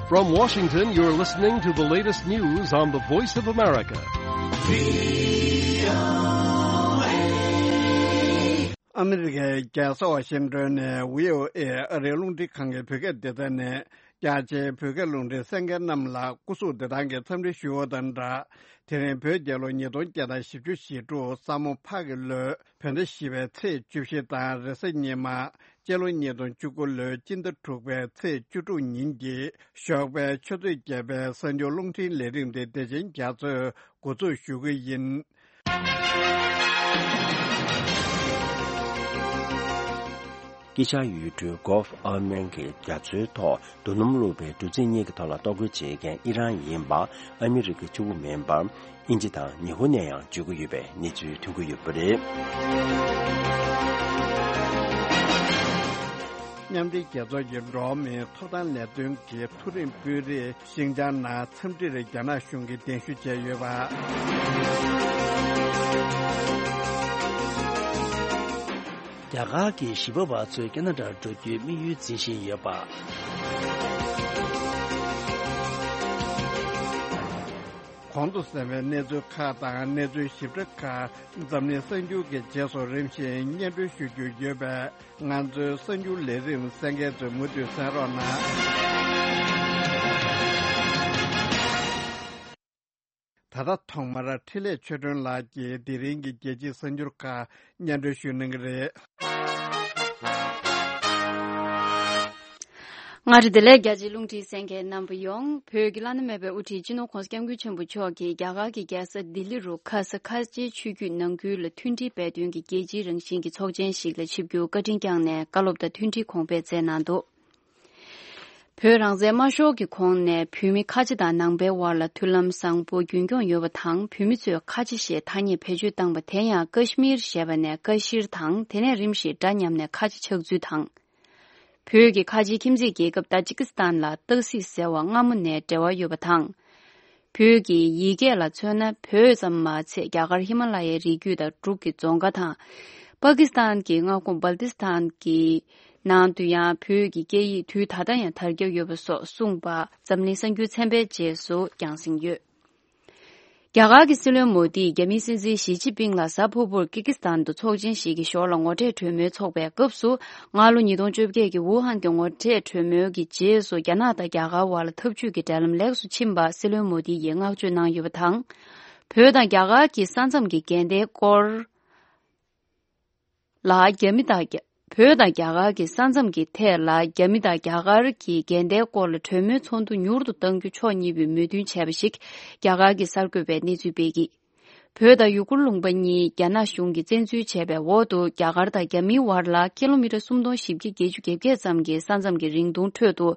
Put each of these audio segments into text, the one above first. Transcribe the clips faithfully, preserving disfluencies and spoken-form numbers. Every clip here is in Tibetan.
From Washington, you're listening to the latest news on the Voice of America. ཨ་མི་རི་ཀའི་རྒྱལ་ས་ཝ་ཤིང་ཏོན་ནས་བྷི་ཨོ་ཨེ་ཨ་རིའི་རླུང་འཕྲིན་ཁང་གི་བོད་སྐད་སྡེ་ཚན་ནས། རྒྱ་ཆེའི་བོད་སྐད་རླུང་འཕྲིན་གསན་མཁན་རྣམས་ལ་སྐུ་གཟུགས་བདེ་ཐང་གི་འཚམས་འདྲི་ཞུ་བ་དང་སྦྲགས། དེ་རིང་བོད་རྒྱལ་ལོ་ཉིས་སྟོང་བརྒྱ་དང་བཞི་བཅུ་ཞེ་དྲུག་ས་མོ་ཕག་གི་ལོའི་བོད་ཟླ་བཞི་པའི་ཚེས་བཅུ་བཞི་དང་རེས་གཟའ་ཉི་མ། སྤྱི་ལོ་ཉིས་སྟོང་བཅུ་དགུ་ལོའི་སྤྱི་ཟླ་དྲུག་པའི་ཚེས་བཅུ་དྲུག་ཉིན་གྱི་ཞོགས་པའི་ཆུ་ཚོད་བརྒྱད་པའི་གསར་འགྱུར་རླུང་འཕྲིན་ལས་རིམ་དེ་བདེ་ཆེན་རྒྱ་མཚོས་འགོ་འཛུགས་ཞུ་གི་ཡིན། དཀྱིལ་ཤར་ཡུལ་གྲུ་Gulf of Aden གྱི་རྒྱ་མཚོའི་ཐོག་རྡོ་སྣུམ་བླུགས་པའི་གྲུ་གཟིངས་གཉིས་ཀྱི་ཐོག་ལ་གཏོར་རྒོལ་བྱེད་མཁན་ཨི་རན་ཡིན་པ་ཨ་མི་རི་ཀ་གཅིག་པུ་མིན་པར། དབྱིན་ཇི་དང་ཉི་ཧོང་ནས་ཡང་བརྗོད་ཀྱི་ཡོད་པའི་གནས་ཚུལ་ཐོན་གྱི་ཡོད་པ་རེད། མཉམ་འབྲེལ་རྒྱལ་ཚོགས་ཀྱི་འགྲོ་བ་མིའི་ཐོབ་ཐང་ལས་དོན་གྱི་མཐོ་རིམ་དཔོན་རིགས་ཤིན་ཅང་ནང་འཚམས་འདྲིར་རྒྱ་ནག་གཞུང་གིས་གདན་ཞུ་བྱས་ཡོད་པ། རྒྱ་གར་གྱི་གཞིས་སྤོ་བ་ཚོས་ཁ་ན་ཌར་འགྲོ་རྒྱུའི་དམིགས་ཡུལ་འཛིན་བཞིན་ཡོད་པ། གོང་དུ་གསན་པའི་གནས་ཚུལ་ཁག་དང་གནས་ཚུལ་ཞིབ་ཕྲ་ཁག་འཛམ་གླིང་གསར་འགྱུར་གྱི་རྗེས་སུ་རིམ་བཞིན་སྙན་སྒྲོན་ཞུ་རྒྱུ་ཡོད་པས། ང་ཚོའི་གསར་འགྱུར་ལས་རིམ་གསན་མཁན་ཚོས་མུ་མཐུད་གསན་རོགས་གནང་། ད་ལྟ་ཐོག་མར་འཕྲིན་ལས་ཆོས་སྒྲོན་ལགས་ཀྱིས་དེ་རིང་གི་རྒྱལ་སྤྱིའི་གསར་འགྱུར་ཁག་སྙན་སྒྲོན་ཞུ་གནང་གི་རེད། མངའ་རིས་བདེ་ལེགས། རྒྱ་ཆེའི་རླུང་འཕྲིན་གསན་མཁན་རྣམ་པ་ཡོངས། བོད་ཀྱི་བླ་ན་མེད་པའི་དབུ་ཁྲིད་སྤྱི་ནོར་༧གོང་ས་༧སྐྱབས་མགོན་ཆེན་པོ་མཆོག་གིས་རྒྱ་གར་གྱི་རྒྱལ་ས་ལྡི་ལི་རུ་ཁ་ས་ཁ་ཆེའི་ཆོས་བརྒྱུད་ནང་ཁུལ་ལ་མཐུན་སྒྲིལ་སྤེལ་དོན་གྱི་རྒྱལ་སྤྱིའི་རང་བཞིན་གྱི་ཚོགས་ཆེན་ཞིག་ལ་ཆིབས་བསྒྱུར་བཀའ་དྲིན་བསྐྱངས་ནས་བཀའ་སློབ་དང་མཐུན་སྒྲིལ་གོང་འཕེལ་སྩལ་གནང་འདུག། བོད་རང་བཙན་དམར་ཤོར་གྱི་གོང་ནས་བོད་མི་ཁ་ཆེ་དང་ནང་པའི་དབར་ལ་མཐུན་ལམ་བཟང་པོ་རྒྱུན་སྐྱོང་ཡོད་པ་དང་། བོད་མི་ཚོས་ཁ་ཆེ་ཞེས་ཐ་སྙད་བེད་སྤྱོད་བཏང་བ་དེ་ཡང་ཀ་ཤི་མིར་ཞེས་པ་ནས་ཀ་ཤིར་དང་། དེ་ནས་རིམ་བཞིན་སྒྲ་ཉམས་ནས་ཁ་ཆེ་ཆགས་ཚུལ་དང་། བོད་ཀྱི་ཁ་ཆེའི་ཁྱིམ་མཚེས་རྒྱལ་ཁབ་ཏཱ་ཇི་ཀི་སི་ཐན་ལ་སྟག་གཟིག་ཟེར་བ་སྔ་མོ་ནས་འབྲེལ་བ་ཡོད་པ་དང་། བོད་ཀྱི་ཡིག་སྐད་ལ་མཚོན་ན། བོད་ཙམ་མ་ཚད་རྒྱ་གར་ཧི་མ་ལ་ཡའི་རི་རྒྱུད་དང་འབྲུག་གི་རྫོང་ཁ་དང་། པ་ཀི་སི་ཐན་གྱི་མངའ་ཁོངས་སྦལ་ཏི་སི་ཐན་གྱི་ནང་དུ་ཡང་བོད་ཀྱི་སྐད་ཡིག་དུས་ད་ལྟ་ཡང་དར་ཁྱབ་ཡོད་པ་སོགས་གསུངས་པ་འཛམ་གླིང་གསར་འགྱུར་ཚན་པས་རྗེས་སུ་རྒྱང་སྲིང་ཡོད། རྒྱ་གར་གྱི་སྲིད་བློན་མོ་དིས་རྒྱ་མིའི་སྲིད་འཛིན་ཞི་ཅིན་ཕིང་ལ་གཟའ་ཕུར་བུར་ཀི་ཀི་སི་ཐན་དུ་ཚོགས་ཆེན་ཞིག་གི་ཞོར་ལ་ངོ་འཕྲད་གྲོས་མོལ་ཚོགས་པའི་སྐབས་སུ། སྔ་ལོ་ཉིས་སྟོང་བཅོ་བརྒྱད་ཀྱི་ཝུ་ཧན་གྱི་ངོ་འཕྲད་གྲོས་མོལ་གྱི་རྗེས་སུ་རྒྱ་ནག་དང་རྒྱ་གར་བར་ལ་འཐབ་ཇུས་ཀྱི་འབྲེལ་ལམ་ལེགས་སུ་ཕྱིན་པ་སྲིད་བློན་མོ་དི་ཡིས་བསྔགས་བརྗོད་གནང་ཡོད་པ་དང་། བོད་དང་རྒྱ་གར་གྱི་ས་མཚམས་ཀྱི་འགལ་ཟླའི་སྐོར་ལ་རྒྱ་མི་དང་རྒྱ། བོད་དང་རྒྱ་གར་གྱི་ས་མཚམས་ཀྱི་ཐད་ལ་རྒྱ་མི་དང་རྒྱ་གར་གྱི་འགལ་ཟླའི་སྐོར་ལ་གྲོས་མོལ་ཚོགས་འདུ་མྱུར་དུ་གཏང་རྒྱུ་ཕྱོགས་གཉིས་པོས་མོས་མཐུན་བྱས་པ་ཞིག་རྒྱ་གར་གྱི་གསར་འགོད་པས་གནས་ཚུལ་སྤེལ་གྱིས། བོད་དང་ཡུ་གུར་ལུང་པ་གཉིས་རྒྱ་ནག་གཞུང་གིས་བཙན་འཛུལ་བྱས་པའི་འོག་ཏུ། རྒྱ་གར་དང་རྒྱ་མིའི་བར་ལ་ཀི་ལོ་མི་ཊར་སུམ་སྟོང་བཞི་བརྒྱ་བརྒྱད་ཅུ་གྱ་བརྒྱད་ཙམ་གྱི་ས་མཚམས་ཀྱི་རིང་ཐུང་ཁྲོད་དུ་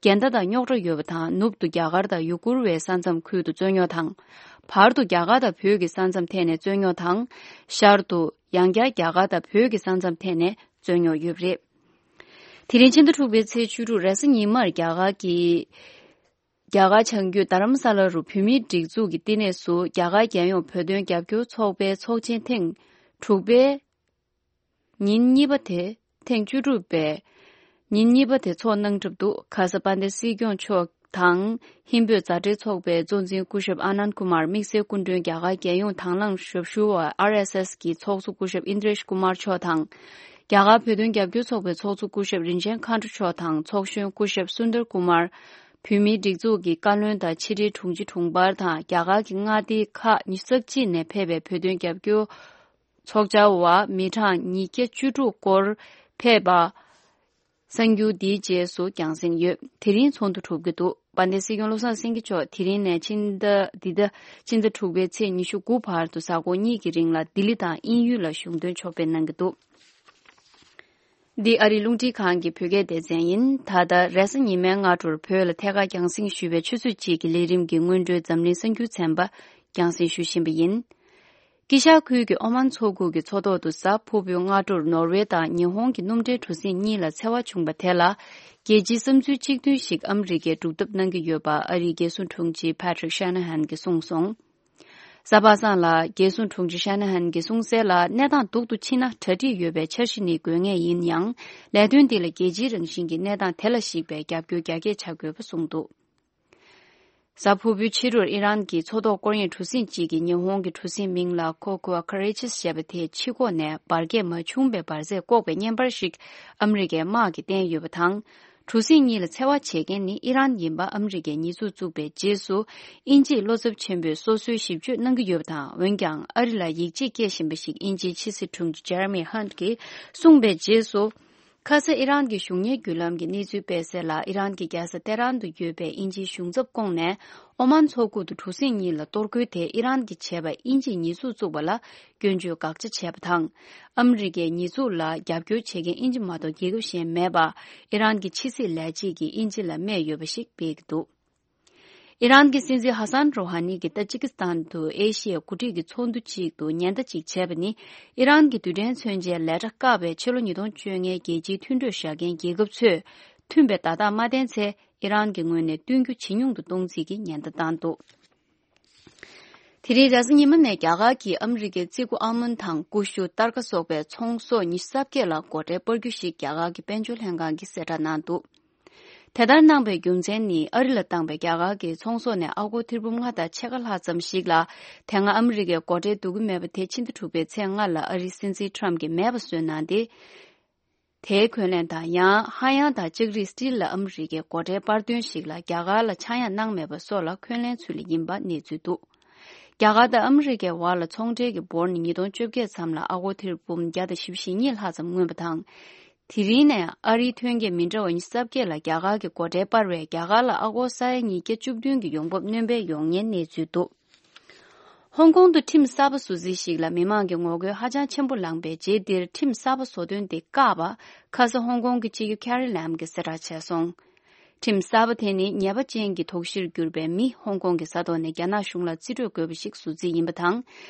འགལ་ཟླ་དང་རྙོག་དྲ་ཡོད་པ་དང་། ནུབ་ཏུ་རྒྱ་གར་དང་ཡུ་གུར་བའི་ས་མཚམས་ཁུལ་དུ་རྩོད་རྙོག་དང་། བར་དུ་རྒྱ་གར་དང་བོད་ཀྱི་ས་མཚམས་ཐད་ནས་རྩོད་རྙོག་དང་། ཤར་དུ་ཡང་བསྐྱར་རྒྱ་གར་དང་བོད་ཀྱི་ས་མཚམས་ཐད་ནས་རྩོད་རྙོག་ཡོད་པ་རེད། དེ་རིང་ཕྱི་ཟླ་དྲུག་པའི་ཚེས་བཅུ་དྲུག་རེས་གཟའ་ཉི་མར་རྒྱ་གར་གྱི། རྒྱ་གར་བྱང་རྒྱུད་རྡ་རམ་ས་ལ་རུ་བོད་མིའི་སྒྲིག་འཛུགས་ཀྱི་བསྟི་གནས་སུ་རྒྱ་གར་རྒྱལ་ཡོངས་བོད་དོན་རྒྱབ་སྐྱོར་ཚོགས་པའི་ཚོགས་ཆེན་ཐེངས་དྲུག་པའི་ཉིན་གཉིས་པ་དེ་ཐེངས་བཅུ་དྲུག་པའི་ཉིན་གཉིས་པ་དེ་ཚོགས་གནང་གྲབས་འདུག། ཁ་ས་དཔལ་ལྡན་སྲིད་སྐྱོང་མཆོག་དང་། ཧིན་བོད་མཛའ་འབྲེལ་ཚོགས་པའི་གཙོ་འཛིན་སྐུ་ཞབས་ཨ་ནན་ཀུ་མར། དམིགས་བསལ་སྐུ་མགྲོན་རྒྱ་གར་རྒྱལ་ཡོངས་དྭང་བླངས་ཞབས་ཞུ་བ་ཨར་ཨེས་ཨེས་ཀྱི་ཚོགས་གཙོ་སྐུ་ཞབས་ཨིན་དྲེཤ་ཀུ་མར་མཆོག་དང་། རྒྱ་གར་བོད་དོན་རྒྱབ་སྐྱོར་ཚོགས་པའི་ཚོགས་གཙོ་སྐུ་ཞབས་རིན་ཆེན་མཁའ་འགྲོ་མཆོག་དང་། ཚོགས་གཞོན་སྐུ་ཞབས་སུན་དར་ཀུ་མར། བོད་མིའི་སྒྲིག་འཛུགས་ཀྱི་བཀའ་བློན་དང་ཕྱི་དྲིལ་དྲུང་ཆེ་དྲུང་འཕར་དང་། རྒྱ་གར་གྱི་མངའ་སྡེ་ཁག་ཉི་ཤུ་རྩ་གཅིག་ནས་ཕེབས་པའི་བོད་དོན་རྒྱབ་སྐྱོར་ཚོགས་བཅར་བ་མི་གྲངས་ཉིས་བརྒྱ་བཅུ་དྲུག་སྐོར་ཕེབས་པ། གསར་འགྱུར་འདིའི་རྗེས་སུ་རྒྱང་སྲིང་ཡོད། དེ་རིང་ཚོགས་འདུ་གྲུབ་ཀྱི་འདུག། དཔལ་ལྡན་སྲིད་སྐྱོང་བློ་བཟང་སེང་གེ་མཆོག་དེ་རིང་ནས་ཕྱི་ཟླ་འདི་ཟླ་ཕྱི་ཟླ་དྲུག་པའི་ཚེས་ཉི་ཤུ་དགུ་བར་དུ་གཟའ་འཁོར་གཉིས་ཀྱི་རིང་ལ་ལྡི་ལི་དང་དབྱིན་ཡུལ་ལ་གཞུང་དོན་ཕྱོགས་ཕེབས་གནང་གི་འདུག། འདི་ཨ་རིའི་རླུང་འཕྲིན་ཁང་གི་བོད་སྐད་སྡེ་ཚན་ཡིན། ད་ལྟ་རེས་གཟའ་ཉི་མའི་སྔ་དྲོར་བོད་ལ་ཐད་ཀར་རྒྱང་སྲིང་ཞུས་པའི་ཆུ་ཚོད་གཅིག་གི་ལས་རིམ་གྱི་སྔོན་འགྲོའི་འཛམ་གླིང་གསར་འགྱུར་ཚན་པ་རྒྱང་སྲིང་ཞུ་བཞིན་པ་ཡིན། དཀྱིལ་ཤར་ཁུལ་གྱི་ཨོ་མན་མཚོ་ཁུག་གི་མཚོ་ཐོག་ཏུ་གཟའ་ཕུར་བུའི་སྔ་དྲོར་ནོར་ཝེ་དང་ཉི་ཧོང་གི་སྣུམ་འདྲེན་གྲུ་གཟིངས་གཉིས་ལ་འཚེ་བ་བྱུང་བ་དེ་ལ། རྒྱལ་སྤྱིའི་བསམ་ཚུལ་གཅིག་མཐུན་ཞིག་ཨ་མི་རི་ཀས་སྒྲུབ་ཐབས་གནང་གི་ཡོད་པ་ཨ་རིའི་རྒྱལ་སྲུང་དྲུང་ཆེ་Patrick Shanahan གྱིས་གསུངས་སོང་། གཟའ་པ་སངས་ལ་རྒྱལ་སྲུང་དྲུང་ཆེ་Shanahan གྱིས་གསུངས་གསལ་ལ། གནས་སྟངས་སྡུག་ཏུ་ཕྱིན་ན་གྲ་སྒྲིག་ཡོད་པའི་འཆར་གཞི་ནི་དགོས་ངེས་ཡིན་ཡང་། ལས་དོན་འདི་ལ་རྒྱལ་སྤྱིའི་རང་བཞིན་གྱི་གནས་སྟངས་དེ་ལ་གཞིགས་པའི་རྒྱབ་སྐྱོར་རྒྱ་སྐྱེད་བྱ་དགོས་པ་གསུངས་འདུག། གཟའ་ཕུར་བུའི་ཕྱི་དྲོར་ཨི་རན་གྱི་མཚོ་ཐོག་སྐོར་གཡེང་གྲུ་གཟིངས་གཅིག་གིས་ཉི་ཧོང་གི་གྲུ་གཟིངས་མིང་ལ་ཁོ་ཁུ་ཨ་ཁ་རེ་ཆིས་ཞེས་པ་དེའི་ཕྱི་ཁོག་ནས་འབར་གས་མ་བྱུང་བའི་འབར་རྫས་བཀོག་པའི་བརྙན་པར་ཞིག་ཨ་མི་རི་ཀའི་དམག་གིས་བསྟན་ཡོད་པ་དང་། གྲུ་གཟིངས་གཉིས་ལ་འཚེ་བ་བྱེད་མཁན་ནི་ཨི་རན་ཡིན་པ་ཨ་མི་རི་ཀས་ཉེས་འཛུགས་བཙུགས་པའི་རྗེས་སུ། དབྱིན་ཇིས་བློ་འཚབ་ཆེན་པོས་སོ་སོའི་ཞིབ་དཔྱོད་གནང་གི་ཡོད་པ་དང་། འོན་ཀྱང་ཨ་རི་ལ་ཡིད་ཆེས་སྐྱེ་བཞིན་པ་ཞིག་དབྱིན་ཇིའི་ཕྱི་སྲིད་དྲུང་ཆེ་ཇེ་རེ་མི་ཧན་གྱིས་གསུངས་པའི་རྗེས་སུ། ཁ་ས་ཨི་རན་གྱི་གཞུང་གཉེར་བརྒྱུད་ལམ་གྱི་གནས་ཚུལ་སྤེལ་གསལ་ལ། ཨི་རན་གྱི་རྒྱལ་ས་ཏེ་རན་དུ་ཡོད་པའི་དབྱིན་ཇིའི་གཞུང་ཚབ་ཁོངས་ནས་ཨོ་མན་མཚོ་ཁུག་ཏུ་གྲུ་གཟིངས་གཉིས་ལ་གཏོར་རྒོལ་དེ་ཨི་རན་གྱིས་བྱས་པ་དབྱིན་ཇིས་ཉེས་འཛུགས་བཙུགས་པ་ལ་སྐྱོན་བརྗོད་དགག་བྱ་བྱས་པ་དང་། ཨ་མི་རི་ཀའི་ཉེས་འཛུགས་ལ་རྒྱབ་སྐྱོར་བྱེད་མཁན་དབྱིན་ཇི་མ་གཏོགས་རྒྱལ་ཁབ་གཞན་མེད་པ། ཨི་རན་གྱི་ཕྱི་སྲིད་ལས་བྱེད་ཀྱིས་དབྱིན་ཇི་ལ་སྨྲས་ཡོད་པ་ཞིག་སྤེལ་གྱི་འདུག་ཨི་རན་གྱི་སྲིད་འཛིན་ཧ་སན་རོ་ཧ་ནི་གིས་ཏ་ཇི་ཀི་སི་ཐན་དུ་ཨེ་ཤི་ཡའི་འགོ་ཁྲིད་ཀྱི་ཚོགས་འདུ་ཅིག་ཏུ་ཉེན་བརྡ་ཅིག་བྱས་པ་ནི། ཨི་རན་གྱི་རྡུལ་ཕྲན་མཚོན་ཆའི་ལས་གྲྭ་བཀག་པའི་ཕྱི་ལོ་ཉིས་སྟོང་བཅོ་ལྔའི་རྒྱལ་སྤྱིའི་མཐུན་གྲོས་བཞག་མཁན་རྒྱལ་ཁབ་ཚོས་མཐུན་པའི་བརྡ་རྟགས་མ་བསྟན་ཚེ། ཨི་རན་གྱི་ངོས་ནས་བསྟུན་རྒྱུ་ཇེ་ཉུང་དུ་གཏོང་རྩིས་ཀྱི་ཉེན་བརྡ་བཏང་འདུག་དེ་རིང་རེས་གཟའ་ཉི་མ་ནས་རྒྱ་གར་གྱིས་ཨ་མི་རི་ཀའི་ཙི་གུ་ཨལ་མོན་དང་ཀུ་ཤུ་སྟར་ཀ་སོགས་པའི་ཚོང་ཟོག་ཉི་ཤུ་རྩ་བརྒྱད་ལ་སྒོ་ཁྲལ་སྤར་རྒྱུ་ཞིག་རྒྱ་གར་གྱི་དཔལ་འབྱོར་ལྷན་ཁང་གིས་གསལ་བསྒྲགས་གནང་འདུག་དེ་ལྟར་གནང་པའི་རྒྱུ་མཚན་ནི། ཨ་རི་ལ་བཏང་པའི་རྒྱ་གར་གྱི་ཚོང་ཟོག་ནས་ཨ་སྒོར་ཐེར་འབུམ་ལྔ་དང་ཕྱེད་ཀ་ལྷག་ཙམ་ཞིག་ལ། དེ་སྔ་ཨ་མི་རི་ཀས་སྒོ་ཁྲལ་བསྡུ་གི་མེད་པ་དེ་ཕྱི་ཟླ་དྲུག་པའི་ཚེས་ལྔ་ལ་ཨ་རིའི་སྲིད་འཛིན་ཁྲམ་གྱིས་མེད་པ་བཟོས་གནང་སྟེ། དེའི་འཁོན་ལན་དང་། ཡང་ཧ་ཡང་དང་ལྕགས་རིགས་སི་ཊིལ་ལ་ཨ་མི་རི་ཀས་སྒོ་ཁྲལ་སྤར་དོན་ཞིག་ལ་རྒྱ་གར་ལ་ཆག་ཡང་གནང་མེད་པ་སོགས་ལ་འཁོན་ལན་ཚུལ་ལ་ཡིན་པ་གནས་ཚུལ་འདུག་རྒྱ་གར་དང་ཨ་མི་རི་ཀའི་བར་ལ་ཚོང་འབྲེལ་གྱི་འབོར་ནི་ཉིས་སྟོང་བཅོ་བརྒྱད་ཙམ་ལ་ཨ་སྒོར་ཐེར་འབུམ་བརྒྱ་དང་བཞི་བཅུ་ཞེ་གཉིས་ལྷག་ཙམ་མངོན་པ་དང་། དེ་རིང་ནས་ཨ་རིའི་ཐོན་སྐྱེད་མི་འདྲ་བ་ཉི་ཤུ་རྩ་བརྒྱད་ལ་རྒྱ་གར་གྱི་སྒོ་ཁྲལ་སྤར་བས། རྒྱ་གར་ལ་ཨ་སྒོར་ས་ཡ་ཉིས་བརྒྱ་བཅུ་བདུན་གྱི་ཡོང་འབབ་སྣོན་པའི་ཡོང་ཉེན་གནས་ཚུལ་འདུག་ཧོང་ཀོང་དུ་ཁྲིམས་གསར་པ་བཟོ་རྩིས་ཤིག་ལ་མི་མང་གི་ངོ་རྒོལ་ཧ་ཅང་ཆེན་པོ་ལངས་པའི་རྗེས་འདིར། ཁྲིམས་གསར་པ་བཟོ་དོན་དེ་བཀག་པ། ཁ་ས་ཧོང་ཀོང་གི་སྤྱི་ཁྱབ་ཁེ་རི་ལམ་གྱིས་གསལ་བསྒྲགས་བྱས་སོང་། ཁྲིམས་གསར་པ་དེ་ནི་ཉེས་པ་ཅན་གྱི་དོགས་གཞིར་གྱུར་པའི་མི་ཧོང་ཀོང་གི་ས་ཐོག་ནས་རྒྱ་ནག་གཞུང་ལ་རྩིས་སྤྲོད་དགོས་པ་ཞིག་བཟོ་རྩིས་ཡིན་པ་དང་།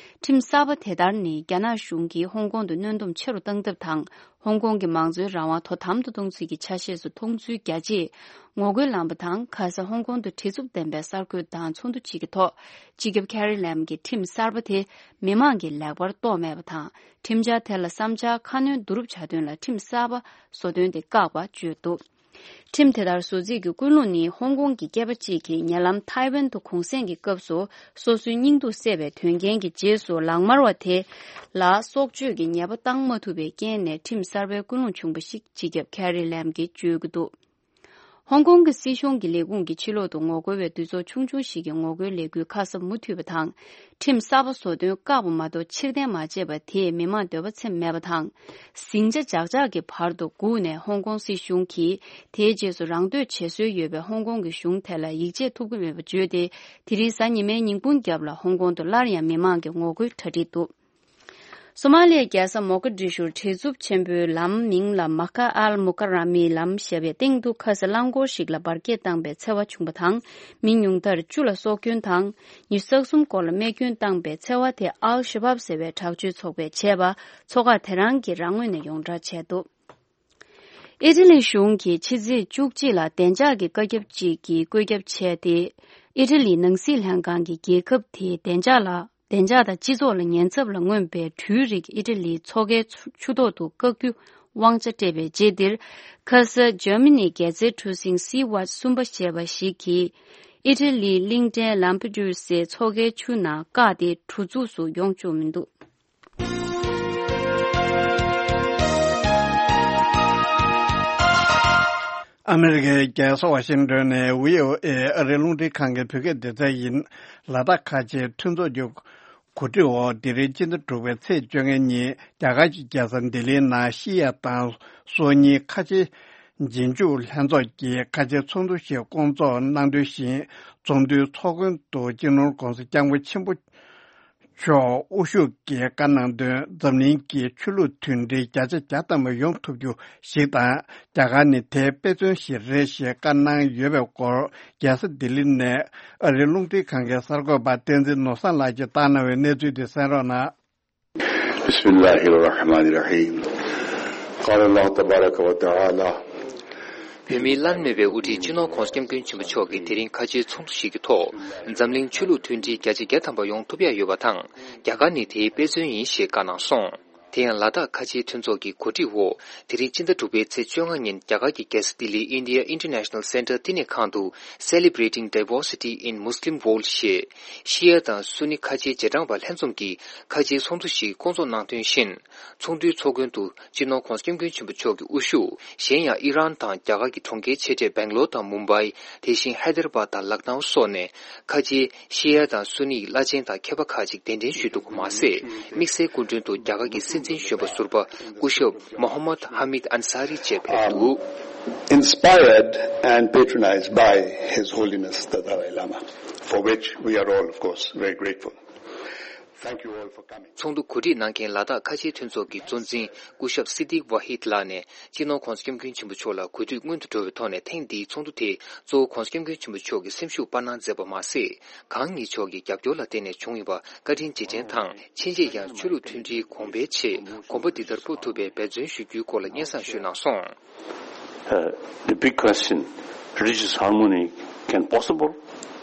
ཁྲིམས་གསར་པ་དེ་ལྟར་ནི་རྒྱ་ནག་གཞུང་གིས་ཧོང་ཀོང་དུ་གནོན་སྡོམ་ཆེ་རུ་བཏང་ཐབས་དང་། ཧོང་ཀོང་གི་མང་གཙོའི་རང་དབང་དོ་དམ་དུ་གཏོང་རྩིས་ཀྱི་ཆ་ཤས་སུ་མཐོང་ཚུལ་རྒྱ་ཆེའི་ངོ་རྒོལ་ལངས་པ་དང་། ཁ་ས་ཧོང་ཀོང་དུ་བྲེལ་འཚུབ་ལྡན་པའི་གསར་འགོད་དང་ཚོགས་འདུ་གཅིག་གི་ཐོག་སྤྱི་ཁྱབ་ཁེ་རི་ལམ་གྱིས་ཁྲིམས་གསར་པ་དེ་མི་མང་གིས་ལེགས་པར་རྟོགས་མེད་པ་དང་། ཁྲིམས་འཆར་དེ་ལ་བསམ་འཆར་ཁ་སྣོན་བསྡུ་རུབ་བྱ་དོན་ལ་ཁྲིམས་གསར་པ་བཟོ་དོན་དེ་བཀག་པ་བརྗོད་འདུག་ཁྲིམས་དེ་ལྟར་བཟོ་རྩིས་ཀྱི་ཀུན་སློང་ནི། ཧོང་ཀོང་གི་སྐྱེས་པ་གཅིག་གིས་ཉེ་ལམ་ཐའེ་ཝན་དུ་གུང་གསེང་གི་སྐབས་སུ་སོ་སོའི་སྙིང་སྡུག་བསལ་བའི་དོན་རྐྱེན་གྱི་རྗེས་སུ། ལག་དམར་བ་དེ་ལ་སྲོག་གཅོད་ཀྱི་ཉེས་པ་བཏང་མ་ཐུབ་པའི་རྐྱེན་ནས་ཁྲིམས་གསར་པའི་ཀུན་སློང་བྱུང་བ་ཞིག་སྤྱི་ཁྱབ་ཁེ་རི་ལམ་གྱིས་བརྗོད་ཀྱི་འདུག་ཧོང་ཀོང་གི་སྲིད་གཞུང་གི་ལས་ཁུངས་ཀྱི་ཕྱི་ལོག་ཏུ་ངོ་རྒོལ་བའི་འདུས་ཚོགས་ཆུང་ཆུང་ཞིག་གི་ངོ་རྒོལ་ལས་འགུལ་ཁ་གསབ་མུ་མཐུད་པ་དང་། ཁྲིམས་གསར་པ་བཟོ་དོན་བཀག་པ་མ་གཏོགས་ཕྱིར་འཐེན་མ་བྱས་པ་དེས་མི་མང་འདོད་པ་ཚིམ་མེད་པ་དང་། ཟིང་ཆ་འཇགས་འཇགས་ཀྱི་བར་དུ་སྒུག་ནས། ཧོང་ཀོང་སྲིད་གཞུང་གིས་དེའི་རྗེས་སུ་རང་འདོད་བྱེད་སྲོལ་ཡོད་པའི་ཧོང་ཀོང་གི་གཞུང་དེ་ལ་ཡིད་ཆེས་ཐུབ་ཀྱི་མེད་པ་བརྗོད་དེ། དེ་རིང་གཟའ་ཉི་མའི་ཉིན་གུང་རྒྱབ་ལ་ཧོང་ཀོང་དུ་སླར་ཡང་མི་མང་གི་ངོ་རྒོལ་གྲ་སྒྲིག་འདུག་སོ་མ་ལི་ཡའི་རྒྱལ་ས་མོ་ཀ་ཌི་ཤུར་བྲེལ་འཚུབ་ཆེན་པོའི་ལམ་མིང་ལ་མ་ཀ་ཨལ་མུ་ཀ་ར་མིའི་ལམ་ཞེས་པའི་སྟེང་དུ་ཁ་ས་རླངས་འཁོར་ཞིག་ལ་འབར་གས་བཏང་པའི་འཚེ་བ་བྱུང་པ་དང་། མི་ཉུང་མཐར་བཅུ་ལ་སྲོག་སྐྱོན་དང་། ཉི་ཤུ་རྩ་གསུམ་སྐོར་ལ་རྨས་སྐྱོན་བཏང་པའི་འཚེ་བ་དེ་ཨལ་ཤ་བབ་ཟེར་བའི་དྲག་སྤྱོད་ཚོགས་པས་བྱས་པ། ཚོགས་ཁག་དེ་རང་གིས་རང་ངོས་ནས་ཡོངས་བསྒྲགས་བྱས་འདུག་ཨི་ཊ་ལི་གཞུང་གིས་ཕྱི་ཚེས་བཅུ་གཅིག་ལ་བདེ་འཇགས་ཀྱི་བཀའ་ཁྱབ་ཅིག་གི་བཀོད་ཁྱབ་བྱས་ཏེ། ཨི་ཊ་ལིའི་ནང་སྲིད་ལྷན་ཁང་གིས་རྒྱལ་ཁབ་དེའི་བདེ་འཇགས་ལ། བདེ་འཇགས་དང་སྤྱི་ཚོགས་ལ་ཉེན་ཚབས་ལ་མངོན་པའི་འཕྲུལ་རིག་ཨི་ཊ་ལིའི་མཚོ་ཁའི་ཆུ་ཐོག་ཏུ་བཀག་རྒྱུ་དབང་ཆ་སྤྲད་པའི་རྗེས་འདིར། ཁ་ས་འཇར་མ་ནིའི་སྒྱུ་རྩལ་གྲུ་གཟིངས་Sea Watch གསུམ་པ་ཞེས་པ་ཞིག་གིས་ཨི་ཊ་ལིའི་གླིང་ཕྲན་ལམ་པེ་ཌུ་སའི་མཚོ་ཁའི་ཆུ་ནང་བཀག་སྟེ་གྲུ་འཛུགས་སུ་ཡོང་བཅུག་མི་འདུག་ཨ་མེ་རི་ཀའི་རྒྱལ་ས་ཝ་ཤིང་ཏོན་ནས་བྷི་ཨོ་ཨེ་ཨ་རིའི་རླུང་འཕྲིན་ཁང་གི་བོད་སྐད་སྡེ་ཚན་ཡིན། ལ་དྭགས་ཁ་ཆེའི་མཐུན་ཚོགས་ཀྱི་གོ་སྒྲིག་འོག་དེ་རིང་སྤྱི་ཟླ་དྲུག་པའི་ཚེས་བཅོ་ལྔ་ཉིན་རྒྱ་གར་གྱི་རྒྱལ་ས་ལྡི་ལིའི་ནང་ཤི་ཡ་དང་སོ་གཉིས་ཁ་ཆེའི་རྗེས་འཇུག་ལྷན་ཚོགས་ཀྱི་ཁ་ཆེའི་ཚོགས་འདུ་ཞིག་བསྐོང་ཚོགས་གནང་དོན་བཞིན། ཚོགས་འདུའི་ཚོགས་མགོན་དུ་སྤྱི་ནོར་༧གོང་ས་༧སྐྱབས་མགོན་ཆེན་པོ་མཆོག་དབུ་བཞུགས་ཀྱིས་བཀའ་གནང་དོན། འཛམ་གླིང་གི་ཆོས་ལུགས་མཐུན་སྒྲིལ་བརྒྱ་ཆ་བརྒྱ་ཐམ་པ་ཡོང་ཐུབ་རྒྱུ་ཞིག་དང་། རྒྱ་གར་ནི་དེའི་དཔེ་མཚོན་ཞིག་རེད་ཞེས་བཀའ་གནང་ཡོད་པའི་སྐོར། རྒྱལ་ས་ལྡི་ལི་ནས་ཨ་རིའི་རླུང་འཕྲིན་ཁང་གི་གསར་འགོད་པ་བསྟན་འཛིན་ནོར་བཟང་ལགས་ཀྱིས་བཏང་གནང་བའི་གནས་ཚུལ་དེ་གསན་རོགས་གནང་། بسم الله الرحمن الرحيم. قال الله تبارك وتعالى. བོད་མིའི་བླ་ན་མེད་པའི་དབུ་ཁྲིད་སྤྱི་ནོར་༧གོང་ས་༧སྐྱབས་མགོན་ཆེན་པོ་མཆོག་གིས་དེ་རིང་ཁ་ཆེའི་ཚོགས་འདུ་ཞིག་གི་ཐོག་འཛམ་གླིང་ཆོས་ལུགས་མཐུན་སྒྲིལ་བརྒྱ་ཆ་བརྒྱ་ཐམ་པ་ཡོང་ཐུབ་ཡ་ཡོད་པ་དང་། རྒྱ་གར་ནི་དེའི་དཔེ་མཚོན་ཡིན་ཞེས་བཀའ་གནང་སོང་། དེ་ཡང་ལ་དྭགས་ཁ་ཆེའི་མཐུན་ཚོགས་ཀྱི་གོ་སྒྲིག་འོག་དེ་རིང་སྤྱི་ཟླ་དྲུག་པའི་ཚེས་བཅོ་ལྔ་ཉིན་རྒྱ་གར་གྱི་རྒྱལ་ས་ལྡི་ལིའི་India International Centre བསྟི་གནས་ཁང་དུ་Celebrating Diversity in Muslim World ཞེས་ཤི་ཡ་དང་སུ་ནི་ཁ་ཆེའི་རྗེས་འབྲང་པ་ལྷན་འཛོམས་ཀྱི་ཁ་ཆེའི་ཚོགས་འདུ་ཞིག་བསྐོང་ཚོགས་གནང་དོན་བཞིན། ཚོགས་འདུའི་ཚོགས་མགོན་དུ་སྤྱི་ནོར་༧གོང་ས་༧སྐྱབས་མགོན་ཆེན་པོ་མཆོག་གི་དབུ་བཞུགས། གཞན་ཡང་ཨི་རན་དང་རྒྱ་གར་གྱི་གྲོང་ཁྱེར་ཆེ་གྲས་སྦེང་ལོར་དང་མུམ་བྷའི། དེ་བཞིན་ཧའེ་དར་བཱད་དང་ལག་ནའུ་སོགས་ནས་ཁ་ཆེའི་ཤི་ཡ་དང་སུ་ནི་ཡི་བླ་ཆེན་དང་མཁས་པ་ཁག་ཅིག་གདན་འདྲེན་ཞུས་འདུག་པ་མ་ཟད། དམིགས་བསལ་སྐུ་མགྲོན་དུ་རྒྱ་གར་གྱི་སྲིད་འཛིན་གཞོན་པ་ཟུར་པ་སྐུ་ཞབས་Mohammad Hamid Ansari བཅས་ཕེབས་འདུག Inspired and patronized by His Holiness the Dalai Lama, for which we are all, of course, very grateful. Thank you all for coming. ཚོགས་འདུ་གོ་སྒྲིག་གནང་མཁན་ལ་དྭགས་ཁ་ཆེའི་མཐུན་ཚོགས་ཀྱི་གཙོ་འཛིན་སྐུ་ཞབས་སི་ཏིག་ཝ་ཧིད་ལགས་ནས་སྤྱི་ནོར་༧གོང་ས་༧སྐྱབས་མགོན་ཆེན་པོ་མཆོག་ལ་གུས་འདུད་སྔོན་དུ་འགྲོ་བའི་ཐོག་ནས་ཐེངས་འདིའི་ཚོགས་འདུ་དེ་གཙོ་བོ་༧གོང་ས་༧སྐྱབས་མགོན་ཆེན་པོ་མཆོག་གི་སེམས་ཤུགས་སྤར་གནང་མཛད་པ་མ་ཟད། གང་ཉིད་མཆོག་གི་རྒྱབ་སྐྱོར་ལ་བརྟེན་ནས་བྱུང་ཡོད་པ་བཀའ་དྲིན་རྗེས་དྲན་དང་། ཕྱིན་ཆད་ཡང་ཆོས་ལུགས་མཐུན་སྒྲིལ་གོང་འཕེལ་ཆེད་གོམ་པ་འདི་ལྟར་སྤོ་ཐུབ་པའི་འབད་བརྩོན་ཞུ་རྒྱུའི་སྐོར་ལ་སྙན་སེང་ཞུས་གནང་སོང་། Uh, the big question, religious harmony can possible?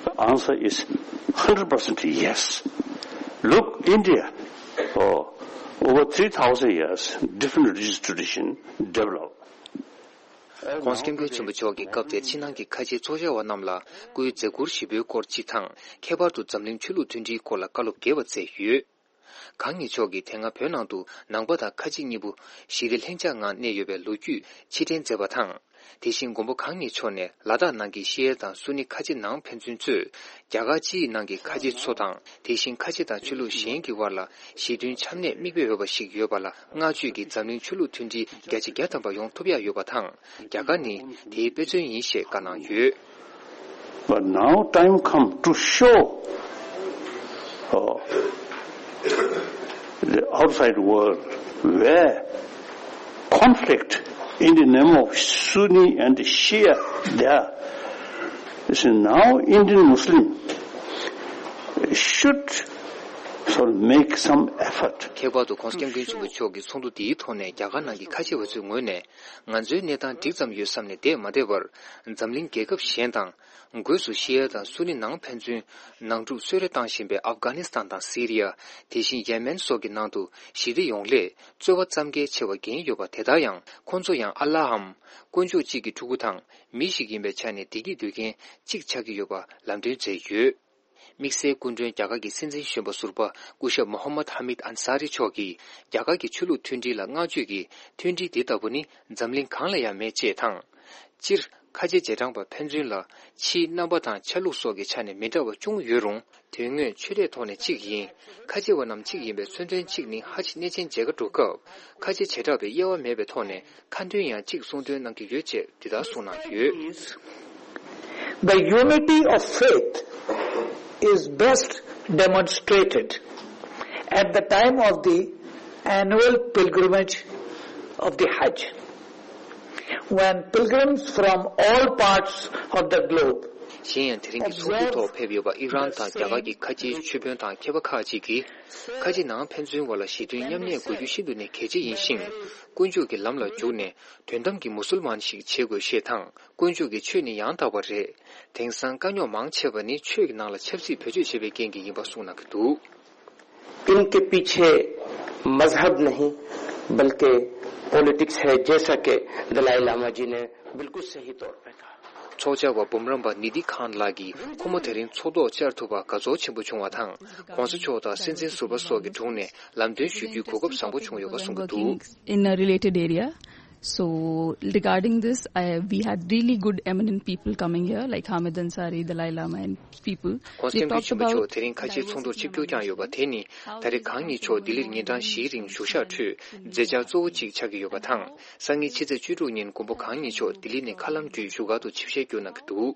The answer is hundred percent yes. Look, India, oh, over three thousand years, different religious tradition develop. ༸གོང་ས་༸སྐྱབས་མགོན་ཆེན་པོ་མཆོག་གིས་སྐབས་དེར་ཕྱི་ནང་གི་ཁ་ཆེའི་ཚོགས་བཅར་བ་རྣམས་ལ་སྐུའི་མཛད་ཁུར་ཞིབ་པོའི་སྐོར་གཅིག་དང་། ཁྱད་པར་དུ་འཛམ་གླིང་ཆོས་ལུགས་མཐུན་སྒྲིལ་སྐོར་ལ་བཀའ་སློབ་རྒྱས་པ་མཛད་ཡོད། གང་ཉིད་མཆོག་གིས་དེ་སྔ་བོད་ནང་དུ་ནང་པ་དང་ཁ་ཆེ་གཉིས་པོ་ཞི་བདེ་ལྷིང་འཇགས་ངང་གནས་ཡོད་པའི་ལོ་རྒྱུས་ཕྱིར་དྲན་མཛད་པ་དང་། དེ་བཞིན་མགོན་པོ་གང་ཉིད་མཆོག་ནས་ལ་དྭགས་ནང་གི་ཤི་ཡ་དང་སུ་ནི་ཁ་ཆེ་ནང་ཕན་ཚུན་ཚོས་རྒྱ་གར་སྤྱིའི་ནང་གི་ཁ་ཆེ་ཚོ་དང་། དེ་བཞིན་ཁ་ཆེ་དང་ཆོས་ལུགས་གཞན་གྱི་དབར་ལ་ཞི་མཐུན་འཆམ་གནས་མིག་དཔེ་འོས་པ་ཞིག་ཡོད་པ་ལ་བསྔགས་བརྗོད་ཀྱིས་འཛམ་གླིང་ཆོས་ལུགས་མཐུན་སྒྲིལ་བརྒྱ་ཆ་བརྒྱ་ཐམ་པ་ཡོང་ཐུབ་ཡག་ཡོད་པ་དང་། རྒྱ་གར་ནི་དེའི་དཔེ་མཚོན་ཡིན་ཞེས་བཀའ་གནང་ཡོད། But now time come to show, uh, the outside world where conflict in the name of Sunni and Shia there. You see, now Indian Muslim should sort of make some effort. ཁྱད་པར་དུ་༸གོང་ས་༸སྐྱབས་མགོན་ཆེན་པོ་མཆོག་གིས་ཚོགས་འདུ་འདིའི་ཐོག་ནས་རྒྱ་གར་ནང་གི་ཁ་ཆེ་བ་ཚོའི་ངོས་ནས་ང་ཚོའི་གནས་སྟངས་འགྲིག་ཙམ་ཡོད་བསམ་ནས་བསྡད་མ་བསྡད་པར། འཛམ་གླིང་རྒྱལ་ཁབ་གཞན་དང་། སྒོས་སུ་ཤི་ཡ་དང་སུ་ནི་ནང་ཕན་ཚུན་ནང་འཁྲུག་གསོལ་རས་བཏང་བཞིན་པའི་ཨབ་གྷ་ནི་སི་ཐན་དང་སི་རི་ཡ། དེ་བཞིན་ཡེ་མེན་སོགས་ཀྱི་ནང་དུ་ཞི་བདེ་ཡོང་སླད་རྩོལ་བ་ཙམ་གྱིས་ཆེ་བ་འགན་ཡོད་པ་དེ་ལྟར་ཡང་ཁོང་ཚོ་ཡང་ཨ་ལྷའམ་དཀོན་མཆོག་གཅིག་གི་ཕྲུ་གུ་དང་མི་ཞིག་ཡིན་པའི་ཆ་ནས་བདེ་སྐྱིད་འདོད་མཁན་གཅིག་ཆགས་ཀྱི་ཡོད་པ་ལམ་སྟོན་མཛད་ཡོད། དམིགས་བསལ་སྐུ་མགྲོན་རྒྱ་གར་གྱི་སྲིད་འཛིན་གཞོན་པ་ཟུར་པ་སྐུ་ཞབས་མོ་ཧམ་མད་ཧ་མིད་ཨན་ས་རི་མཆོག་གིས་རྒྱ་གར་གྱི་ཆོས་ལུགས་མཐུན་སྒྲིལ་ལ་བསྔགས་བརྗོད་ཀྱིས་མཐུན་སྒྲིལ་འདི་ལྟ་བུ་ནི་འཛམ་གླིང་གང་ལ་ཡང་མེད་ཅེས་དང་། སྤྱིར་ཁ་ཆེ་རྗེས་འབྲང་པ་ཕན་ཚུན་ལ་ཕྱིའི་རྣམ་པ་དང་ཆ་ལུགས་སོགས་ཀྱི་ཆ་ནས་མི་འདྲ་བ་ཅུང་ཡོད་རུང་དོན་དངོས་ཆོས་དད་ཐོག་ནས་གཅིག་ཡིན། ཁ་ཆེ་བ་རྣམས་གཅིག་ཡིན་པའི་མཚོན་དོན་གཅིག་ནི་ཧ་ཅང་གནས་ཆེན་མཇལ་ཁ་འགྲོ་སྐབས་ཁ་ཆེ་བྱེ་བྲག་པའི་དབྱེ་བ་མེད་པའི་ཐོག་ནས་ཁ་འདོན་ཡང་གཅིག་གསུང་འདོན་གནང་གི་ཡོད་ཅེས་འདི་ལྟར་གསུངས་གནང་ཡོད། The unity of faith is best demonstrated at the time of the annual pilgrimage of the Hajj, when pilgrims from all parts of the globe གཞན་ཡང་དེ་རིང་གི་ཚོགས་འདུའི་ཐོག་ཕེབས་ཡོད་པ་ཨི་རན་དང་རྒྱ་གར་གྱི་ཁ་ཆེའི་ཆོས་དཔོན་དང་མཁས་པ་ཁག་ཅིག་གིས། ཁ་ཆེ་ནང་ཕན་ཚུན་བར་ལ་ཞི་མཐུན་མཉམ་གནས་དགོས་རྒྱུ་ཤིན་ཏུ་ནས་གལ་ཆེ་ཡིན་ཞིང་། དཀོན་མཆོག་གི་ལམ་ལ་འཇུག་ནས་དོན་དམ་གྱི་མུ་སུལ་མཱན་ཞིག་བྱེད་དགོས་ཞེས་དང་། དཀོན་མཆོག་གི་ཆོས་ནི་ཡང་དག་པ་རེད། དེང་སང་དཀའ་རྙོག་མང་ཆེ་བ་ནི་ཆོས་ཀྱི་ནང་ལ་ཆབ་སྲིད་བེད་སྤྱོད་བྱས་པའི་རྐྱེན་གྱིས་ཡིན་པ་གསུངས་གནང་གི་འདུག། इनके पीछे मजहब नहीं, बल्कि पॉलिटिक्स है, जैसा कि दलाई लामा जी ने बिल्कुल सही तौर पे कहा। ཚོགས་བཅར་བ་འབུམ་རམས་པ་ནི་དྷི་ཁཱན་ལགས་ཀྱིས་ཁོ་མོ་དེ་རིང་ཚོགས་ཐོག་བཅར་ཐུབ་པར་དགའ་ཚོར་ཆེན་པོ་བྱུང་བ་དང་། ༸གོང་ས་མཆོག་དང་སྲིད་འཛིན་ཟུར་པ་སོགས་ཀྱི་དྲུང་ནས་ལམ་སྟོན་ཞུ་རྒྱུའི་གོ་སྐབས་བཟང་པོ་བྱུང་ཡོད་པ་གསུངས་ཀྱི་འདུག། Working in a related area. So regarding this, I, we had really good eminent people coming here, like Hamid Ansari, Dalai Lama, and people. ༸གོང་ས་༸སྐྱབས་མགོན་ཆེན་པོ་མཆོག་དེ་རིང་ཁ་ཆེའི་ཚོགས་འདུར་ཆིབས་བསྒྱུར་བསྐྱངས་ཡོད་པ་དེ་ནི། ད་རེས་གང་ཉིད་མཆོག་ལྡི་ལིར་ཉིན་གྲངས་བཞིའི་རིང་བཞུགས་ཞག་ཁྲོད་མཛད་འཆར་གཙོ་བོ་གཅིག་ཆགས་ཀྱི་ཡོད་པ་དང་། སང་ཉིན་ཕྱི་ཚེས་བཅུ་དྲུག་ཉིན་མགོན་པོ་གང་ཉིད་མཆོག་ལྡི་ལི་ནས་མཁའ་ལམ་བརྒྱུད་བཞུགས་སྒར་དུ་ཆིབས་ཞལ་བསྒྱུར་གནང་གི་འདུག།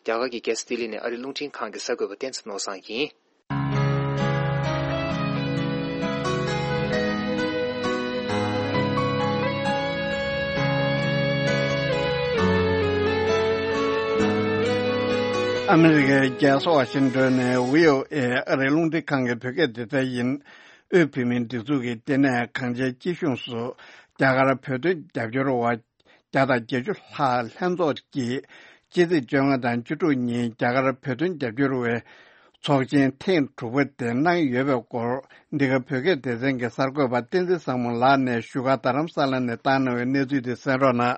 རྒྱ་གར་གྱི་རྒྱལ་ས་ལྡི་ལི་ནས་ཨ་རིའི་རླུང་འཕྲིན་ཁང་གི་གསར་འགོད་པ་བསྟན་འཛིན་ནོར་བཟང་ཡིན། ཨ་མི་རི་ཀའི་རྒྱལ་ས་ཝ་ཤིང་ཏོན་ནས་བྷི་ཨོ་ཨེ་ཨ་རིའི་རླུང་འཕྲིན་ཁང་གི་བོད་སྐད་སྡེ་ཚན་ཡིན། དབུས་བོད་མིའི་སྒྲིག་འཛུགས་ཀྱི་ལྟེ་གནས་གངས་ཅན་སྐྱིད་གཤོངས་སུ་རྒྱ་གར་བོད་དོན་རྒྱབ་སྐྱོར་བ་བརྒྱ་དང་བརྒྱད་ཅུ་ལྷག་ལྷན་ཚོགས་ཀྱིས་ཕྱི་ཚེས་བཅོ་ལྔ་དང་བཅུ་དྲུག་ཉིན་རྒྱ་གར་བོད་དོན་རྒྱབ་སྐྱོར་བའི་ ཚོགས་ཆེན་ཐེངས་དྲུག་པ་དེ་གནང་ཡོད་པའི་སྐོར། འདི་ག་བོད་སྐད་སྡེ་ཚན་གྱི་གསར་འགོད་པ་བསྟན་འཛིན་བཟང་མོ་ལགས་ནས་བཞུགས་སྒར་རྡ་རམ་ས་ལ་ནས་བཏང་གནང་བའི་གནས་ཚུལ་དེ་གསན་རོགས་གནང་།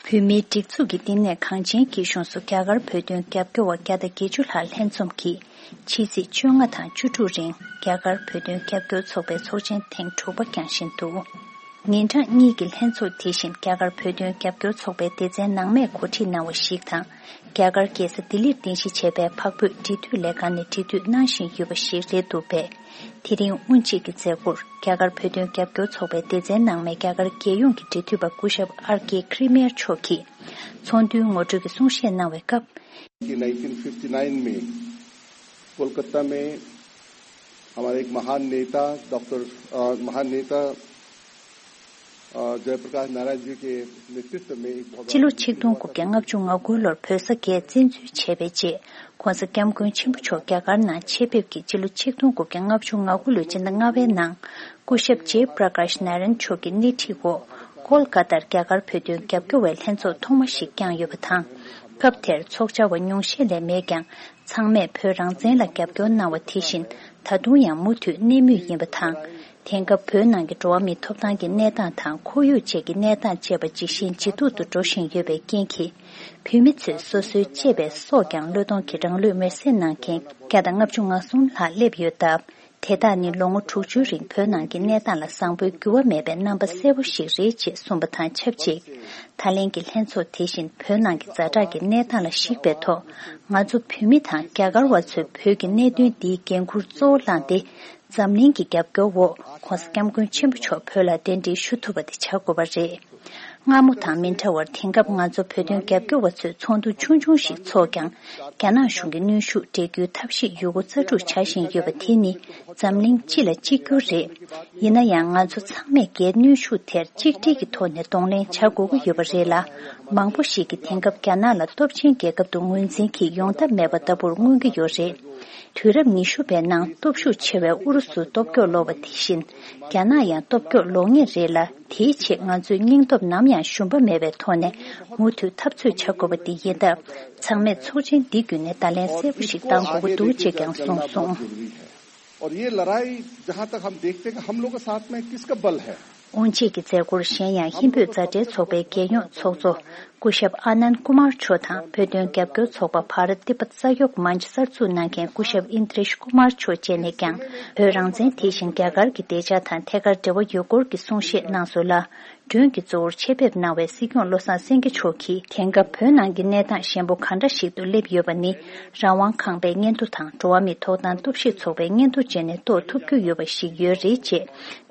བོད་མིའི་སྒྲིག་འཛུགས་ཀྱི་བསྟི་གནས་གངས་ཅན་སྐྱིད་གཤོངས་སུ་རྒྱ་གར་བོད་དོན་རྒྱབ་སྐྱོར་བ་བརྒྱ་དང་བརྒྱད་ཅུ་ལྷག་ལྷན་འཛོམས་ཀྱིས། ཕྱི་ཚེས་བཅོ་ལྔ་དང་བཅུ་དྲུག་རིང་རྒྱ་གར་བོད་དོན་རྒྱབ་སྐྱོར་ཚོགས་པའི་ཚོགས་ཆེན་ཐེངས་དྲུག་པ་བསྐྱངས་བཞིན་འདུག་ཉིན་གྲངས་གཉིས་ཀྱི་ལྷན་ཚོགས་དེ་བཞིན་རྒྱ་གར་བོད་དོན་རྒྱབ་སྐྱོར་ཚོགས་པའི་སྡེ་ཚན་ནང་མས་གོ་སྒྲིག་གནང་བ་ཞིག་དང་། རྒྱ་གར་རྒྱལ་ས་ལྡི་ལིར་རྟེན་གཞི་བྱས་པའི་འཕགས་བོད་འབྲེལ་མཐུད་ལས་ཁང་ནས་འབྲེལ་མཐུད་གནང་བཞིན་ཡོད་པ་ཞིག་རེད་འདུག་པས། དེ་རིང་དབུ་འབྱེད་ཀྱི་མཛད་སྒོར་རྒྱ་གར་བོད་དོན་རྒྱབ་སྐྱོར་ཚོགས་པའི་སྡེ་ཚན་ནང་མས་རྒྱ་གར་རྒྱལ་ཡོངས་ཀྱི་འབྲེལ་མཐུད་པ་སྐུ་ཞབས་ཨར་ཀེ་ཁི་རི་མེར་མཆོག་གིས་ཚོགས་འདུའི་ངོ་སྤྲོད་ཀྱི་གསུང་བཤད་གནང་བའི་སྐབས། कि नाइनटीन फिफ्टी नाइन में कोलकाता में हमारे एक महान नेता डॉक्टर अ, महान नेता अ, जयप्रकाश नारायण जी के नेतृत्व में एक बहुत སྤྱི་ལོ་ཆིག་སྟོང་དགུ་བརྒྱ་ལྔ་བཅུ་ང་དགུ་ལོར་བོད་ས་དགེ་བཙན་འཛུལ་བྱས་པའི་རྗེས། ྋགོང་ས་ྋསྐྱབས་མགོན་ཆེན་པོ་མཆོག་རྒྱ་གར་ནང་ཆེད་ཕེབས་ཀྱིས་སྤྱི་ལོ་ཆིག་སྟོང་དགུ་བརྒྱ་ལྔ་བཅུ་ང་དགུ་ལོའི་སྤྱི་ཟླ་ལྔ་པའི་ནང་སྐུ་ཞབས་ཇེ་པྲ་ཀཱཤ་ནཱ་རན་མཆོག་གི་སྣེ་ཁྲིད་འོག་ཀོལ་ཀ་ཏར་རྒྱ་གར་བོད་དོན་རྒྱབ་སྐྱོར་བའི་ལྷན་ཚོགས་ཐོག་མ་ཞིག་བསྐྱངས་ཡོད་པ་དང་། སྐབས་དེར་ཚོགས་བཅར་བ་ཉུང་ཤས་ལས་མེད་ཀྱང་། ཚང་མས་བོད་རང་བཙན་ལ་རྒྱབ་སྐྱོར་གནང་བ་དེ་བཞིན་ད་དུང་ཡང་མུ་མཐུད་གནས་མུས་ཡིན་པ་དང་། དེང་སྐབས་བོད་ནང་གི་འགྲོ་བ་མིའི་ཐོབ་ཐང་གི་གནས་སྟངས་དང་ཁོར་ཡུག་བཅས་ཀྱི་གནས་སྟངས་བཅས་པ་ཇི་བཞིན་ཇེ་སྡུག་ཏུ་འགྲོ་བཞིན་ཡོད་པའི་རྐྱེན་གྱིས། བོད་མི་ཚོས་སོ་སོའི་གཅེས་པའི་སྲོག་ཀྱང་བློས་གཏོང་གིས་རང་ལུས་མེར་སྲེག་གནང་མཁན་བརྒྱ་དང་ལྔ་བཅུ་ང་གསུམ་ལྷག་སླེབས་ཡོད་སྟབས། དེ་དག་ནི་ལོ་ངོ་དྲུག་ཅུའི་རིང་བོད་ནང་གི་གནས་སྟངས་ལ་བཟང་པོའི་འགྱུར་བ་མེད་པའི་རྣམ་པ་གསལ་པོ་ཞིག་རེད་ཅེས་གསུངས་པ་དང་ཆབས་ཅིག་ད་ལན་གྱི་ལྷན་ཚོགས་དེ་བཞིན་བོད་ནང་གི་ཛ་དྲག་གི་གནས་སྟངས་ལ་གཞིགས་པའི་ཐོག་ང་ཚོ་བོད་མི་དང་རྒྱ་གར་བ་ཚོས་བོད་ཀྱི་གནད་དོན་འདིའི་འགན་འཁུར་གཙོ་བོ་བླངས་ཏེ། འཛམ་གླིང་གི་རྒྱབ་སྐྱོར་འོག་ྋགོང་ས་ྋསྐྱབས་མགོན་ཆེན་པོ་མཆོག་བོད་ལ་གདན་འདྲེན་ཞུ་ཐུབ་པ་དེ་བྱ་དགོས་པ་རེད། སྔ་མོ་དང་མི་འདྲ་བར་དེང་སྐབས་ང་ཚོ་བོད་དོན་རྒྱབ་སྐྱོར་བ་ཚོས་ཚོགས་འདུ་ཆུང་ཆུང་ཞིག་འཚོགས་ཀྱང་། རྒྱ་ནག་གཞུང་གི་གནོན་ཤུགས་འགྲན་རྒྱུའི་ཐབས་ཤེས་ཡོད་རྒུ་རྩལ་སྤྲུགས་བྱ་བཞིན་ཡོད་པ་དེ་ནི་འཛམ་གླིང་སྤྱི་ལ་གཅིག་གྱུར་རེད། ཡིན་ན་ཡང་ང་ཚོ་ཚང་མས་རྒྱའི་གནོན་ཤུགས་དེར་གཅིག་སྒྲིལ་གྱི་ཐོག་ནས་གདོང་ལེན་བྱ་དགོས་ཀྱི་ཡོད་པ་རེད་ལ། མང་པོ་ཞིག་གིས་དེང་སྐབས་རྒྱ་ནག་ལ་སྟོབས་ཆེན་རྒྱལ་ཁབ་ཏུ་ངོས་འཛིན་གྱིས་ཡོང་ཐབས་མེད་པ་ལྟ་བུར་མངོན་གྱི་ཡོད་རེད། དུས་རབས་ཉི་ཤུ་པའི་ནང་སྟོབས་ཤུགས་ཆེ་བའི་ཨུ་རུ་སུ་སྟོབས་སྐྱོ་ལོ་བ་དེ་བཞིན། རྒྱ་ནག་ཡང་སྟོབས་སྐྱོ་ལོ་ངེས་རེད་ལ། དེའི་ཆེད་ང་ཚོས་སྙིང་སྟོབས་ནམ་ཡང་ཞུམ་པ་མེད་པའི་ཐོག་ནས་མུ་མཐུད་འཐབ་རྩོད་བྱ་དགོས་པ་འདི་ཡིན་སྟབས། ཚང་མས་ཚོགས་ཆེན་འདི་བརྒྱུད་ནས་བརྡ་ལན་གསལ་པོ་ཞིག་བཏང་དགོས་ཀྱི་འདུག་ཅེས་ཀྱང་གསུངས་སོང་། और ये लड़ाई जहां तक हम देखते हैं कि हम लोग के साथ में किसका बल है। དབུ་འབྱེད་ཀྱི་མཛད་སྒོར་གཞན་ཡང་ཧིན་བོད་མཛའ་འབྲེལ་ཚོགས་པའི་རྒྱལ་ཡོངས་ཚོགས་གཙོ་སྐུ་ཞབས་ཨ་ནན་ཀུ་མར་མཆོག་དང་བོད་དོན་རྒྱབ་སྐྱོར་ཚོགས་པ་བྷ་ར་ཏི་པ་ས་ཡོག་མན་ཆ་གསར་འཛུགས་གནང་མཁན་སྐུ་ཞབས་ཨིན་དྲེཤ་ཀུ་མར་མཆོག་བཅས་ནས་ཀྱང་བོད་རང་བཙན་དེ་བཞིན་རྒྱ་གར་གྱི་བདེ་འཇགས་དང་ཐད་ཀར་འབྲེལ་བ་ཡོད་སྐོར་གྱི་གསུང་བཤད་གནང་སོང་ལ། མགྲོན་གྱི་གཙོ་བོར་ཆེད་ཕེབས་གནང་བའི་སྲིད་སྐྱོང་བློ་བཟང་སེང་གེ་མཆོག་གིས་དེང་སྐབས་བོད་ནང་གི་གནས་སྟངས་ཞན་པོ་ག་འདྲ་ཞིག་ཏུ་སླེབས་ཡོད་པ་ནི་རང་དབང་ཁང་པའི་སྙན་ཐོ་དང་འགྲོ་བ་མིའི་ཐོབ་ཐང་སྟོབས་ཤེས་ཚོགས་པའི་སྙན་ཐོ་བཅས་ནས་རྟོགས་ཐུབ་རྒྱུ་ཡོད་པ་ཞིག་ཡོད་རེད་ཅེས་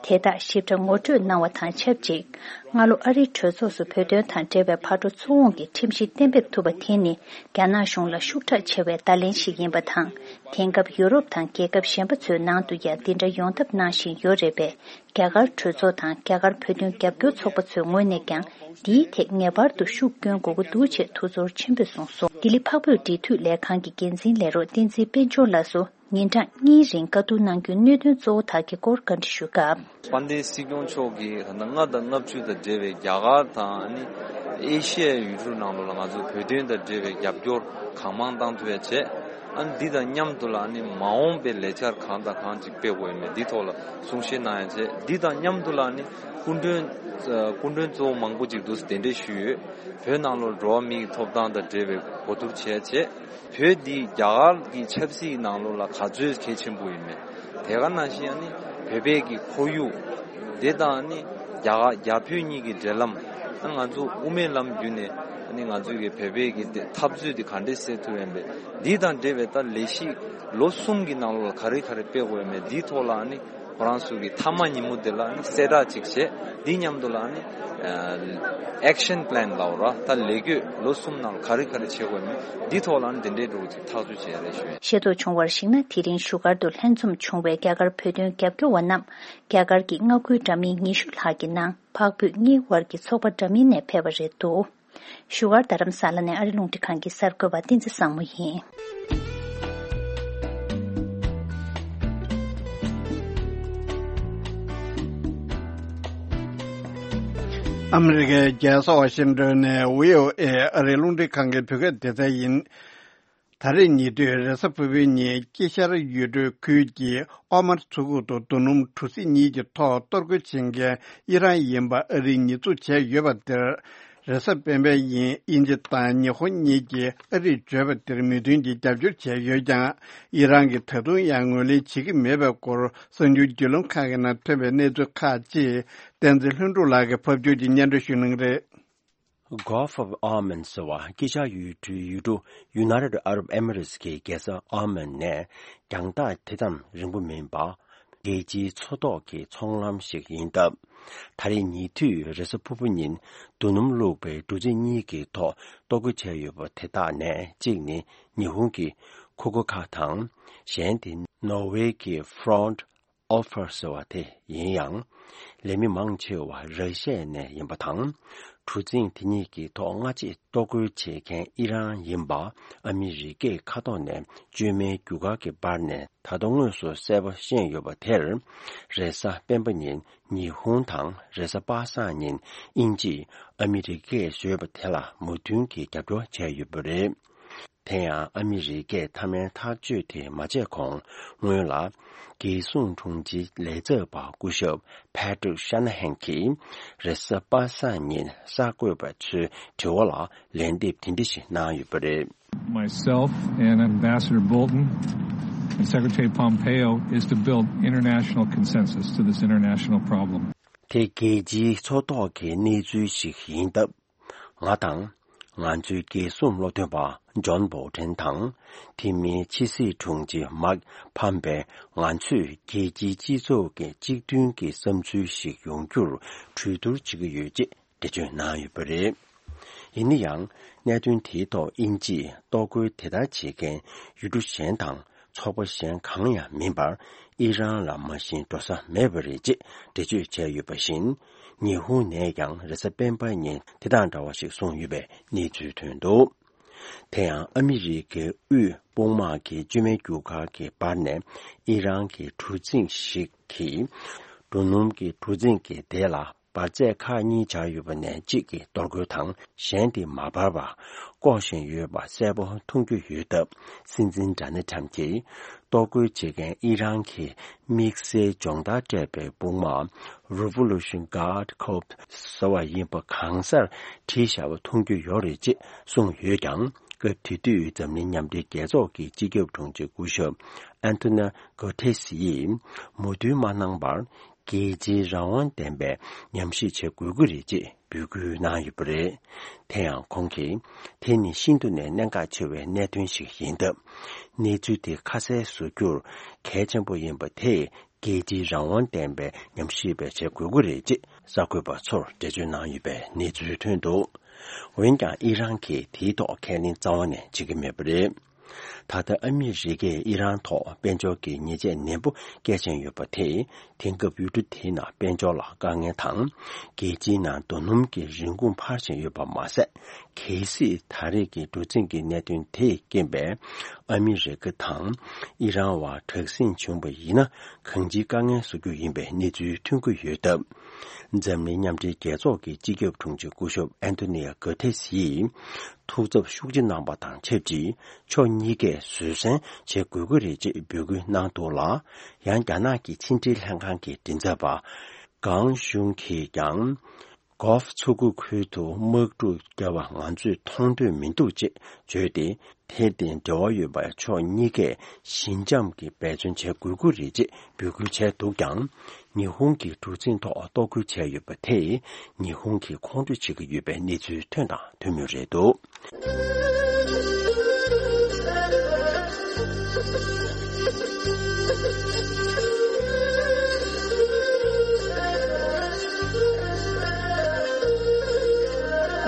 དེ་དག་ཞིབ་ཕྲ་ངོ་སྤྲོད་གནང་བ་དང་ཆབས་ཅིག་སྔ་ལོ་ཨ་རིའི་གྲོས་ཚོགས་སུ་བོད་དོན་དང་འབྲེལ་བའི་ཕར་འགྲོ་ཚུར་འོང་གི་ཁྲིམས་གཞི་གཏན་འབེབས་ཐུབ་པ་དེ་ནི་རྒྱ་ནག་གཞུང་ལ་ཤུགས་དྲག་ཆེ་བའི་བརྡ་ལན་ཞིག་ཡིན་པ་དང་། དེང་སྐབས་ཡུ་རོབ་དང་རྒྱལ་ཁབ་གཞན་པ་ཚོའི་ནང་དུ་ཡང་འདི་འདྲ་ཡོང་ཐབས་གནང་བཞིན་ཡོད་རེད་པས། རྒྱ་གར་གྲོས་ཚོགས་དང་རྒྱ་གར་བོད་དོན་རྒྱབ་སྐྱོར་ཚོགས་པ་ཚོའི་ངོས་ནས་ཀྱང་འདིའི་ཐད་ངེས་པར་དུ་ཤུགས་སྐྱོན་དགོས་ཀྱི་འདུག་ཅེས་ཐུགས་ཚོར་ཆེན་པོས་གསུངས་སོང་། ལྡི་ལི་འཕགས་བོད་འབྲེལ་མཐུད་ལས་ཁང་གི་འགན་འཛིན་ལས་རོགས་བསྟན་འཛིན་དཔལ་འབྱོར་ལགས་སུ་ཉིན་གྲངས་གཉིས་རིང་བཀའ་བསྡུར་གནང་རྒྱུའི་གནད་དོན་གཙོ་བོ་དག་གི་སྐོར་བཀའ་འདྲི་ཞུས་སྐབས། དཔལ་ལྡན་སྲིད་སྐྱོང་མཆོག་གིས་ད་ལྟ་ལྔ་དང་ལྔ་བཅུ་དང་འབྲེལ་བའི་རྒྱ་གར་དང་ཨ་ནི་ཨེ་ཤི་ཡའི་ཡུལ་གྲུ་ནང་ལོགས་ལ་ང་ཚོས་བོད་དོན་དང་འབྲེལ་བའི་རྒྱབ་སྐྱོར་གང་མང་བཏང་ཐུབ་ཡ་བྱས། ཨ་ནི་འདི་དང་མཉམ་དུ་ལ་ཨ་ནི་མ་འོངས་པའི་ལས་འཆར་གང་དང་གང་ཅིག་སྤེལ་དགོས་ཡོད་མེད་འདི་ཐོག་ལ་གསུང་བཤད་གནང་ཡ་བྱས། འདི་དང་མཉམ་དུ་ལ་ཨ་ནི་སྐུ་མགྲོན་སྐུ་མགྲོན་གཙོ་བོ་མང་པོ་ཅིག་འདུག་གདན་འདྲེན་ཞུས་ཡོད། བོད་ནང་ལོགས་འགྲོ་བ་མིའི་ཐོབ་ཐང་དང་འབྲེལ་བའི་གོ་བསྡུར་བྱས་བྱས། བོད་འདི་རྒྱ་གར་གྱི་ཆབ་སྲིད་ནང་ལོགས་ལ་ག་ཚོད་གལ་ཆེན་པོ་ཡིན་མེད། དེ་ག་ནང་བཞིན་ཨ་ནི་བོད་པའི་གི་ཁོར་ཡུག་དེ་དང་ཨ་ནི་རྒྱ་གར་རྒྱ་བོད་གཉིས་ཀྱི་འབྲེལ་ལམ། ཨ་ང་ཚོ་དབུ་མའི་ལམ་བརྒྱུད་ནས་ཨ་ནི་ང་ཚོའི་གི་བོད་པའི་གི་དེ་འཐབ་རྩོད་དེ་ག་འདྲས་སེལ་ཐུབ་ཡོད་མེད། འདི་དང་འབྲེལ་བའི་ད་ལས་གཞི་ལོ་གསུམ་གྱི་ནང་ལོགས་ལ་ག་རེ་ག་རེ་སྤེལ་དགོས་ཡོད་མེད་འདིའི་ཐོག་ལ་ཨ་ནི་ཁོ་རང་ཚོ་གི་མཐའ་མ་ཉིན་མོ་དེ་ལ་ཨ་ནི་གསལ་བསྒྲགས་ཅིག་བྱས། འདི་མཉམ་དུ་ལ་ཨ་ནི་ཨེག་ཤན་པི་ལན་ལབ་ར་ད་ལས་འགུལ་ལོ་གསུམ་ནང་ལ་ག་རེ་ག་རེ་བྱེད་དགོས་མིན་འདི་ཐོག་ལ་ཨ་ནི་འདི་འདྲའི་འགྲོ་ཅིག་ཐག་གཅོད་བྱེད་ཡ་རེད་ཞུ་ཡ། ཤེས་རྟོགས་བྱུང་བར་གཞིགས་ན། དེ་རིང་བཞུགས་སྒར་དུ་ལྷན་འཛོམས་བྱུང་བའི་རྒྱ་གར་བོད་དོན་རྒྱབ་སྐྱོར་བ་རྣམས་རྒྱ་གར་གྱི་མངའ་ཁུལ་འདྲ་མིན་ཉི་ཤུ་ལྷག་གི་ནང་འཕགས་བོད་གཉིས་དབར་གྱི་ཚོགས་པ་འདྲ་མིན་ནས་ཕེབས་པ་རེད་འདུག་བཞུགས་སྒར་རྡ་རམ་ས་ལ་ནས་ཨ་རི་རླུང་འཕྲིན་ཁང་གི་གསར་འགོད་པ་བསྟན་འཛིན་བཟང་མོ་ཡིན། ཨ་མི་རི་ཀའི་རྒྱལ་ས་ཝ་ཤིང་ཏོན་ནས་བྷི་ཨོ་ཨེ་ཨ་རིའི་རླུང་འཕྲིན་ཁང་གི་བོད་སྐད་སྡེ་ཚན་ཡིན། ད་རེས་ཉེ་དུས་རེས་གཟའ་ཕུར་བུའི་ཉིན་དཀྱིལ་ཤར་ཡུལ་གྲུའི་ཁུལ་གྱི་ཨོ་མར་མཚོ་ཁུག་ཏུ་རྡོ་སྣུམ་གྲུ་གཟིངས་གཉིས་ཀྱི་ཐོག་གཏོར་རྒོལ་བྱེད་མཁན་ཨི་རན་ཡིན་པ་ཨ་རིས་ཉེས་འཛུགས་བྱས་ཡོད་པ་དེར། རེས་གཟའ་སྤེན་པའི་ཉིན་དབྱིན་ཇི་དང་ཉི་ཧོང་གཉིས་ཀྱིས་ཨ་རིས་བརྗོད་པ་དེར་མོས་མཐུན་གྱིས་རྒྱབ་སྐྱོར་བྱས་ཡོད་ཀྱང་། ཨི་རན་གྱིས་ད་དུང་ཡང་ངོས་ལེན་བྱེད་ཀྱི་མེད་པའི་སྐོར་གསར་འགྱུར་བརྒྱུད་ལམ་ཁག་གི་ནང་ཐོན་པའི་གནས་ཚུལ་ཁག་ཅིག་བསྟན་འཛིན་ལྷུན་གྲུབ་ལགས་ཀྱིས་ཕབ་སྒྱུར་གྱིས་སྙན་སྒྲོན་ཞུ་གནང་གི་རེད། Gulf of Oman ཟེར་བ་དཀྱིལ་ཤར་ཡུལ་གྲུའི་ཡུལ་གྲུ་United Arab Emirates གི་རྒྱལ་ས་ཨོ་མན་ནས་རྒྱང་ཐག་དེ་ཙམ་རིང་པོ་མིན་པ། རྒྱལ་སྤྱིའི་མཚོ་ཐོག་གི་ཚོང་ལམ་ཞིག་ཡིན་སྟབས། ད་རེས་ཉེ་དུས་རེས་གཟའ་ཕུར་བུ་ཉིན་རྡོ་སྣུམ་བླུགས་པའི་གྲུ་གཟིངས་གཉིས་ཀྱི་ཐོག་གཏོར་རྒོལ་བྱས་ཡོད་པ་དེ་དག་ནས་གཅིག་ནི་ཉི་ཧོང་གི་ཁུ་ཁོ་ཁ་དང་། གཞན་དེ་ནོར་ཝེ་གི་Front Offer ཟེར་བ་དེ་ཡིན་ཡང་། ལས་མི་མང་ཆེ་བ་ར་ཤི་ཡ་ནས་ཡིན་པ་དང་། གྲུ་གཟིངས་དེ་གཉིས་ཀྱི་ཐོག་སྔ་རྗེས་གཏོར་རྒོལ་བྱེད་མཁན་ཨི་རན་ཡིན་པ་ཨ་མི་རི་ཀས་མཁའ་ཐོག་ནས་བཅོས་མའི་རྒྱུ་སྐར་གྱི་བར་ནས་ད་དུང་དངོས་སུ་གསལ་པོ་ཤེས་ཡོད་པ་དེར། རེས་གཟའ་སྤེན་པ་ཉིན་ཉི་ཧོང་དང་རེས་གཟའ་པ་སངས་ཉིན་དབྱིན་ཇིས་ཨ་མི་རི་ཀས་བཟོས་པ་དེ་ལ་མོས་མཐུན་གྱིས་རྒྱབ་སྐྱོར་བྱས་ཡོད་པ་རེད། དེ་ཡང་ཨ་མི་རི་ཀས་མཐའ་མའི་ཐག་གཅོད་དེ་མ་བྱས་གོང་སྔོན་ལ། རྒྱལ་སྲུང་དྲུང་ཆེའི་ལས་ཚབ་པ་སྐུ་ཞབས་Patrick Shanahan གྱིས་རེས་གཟའ་པ་སངས་ཉིན་གསར་འགོད་པ་ཚོའི་དྲི་བ་ལ་ལན་འདེབས་དེ་འདྲ་ཞིག་གནང་ཡོད་པ་རེད། Myself and Ambassador Bolton and Secretary Pompeo is to build international consensus to this international problem. དེ་རྒྱལ་སྤྱིའི་མཚོ་ཐོག་གི་གནས་ཚུལ་ཞིག་ཡིན་སྟབས། ང་དང་། ང་ཚོའི་རྒྱལ་སྲུང་བློ་འདོན་པ་ཇོན་བོལ་ཊན་དང་། དེ་མིན་ཕྱི་སྲིད་དྲུང་ཆེ་མཱིག་ཕམ་པེ། ང་ཚོས་རྒྱལ་སྤྱིའི་སྤྱི་ཚོགས་ཀྱི་གཅིག་མཐུན་གྱི་བསམ་ཚུལ་ཞིག་ཡོང་རྒྱུར་གྲོས་བསྡུར་བྱེད་ཀྱི་ཡོད་ཅེས་འགྲེལ་བརྗོད་གནང་ཡོད་པ་རེད། ཡིན་ན་ཡང་། གནད་དོན་དེའི་ཐོག་དབྱིན་ཇིས་གཏོར་རྒོལ་དེ་ལྟར་བྱེད་མཁན་ཡུལ་གྲུ་གཞན་དང་། ཚོགས་པ་གཞན་གང་ཡང་མིན་པར། ཨི་རན་ལ་མ་གཞི་འགྲོ་ས་མེད་པ་རེད་ཅེས་འགྲེལ་བརྗོད་བྱས་ཡོད་པ་བཞིན། ཉི་ཧོང་ནས་ཀྱང་རེས་གཟའ་སྤེན་པ་ཉིན་དེ་དང་འདྲ་བ་ཞིག་གསུངས་ཡོད་པའི་གནས་ཚུལ་ཐོན་འདུག་དེ་ཡང་ཨ་མི་རི་ཀའི་དབུས་དཔུང་དམག་གི་བཅོས་མའི་རྒྱུ་སྐར་གྱི་བར་ནས་ཨི་རན་གྱི་གྲུ་གཟིངས་ཤིག་གིས། རྡོ་སྣུམ་གྱི་གྲུ་གཟིངས་ཀྱི་སྡེ་ལ། འབར་རྫས་ཁག་གཉིས་སྦྱར་ཡོད་པ་ནས་གཅིག་གིས་གཏོར་རྒོལ་དང་གཞན་དེ་མ་འབར་བར་བཀོག་བཞིན་ཡོད་པ་གསལ་པོ་མཐོང་རྒྱུ་ཡོད་སྟབས། སྲིད་འཛིན་ཌོ་ནལ་ཊམ་གྱིས་གཏོར་རྒོལ་བྱེད་མཁན་ཨི་རན་གྱི་དམིགས་བསལ་སྦྱོང་བརྡར་སྤྲད་པའི་དཔུང་དམག་Revolution Guard Corps ཟེར་བ་ཡིན་པ་གང་སར་བྲིས་བཞག་པ་མཐོང་རྒྱུ་ཡོད་རེད་ཅེས་གསུངས་ཡོད་ཀྱང་། སྐབས་དེ་དུས་འཛམ་གླིང་མཉམ་འབྲེལ་རྒྱལ་ཚོགས་ཀྱི་སྤྱི་ཁྱབ་དྲུང་ཆེ་སྐུ་ཞབས་ཨན་ཐོ་ནི་གོ་ཐེ་སི་ཡིས་མོས་མཐུན་མ་གནང་བར། རྒྱལ་སྤྱིའི་རང་དབང་ལྡན་པའི་ཉམས་ཞིབ་བྱེད་དགོས་ཀྱི་རེད་ཅེས་འབོད་སྐུལ་གནང་ཡོད་པ་རེད། དེ་ཡང་ཁོང་གིས། དེ་ནི་ཤིན་ཏུ་ནས་གནད་འགག་ཆེ་བའི་གནད་དོན་ཞིག་ཡིན་སྟབས། གནས་ཚུལ་དེ་ཁ་གསལ་བཟོ་རྒྱུར་གལ་ཆེན་པོ་ཡིན་པ་དེས་རྒྱལ་སྤྱིའི་རང་དབང་ལྡན་པའི་ཉམས་ཞིབ་པ་བྱེད་དགོས་ཀྱི་རེད་ཅེས་གསར་འགོད་པ་ཚོར་འགྲེལ་བརྗོད་གནང་ཡོད་པའི་གནས་ཚུལ་ཐོན་འདུག་འོན་ཀྱང་ཨི་རན་གྱིས་དེའི་ཐོག་ཁས་ལེན་རྩ་བ་ནས་བྱེད་ཀྱི་མེད་པ་རེད། ད་ལྟ་ཨ་མི་རི་ཀས་ཨི་རན་ཐོག་དཔལ་འབྱོར་གྱི་ཉེས་ཆད་ནན་པོ་བཀལ་བཞིན་ཡོད་པ་དེས། དེང་སྐབས་ཡུལ་གྲུ་དེའི་ནང་དཔལ་འབྱོར་ལ་དཀའ་ངལ་དང་། རྒྱལ་སྤྱིའི་ནང་རྡོ་སྣུམ་གྱི་རིན་གོང་འཕར་བཞིན་ཡོད་པ་མ་ཟད། གལ་སྲིད་ད་རེས་ཀྱི་གྲུ་གཟིངས་ཀྱི་གནད་དོན་དེས་རྐྱེན་པས། ཨ་མི་རི་ཀ་དང་ཨི་རན་བར་དྲག་ཟིང་བྱུང་བ་ཡིན་ན། གང་ཅིའི་དཀའ་ངལ་བཟོ་རྒྱུ་ཡིན་པའི་གནས་ཚུལ་ཐོན་གྱི་ཡོད་སྟབས། འཛམ་གླིང་མཉམ་འབྲེལ་རྒྱལ་ཚོགས་ཀྱི་སྤྱི་ཁྱབ་དྲུང་ཆེ་སྐུ་ཞབས་ཨན་ཐོ་ནི་ཡ་གོ་ཐེ་སི་ཡིས། ཐུགས་འཚབ་ཤུགས་ཆེ་གནང་བ་དང་ཆབས་ཅིག་ཕྱོགས་གཉིས་ཀས་བཟོད་བསྲན་བྱེད་དགོས་ཀྱི་རེད་ཅེས་འབོད་སྐུལ་གནང་འདུག་ལ། ཡང་རྒྱ་ནག་གི་ཕྱི་འབྲེལ་ལྷན་ཁང་གི་མགྲིན་ཚབ་པ་ཀང་ཞུང་གིས་ཀྱང་། གོ་ཧྥ་མཚོ་ཁུག་ཁུལ་དུ་དམག་འཁྲུག་བརྒྱབ་པ་ང་ཚོས་མཐོང་འདོད་མི་འདུག་ཅེས་བརྗོད་དེ། དེར་བརྟེན་འབྲེལ་བ་ཡོད་པའི་ཕྱོགས་གཉིས་ཀས་ཞི་འཇམ་གྱིས་འབད་བརྩོན་བྱེད་དགོས་ཀྱི་རེད་ཅེས་འབོད་སྐུལ་བྱས་འདུག་ཀྱང་། ཉི་ཧོང་གིས་གྲུ་གཟིངས་ཐོག་གཏོར་རྒོལ་བྱས་ཡོད་པ་དེས་ཉི་ཧོང་གིས་ཁོང་ཁྲོ་བྱེད་ཀྱི་ཡོད་པའི་གནས་ཚུལ་ཐོན་དང་ཐོན་མུས་རེད་འདུག་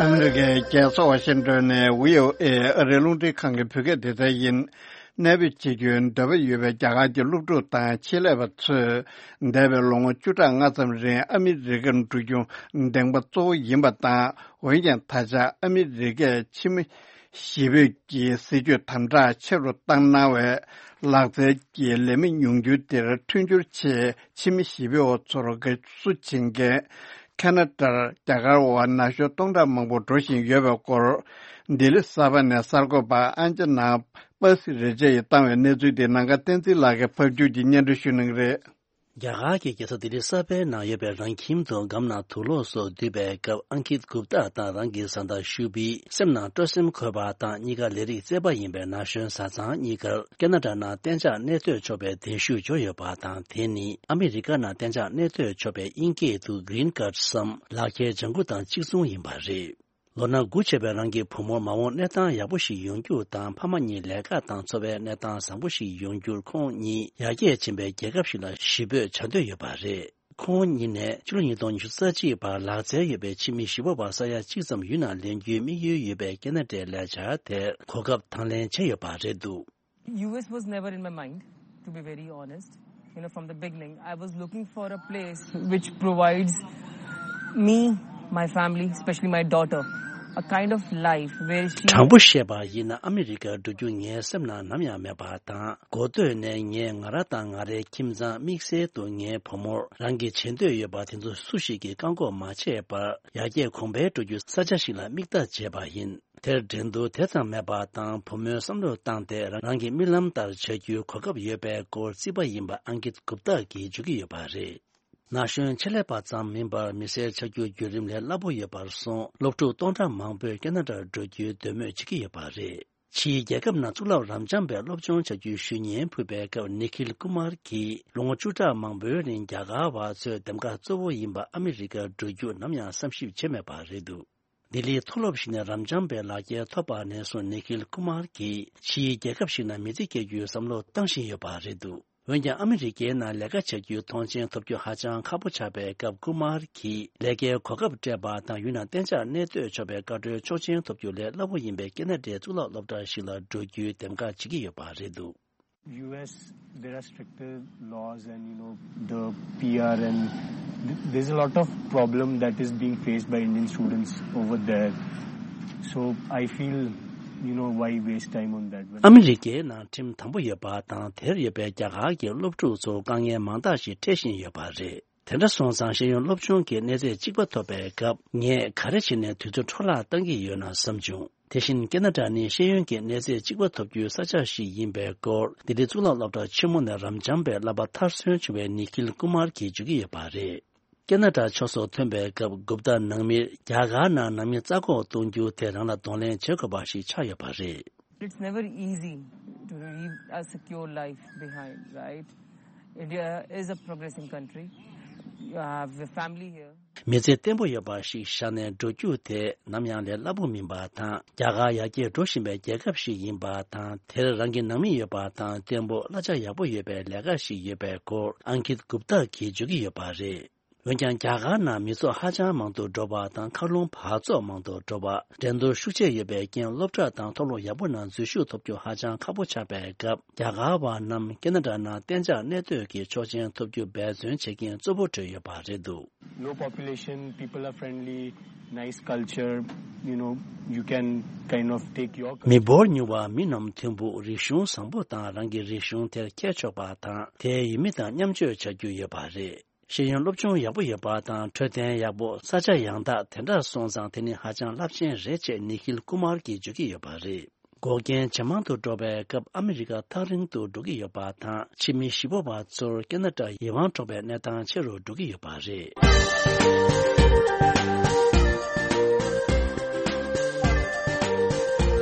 ཨ་མི་རི་ཀའི་རྒྱལ་ས་ཝ་ཤིང་ཏོན་ནས་བྷི་ཨོ་ཨེ་ཨ་རིའི་རླུང་འཕྲིན་ཁང་གི་བོད་སྐད་སྡེ་ཚན་ཡིན། གནས་སྤོས་བྱེད་རྒྱུའི་འདོད་པ་ཡོད་པའི་རྒྱ་གར་གྱི་སློབ་ཕྲུག་དང་ཆེད་ལས་པ་ཚོས། འདས་པའི་ལོ་ངོ་བཅུ་ཕྲག་ལྔ་ཙམ་རིང་ཨ་མི་རི་ཀར་འགྲོ་རྒྱུ་འདེང་པ་གཙོ་བོ་ཡིན་པ་དང་། འོན་ཀྱང་ད་ཆ་ཨ་མི་རི་ཀས་ཕྱི་མི་གཞིས་སྤོས་ཀྱི་སྲིད་ཇུས་དམ་དྲག་ཆེ་རུ་བཏང་གནང་བས། ལག་རྩལ་གྱི་ལས་མི་ཉུང་འགྱུར་དེར་མཐུན་འགྱུར་ཆེད་ཕྱི་མི་གཞིས་སྤོས་པ་ཚོར་དགའ་བསུ་བྱེད་མཁན་ཁ་ན་ཌར་རྒྱ་གར་བ་ན་གཞོན་སྟོང་ཕྲག་མང་པོ་འགྲོ་བཞིན་ཡོད་པའི་སྐོར། ལྡི་ལི་གསར་པ་ནས་གསར་འགོད་པ་ཨན་ཅི་ན། པ་སི་རེ་ཅེ་ཡིས་བཏང་བའི་གནས་ཚུལ་དེ་ནམ་མཁའ་བསྟན་འཛིན་ལགས་ཀྱིས་ཕབ་སྒྱུར་གྱིས་སྙན་སྒྲོན་ཞུ་གནང་གི་རེད། རྒྱ་གར་གྱི་རྒྱལ་ས་ལྡི་ལི་གསར་པའི་ནང་ཡོད་པའི་རང་ཁྱིམ་དུ་སྒམ་ནང་དུག་སློག་སོགས་བསྡུས་པའི་སྐབས། ཨང་ཀིད་གུབ་ཏཱ་དང་རང་གི་བཟའ་ཟླ་ཤུ་བྷི། སེམས་ནང་སྤྲོ་སེམས་འཁོལ་བ་དང་གཉིས་ཀ་ལས་རིགས་རྩེ་པ་ཡིན་པའི་ན་གཞོན་བཟའ་ཚང་གཉིས་ཀར་ཁེ་ན་ཌ་ནང་གཏན་འཇགས་གནས་སྡོད་ཆོག་པའི་གདན་ཞུ་འབྱོར་ཡོད་པ་དང་། དེ་ནི་ཨ་མི་རི་ཀ་ནང་གཏན་འཇགས་གནས་སྡོད་ཆོག་པའི་དབྱིན་སྐད་དུ་Green Card སམ་ལག་འཁྱེར་ལྗང་ཁུ་དང་གཅིག་མཚུངས་ཡིན་པ་རེད། ལོ་ན་དགུ་བྱས་པའི་རང་གི་བུ་མོར་མ་འོངས་གནས་སྟངས་ཡག་པོ་ཞིག་ཡོང་རྒྱུ་དང་། ཕ་མ་གཉིས་ལས་ཀ་དང་འཚོ་བའི་གནས་སྟངས་བཟང་པོ་ཞིག་ཡོང་རྒྱུར་ཁོང་གཉིས་ཡར་རྒྱས་ཕྱིན་པའི་རྒྱལ་ཁབ་ཞིག་ལ་གཞིས་སྤོས་བྱ་འདོད་ཡོད་པ་རེད། ཁོང་གཉིས་ནས་ཕྱི་ལོ་ཉིས་སྟོང་ཉི་ཤུ་རྩ་གཅིག་བར་ལག་རྩལ་ཡོད་པའི་ཕྱི་མི་གཞིས་སྤོ་བ་ས་ཡ་གཅིག་ཙམ་ཡུལ་ནང་ལེན་རྒྱུའི་དམིགས་ཡུལ་ཡོད་པའི་ཁེ་ན་ཌའི་ལས་འཆར་དེར་གོ་སྐབས་དང་ལེན་བྱས་ཡོད་པ་རེད་འདུག། U S was never in my mind, to be very honest. You know, from the beginning, I was looking for a place which provides me, my family, especially my daughter, a kind of life where she དྲང་པོ་བཤད་པ་ཡིན་ན། ཨ་མི་རི་ཀར་འགྲོ་རྒྱུ་ངའི་སེམས་ནང་ནམ་ཡང་མེད་པ་དང་། འགོ་སྟོད་ནས་ངས་ང་རང་དང་ང་རའི་ཁྱིམ་ཚང་དམིགས་བསལ་དུ་ངའི་བུ་མོར་རང་གི་བྱེད་འདོད་ཡོད་པ་དེ་ཚོ་སུ་ཞིག་གིས་བཀག་འགོག་མ་བྱས་པར། ཡར་རྒྱས་གོང་འཕེལ་འགྲོ་རྒྱུའི་ས་ཆ་ཞིག་ལ་དམིགས་ལྟ་བྱས་པ་ཡིན། དེར་འགྲན་བསྡུར་དེ་ཙམ་མེད་པ་དང་། བུ་མོའི་བསམ་བློར་བཏང་སྟེ་རང་གི་རྨི་ལམ་ལྟར་བྱ་རྒྱུའི་གོ་སྐབས་ཡོད་པའི་སྐོར་རྩིས་པ་ཡིན་པ་ཨང་ཀིད་གུབ་ཏཱ་གིས་བརྗོད་ཀྱི་ཡོད་པ་རེད། ན་གཞོན་ཆེད་ལས་པ་ཙམ་མིན་པར་མི་སེར་ཆགས་རྒྱུའི་བརྒྱུད་རིམ་ལས་སླ་པོ་ཡོད་པར་སོང་། སློབ་ཕྲུག་སྟོང་ཕྲག་མང་པོས་ཁེ་ན་ཌར་འགྲོ་རྒྱུའི་འདོད་མོས་བྱེད་ཀྱི་ཡོད་པ་རེད། ཕྱིའི་རྒྱལ་ཁབ་ནང་གཙུག་ལག་རབ་འབྱམས་པའི་སློབ་སྦྱོང་བྱ་རྒྱུའི་ཞུ་སྙན་ཕུལ་བའི་སྐབས། ནི་ཁིལ་ཀུ་མར་གྱིས་ལོ་ངོ་བཅུ་ཕྲག་མང་པོའི་རིང་རྒྱ་གར་བ་ཚོའི་འདེམས་ཀ་གཙོ་བོ་ཡིན་པ་ཨ་མི་རི་ཀར་འགྲོ་རྒྱུ་ནམ་ཡང་བསམ་ཞིབ་བྱས་མེད་པ་རེད་འདུག། ལྡི་ལིའི་མཐོ་སློབ་ཞིག་ནས་རབ་འབྱམས་པའི་ལག་འཁྱེར་ཐོབ་པ་ནས་བཟུང་། ནི་ཁིལ་ཀུ་མར་གྱིས་ཕྱིའི་རྒྱལ་ཁབ་ཞིག་ནང་མི་ཚེ་སྐྱེལ་རྒྱུའི་བསམ་བློ་བཏང་བཞིན་ཡོད་པ་རེད་འདུག། འོན་ཀྱང་ཨ་མི་རི་ཀའི་ནང་ལས་ཀ་བྱ་རྒྱུའི་མཐོང་མཆན་ཐོབ་རྒྱུ་ཧ་ཅང་ཁག་པོ་ཆགས་པའི་སྐབས། ཀུ་མར་གྱིས་ལས་ཀའི་གོ་སྐབས་སྤྲད་པ་དང་། ཡུལ་ནང་གཏན་འཇགས་གནས་སྡོད་ཆོག་པའི་བཀའ་འཁྲོལ་ཆོག་མཆན་ཐོབ་རྒྱུ་ལས་སླ་པོ་ཡིན་པའི་ཁེ་ན་ཌའི་གཙུག་ལག་སློབ་གྲྭ་ཞིག་ལ་འགྲོ་རྒྱུའི་འདེམས་ཀ་བྱེད་ཀྱི་ཡོད་པ་རེད་འདུག། U S, there are stricter laws and, you know, the P R and th- there's a lot of problem that is being faced by Indian students over there. So I feel, you know, why waste time on that one? ཨ་མི་རི་ཀའི་ནང་ཁྲིམས་དམ་པོ་ཡོད་པ་དང་། དེར་ཡོད་པའི་རྒྱ་གར་གྱི་སློབ་ཕྲུག་ཚོར་དཀའ་ངལ་མང་དག་ཞིག་འཕྲད་བཞིན་ཡོད་པ་རེད། དེ་འདྲ་སོང་ཙང་། ཤེས་ཡོན་སློབ་སྦྱོང་གི་གནས་ཚད་གཅིག་པ་ཐོབ་པའི་སྐབས། ངས་ག་རེ་བྱས་ནས་དུས་ཚོད་འཕྲོ་བརླག་བཏང་གི་ཡོད་ན་བསམ་བྱུང་། དེ་བཞིན་ཁེ་ན་ཌ་ནི་ཤེས་ཡོན་གྱི་གནས་ཚད་གཅིག་པ་ཐོབ་རྒྱུའི་ས་ཆ་ཞིག་ཡིན་པའི་སྐོར། ལྡི་ལི་གཙུག་ལག་སློབ་གྲྭ་ཆེན་མོ་ནས་རབ་འབྱམས་པའི་བསླབ་པ་མཐར་སོན་བྱུང་བའི་ནི་ཁིལ་ཀུ་མར་གྱིས་བརྗོད་ཀྱི་ཡོད་པ་རེད། ཁེ་ན་ཌ་ཕྱོགས་སུ་ཐོན་པའི་སྐབས། གུབ་ཏཱ་ནང་མིར་རྒྱ་གར་ནང་ནང་མི་རྩ་འགོག་གཏོང་རྒྱུ་དེ་རང་ལ་གདོང་ལེན་བྱེད་དགོས་པ་ཞིག་ཆགས་ཡོད་པ་རེད། It's never easy to leave a secure life behind, right? India is a progressing country. You have a family here. མི་ཚེ་བརྟན་པོ་ཡོད་པ་ཞིག་བཞག་ནས་འགྲོ་རྒྱུ་དེ་ནམ་ཡང་ལས་སླ་པོ་མིན་པ་དང་། རྒྱ་གར་ཡར་རྒྱས་འགྲོ་བཞིན་པའི་རྒྱལ་ཁབ་ཞིག་ཡིན་པ་དང་། དེར་རང་གི་ནང་མི་ཡོད་པ་དང་། བརྟན་པོ་གླ་ཆ་ཡག་པོ་ཡོད་པའི་ལས་ཀ་ཞིག་ཡོད་པའི་སྐོར། ཨང་ཀིད་གུབ་ཏཱ་གིས་བརྗོད་ཀྱི་ཡོད་པ་རེད། འོན་ཀྱང་། རྒྱ་གར་ནང་མི་ཚོགས་ཧ་ཅང་མང་དུ་འགྲོ་བ་དང་། མཁའ་རླུང་འབག་བཙོག་མང་དུ་འགྲོ་བ། འགྲན་བསྡུར་ཤུགས་ཆེ་ཡོད་པའི་རྐྱེན། སློབ་གྲྭ་དང་མཐོ་སློབ་ཡག་པོ་ནང་འཛུལ་ཞུགས་ཐོབ་རྒྱུ་ཧ་ཅང་ཁག་པོ་ཆགས་པའི་སྐབས། རྒྱ་གར་བ་རྣམས་ཁེ་ན་ཌ་ནང་གཏན་འཇགས་གནས་སྡོད་ཀྱི་ཆོག་མཆན་ཐོབ་རྒྱུ་འབད་བརྩོན་བྱེད་མཁན་གཙོ་བོ་གྲས་ཡོད་པ་རེད་འདུག། Low population, people are friendly, nice culture, you know, you can kind of take your མི་འབོར་ཉུང་བ། མི་རྣམས་མཐུན་པོ། རིག་གཞུང་བཟང་པོ་དང་། རང་གི་རིག་གཞུང་དེར་མཁས་ཆོག་པ་དང་། དེའི་ཡུལ་མི་དང་མཉམ་སྤྱོད་བྱ་རྒྱུ་ཡོད་པ་རེད། ཤེས་ཡོན་སློབ་སྦྱོང་ཡག་པོ་ཡོད་པ་དང་། འཕྲོད་བསྟེན་ཡག་པོ། ས་ཆ་ཡང་དག། དེ་འདྲ་སོང་ཙང་དེ་ནི་ཧ་ཅང་རླབས་ཆེན་རེད་ཅེས་ནི་ཁིལ་ཀུ་མར་གྱིས་བརྗོད་ཀྱི་ཡོད་པ་རེད། འགོག་རྐྱེན་ཇེ་མང་དུ་འགྲོ་བའི་སྐབས། ཨ་མི་རི་ཀ་ཐག་རིང་དུ་འགྲོ་གི་ཡོད་པ་དང་། ཕྱི་མི་གཞིས་སྤོ་བ་ཚོར་ཁེ་ན་ཌ་ཡིད་དབང་འཕྲོག་པའི་གནས་སྟངས་ཆེ་རུ་འགྲོ་གི་ཡོད་པ་རེད།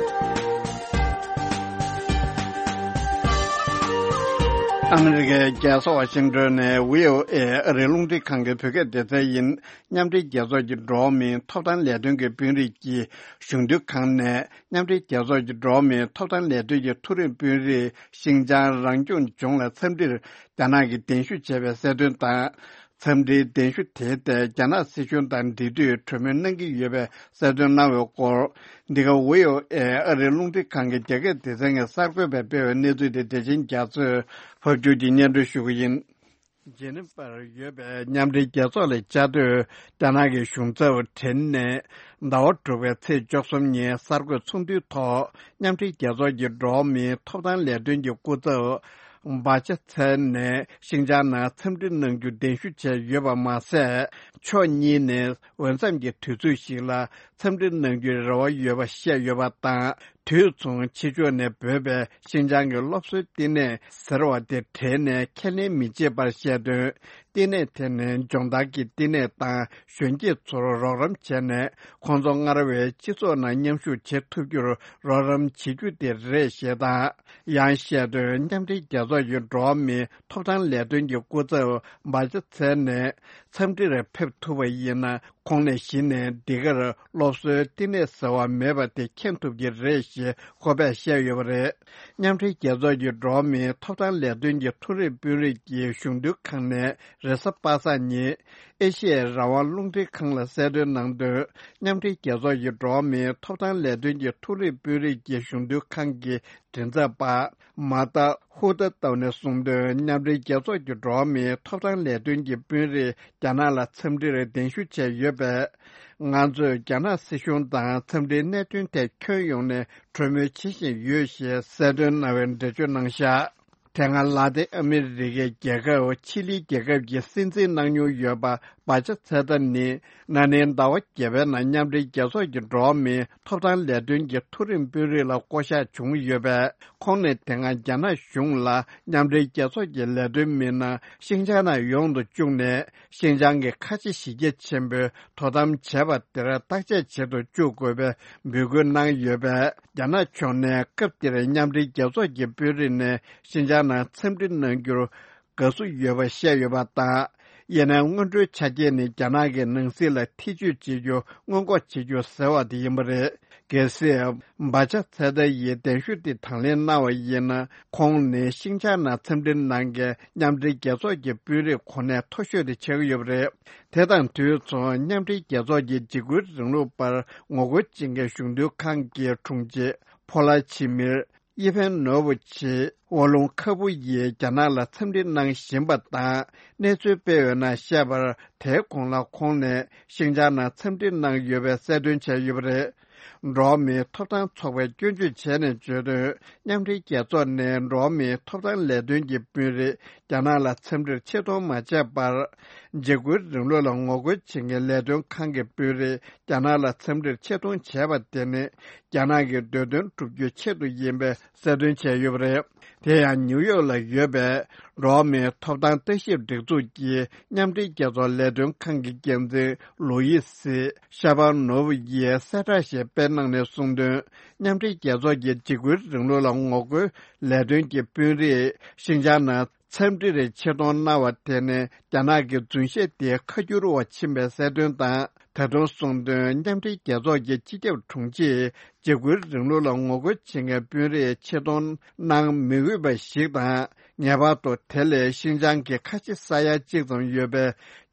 ཨ་མི་རི་ཀའི་རྒྱལ་ས་ཝ་ཤིང་ཏོན་ནས་བྷི་ཨོ་ཨེ་ཨ་རིའི་རླུང་འཕྲིན་ཁང་གི་བོད་སྐད་སྡེ་ཚན་ཡིན། མཉམ་འབྲེལ་རྒྱལ་ཚོགས་ཀྱི་འགྲོ་བ་མིའི་ཐོབ་ཐང་ལས་དོན་གྱི་དཔོན་རིགས་ཀྱི་གཞུང་དོན་ཁང་ནས། མཉམ་འབྲེལ་རྒྱལ་ཚོགས་ཀྱི་འགྲོ་བ་མིའི་ཐོབ་ཐང་ལས་དོན་གྱི་མཐོ་རིམ་དཔོན་རིགས་ཤིན་ཅང་རང་སྐྱོང་ལྗོངས་ལ་འཚམས་འདྲིར་རྒྱ་ནག་གིས་གདན་ཞུ་བྱས་པའི་གསལ་སྟོན་དང་། འཚམས་འདྲིའི་གདན་ཞུ་དེའི་ཐད་རྒྱ་ནག་སྲིད་གཞུང་དང་འབྲེལ་མཐུད་གྲོས་མོལ་གནང་གི་ཡོད་པའི་གསལ་སྟོན་གནང་བའི་སྐོར། འདི་ག་བྷི་ཨོ་ཨེ་ཨ་རིའི་རླུང་འཕྲིན་ཁང་གི་རྒྱ་སྐད་སྡེ་ཚན་གྱིས་གསར་འགོད་པས་སྤེལ་བའི་གནས་ཚུལ་དེ་བདེ་ཆེན་རྒྱ་མཚོས་ཕབ་སྒྱུར་གྱིས་སྙན་སྒྲོན་ཞུ་གི་ཡིན། ཇེ་ནི་ཝར་ཡོད་པའི་མཉམ་འབྲེལ་རྒྱལ་ཚོགས་ལ་བཅའ་སྡོད་རྒྱ་ནག་གི་གཞུང་ཚབ་ཁྲིན་ནས་ཟླ་བ་དྲུག་པའི་ཚེས་བཅུ་གསུམ་ཉིན་གསར་འགོད་ཚོགས་འདུའི་ཐོག། མཉམ་འབྲེལ་རྒྱལ་ཚོགས་ཀྱི་འགྲོ་བ་མིའི་ཐོབ་ཐང་ལས་དོན་གྱི་སྐུ་ཚབ་བྷ་ཆ་ཚན་ནས་ཤིན་ཅང་ནང་འཚམས་འདྲི་གནང་རྒྱུ་གདན་ཞུ་བྱས་ཡོད་པ་མ་ཟད། ཕྱོགས་གཉིས་ནས་འོས་འཚམ་གྱི་དུས་ཚོད་ཞིག་ལ་འཚམས་འདྲི་གནང་རྒྱུའི་རེ་བ་ཡོད་པ་བཤད་ཡོད་པ་དང་། དུས་མཚུངས་ཕྱི་ཕྱོགས་ནས་འབོད་པའི་ཤིན་ཅང་གི་སློབ་གསོའི་བསྟི་གནས་ཟེར་བ་དེ་བྲལ་ནས་ཁས་ལེན་མི་བྱེད་པར་བཤད་དོན། བསྟི་གནས་དེ་ནི་སྦྱོང་བརྡར་གྱི་བསྟི་གནས་དང་གཞོན་སྐྱེས་ཚོར་རོགས་རམ་བྱས་ནས། ཁོང་ཚོ་སྔར་བས་སྤྱི་ཚོགས་ནང་མཉམ་ཞུགས་བྱེད་ཐུབ་རྒྱུར་རོགས་རམ་བྱེད་རྒྱུ་དེ་རེད་ཞེས་དང་། ཡང་བཤད་དོན། མཉམ་འབྲེལ་རྒྱལ་ཚོགས་ཀྱི་འགྲོ་བ་མིའི་ཐོབ་ཐང་ལས་དོན་གྱི་སྐུ་ཚབ་བྷ་ཅ་ཚེ་ནས་འཚམས་འདྲིར་ཕེབས་ཐུབ་པ་ཡིན་ན། ཁོང་ནས་གཞི་ནས་འདི་གར་སློབ་གསོའི་བསྟི་གནས་ཟེར་བ་མེད་པ་དེ་མཁྱེན་ཐུབ་ཀྱི་རེད་ཞེས་ཁོ་པས་བཤད་ཡོད་པ་རེད། མཉམ་འབྲེལ་རྒྱལ་ཚོགས་ཀྱི་འགྲོ་བ་མིའི་ཐོབ་ཐང་ལས་དོན་གྱི་མཐོ་རིམ་དཔོན་རིགས་ཀྱི་གཞུང་དོན་ཁང་ནས་རེས་གཟའ་པ་སངས་ཉིན་ཨེ་ཤི་ཡའི་རང་དབང་རླུང་འཕྲིན་ཁང་ལ་གསལ་སྟོན་གནང་དོན། མཉམ་འབྲེལ་རྒྱལ་ཚོགས་ཀྱི་འགྲོ་བ་མིའི་ཐོབ་ཐང་ལས་དོན་གྱི་མཐོ་རིམ་དཔོན་རིགས་ཀྱི་གཞུང་དོན་ཁང་གི་མགྲིན་ཚབ་པ་མ་ཏཱ་ཧུ་ཏཱ་ཏོ་ནས་གསུངས་དོན། མཉམ་འབྲེལ་རྒྱལ་ཚོགས་ཀྱི་འགྲོ་བ་མིའི་ཐོབ་ཐང་ལས་དོན་གྱི་དཔོན་རིགས་རྒྱ་ནག་ལ་འཚམས་འདྲིར་གདན་ཞུ་བྱས་ཡོད་པས། ང་ཚོས་རྒྱ་ནག་སྲིད་གཞུང་དང་འཚམས་འདྲིའི་གནད་དོན་ཐད་ཁྱོན་ཡོངས་ནས་གྲོས་མོལ་བྱེད་བཞིན་ཡོད་ཞེས་གསལ་སྟོན་གནང་བའི་འགྲེལ་བརྗོད་གནང་བཞག་དེ་སྔ་ལ་ཏིན་ཨ་མི་རི་ཀའི་རྒྱལ་ཁབ་ཆི་ལི་རྒྱལ་ཁབ་ཀྱི་སྲིད་འཛིན་གནང་མྱོང་ཡོད་པ་བྷ་ཅ་ཚེ་ཏཱ་ནི། ན་ནིང་ཟླ་བ་བརྒྱད་པའི་ནང་མཉམ་འབྲེལ་རྒྱལ་ཚོགས་ཀྱི་འགྲོ་བ་མིའི་ཐོབ་ཐང་ལས་དོན་གྱི་མཐོ་རིམ་དཔོན་རིགས་ལ་བསྐོ་གཞག་བྱུང་ཡོད་པས། ཁོང་ནས་དེ་སྔ་རྒྱ་ནག་གཞུང་ལ་མཉམ་འབྲེལ་རྒྱལ་ཚོགས་ཀྱི་ལས་དོན་མི་སྣ་ཤིན་ཅང་ནང་ཡོང་དུ་བཅུག་ནས། ཤིན་ཅང་གི་ཁ་ཆེ་གཞི་རྒྱ་ཆེན་པོས་དོ་དམ་བྱས་པ་དེར་བརྟག་དཔྱད་བྱེད་དུ་བཅུག་དགོས་པའི་འབོད་སྐུལ་གནང་ཡོད་པས། རྒྱ་ནག་ཕྱོགས་ནས་སྐབས་དེར་མཉམ་འབྲེལ་རྒྱལ་ཚོགས་ཀྱི་དཔོན་རིགས་ནས་ཤིན་ཅང་ནང་འཚམས་འདྲི་གནང་རྒྱུར་དགའ་བསུ་ཡོད་པ་བཤད་ཡོད་པ་དང་། ཡིན་ནའི་སྔོན་འགྲོའི་ཆ་རྐྱེན་ནི་རྒྱ་ནག་གི་ནང་སྲིད་ལ་ཐེ་བྱུས་བྱེད་རྒྱུ་སྔོན་འགོག་བྱེད་རྒྱུ་ཟེར་བ་དེ་ཡིན་པ་རེད། གལ་སྲིད་བྷ་ཅ་ཚེ་ཏཱ་ཡིས་གདན་ཞུ་དེ་དང་ལེན་གནང་བ་ཡིན་ན། ཁོང་ནི་ཤིན་ཅང་ནང་འཚམས་འདྲི་གནང་མཁན་མཉམ་འབྲེལ་རྒྱལ་ཚོགས་ཀྱི་དཔོན་རིགས་གོ་གནས་མཐོ་ཤོས་དེ་ཆགས་ཀྱི་ཡོད་པ་རེད། དེ་དང་དུས་མཚུངས་མཉམ་འབྲེལ་རྒྱལ་ཚོགས་ཀྱི་འཇིགས་སྐུལ་རིང་ལུགས་པར་ངོ་རྒོལ་བྱེད་མཁན་གཞུང་དོན་ཁང་གི་དྲུང་ཆེ་ཕོ་ལ་ཆི་མིར། ཡེ་ཕན་ནོ་བུ་ཆི་ཝོ་ལུང་ཁ་པུ་ཡིས་རྒྱ་ནག་ལ་འཚམས་འདྲི་གནང་བཞིན་པ་དང་། གནས་ཚུལ་སྤེལ་ཡོད་ན་བཤད་པར། དེའི་གོང་ལ་ཁོང་ནས་ཤིན་ཅང་ནང་འཚམས་འདྲི་གནང་ཡོད་པའི་གསལ་སྟོན་བྱས་ཡོད་པ་རེད། འགྲོ་བ་མིའི་ཐོབ་ཐང་ཚོགས་པས་སྐྱོན་བརྗོད་བྱས་ནས་བརྗོད་དོན། མཉམ་འབྲེལ་རྒྱལ་ཚོགས་ནས་འགྲོ་བ་མིའི་ཐོབ་ཐང་ལས་དོན་གྱི་དཔོན་རིགས་རྒྱ་ནག་ལ་འཚམས་འདྲིར་ཆེད་གཏོང་མ་བྱས་པར། འཇིགས་སྐུལ་རིང་ལུགས་ལ་ངོ་རྒོལ་བྱེད་མཁན་ལས་དོན་ཁང་གི་དཔོན་རིགས་རྒྱ་ནག་ལ་འཚམས་འདྲིར་ཆེད་གཏོང་བྱས་པ་དེ་ནི། རྒྱ་ནག་གི་འདོད་དོན་བསྒྲུབ་རྒྱུའི་ཆེད་དུ་ཡིན་པའི་གསལ་སྟོན་བྱས་ཡོད་པ་རེད། དེ་ཡང་ནིའུ་ཡོག་ལ་ཡོད་པའི་འགྲོ་བ་མིའི་ཐོབ་ཐང་ལྟ་ཞིབ་སྒྲིག་འཛུགས་ཀྱི་མཉམ་འབྲེལ་རྒྱལ་ཚོགས་ལས་དོན་ཁང་གི་འགན་འཛིན་ལོ་ཡི་སི་ཤ་པ་ནོབ་ཡིས་གསལ་བསྒྲགས་ཤིག་སྤེལ་གནང་ནས་གསུངས་དོན། མཉམ་འབྲེལ་རྒྱལ་ཚོགས་ཀྱི་འཇིགས་སྐུལ་རིང་ལུགས་ལ་ངོ་རྒོལ་ལས་དོན་གྱི་དཔོན་རིགས་ཤིན་ཅང་ནང་འཚམས་འདྲིར་ཆེད་གཏོང་གནང་བ་དེ་ནི་རྒྱ་ནག་གི་རྫུན་བཤད་དེ་ཁ་བསྒྱུར་བ་ཕྱིན་པའི་གསལ་སྟོན་དང་། ད་དུང་གསུངས་དོན། མཉམ་འབྲེལ་རྒྱལ་ཚོགས་ཀྱི་སྤྱི་ཁྱབ་དྲུང་ཆེས་འཇིགས་སྐུལ་རིང་ལུགས་ལ་ངོ་རྒོལ་བྱེད་མཁན་དཔོན་རིགས་ཆེད་གཏོང་གནང་མི་འོས་པ་ཞིག་དང་། ངེས་པར་དུ་དེ་ལས་ཤིན་ཅང་གི་ཁ་ཆེ་ས་ཡ་གཅིག་ཙམ་ཡོད་པའི་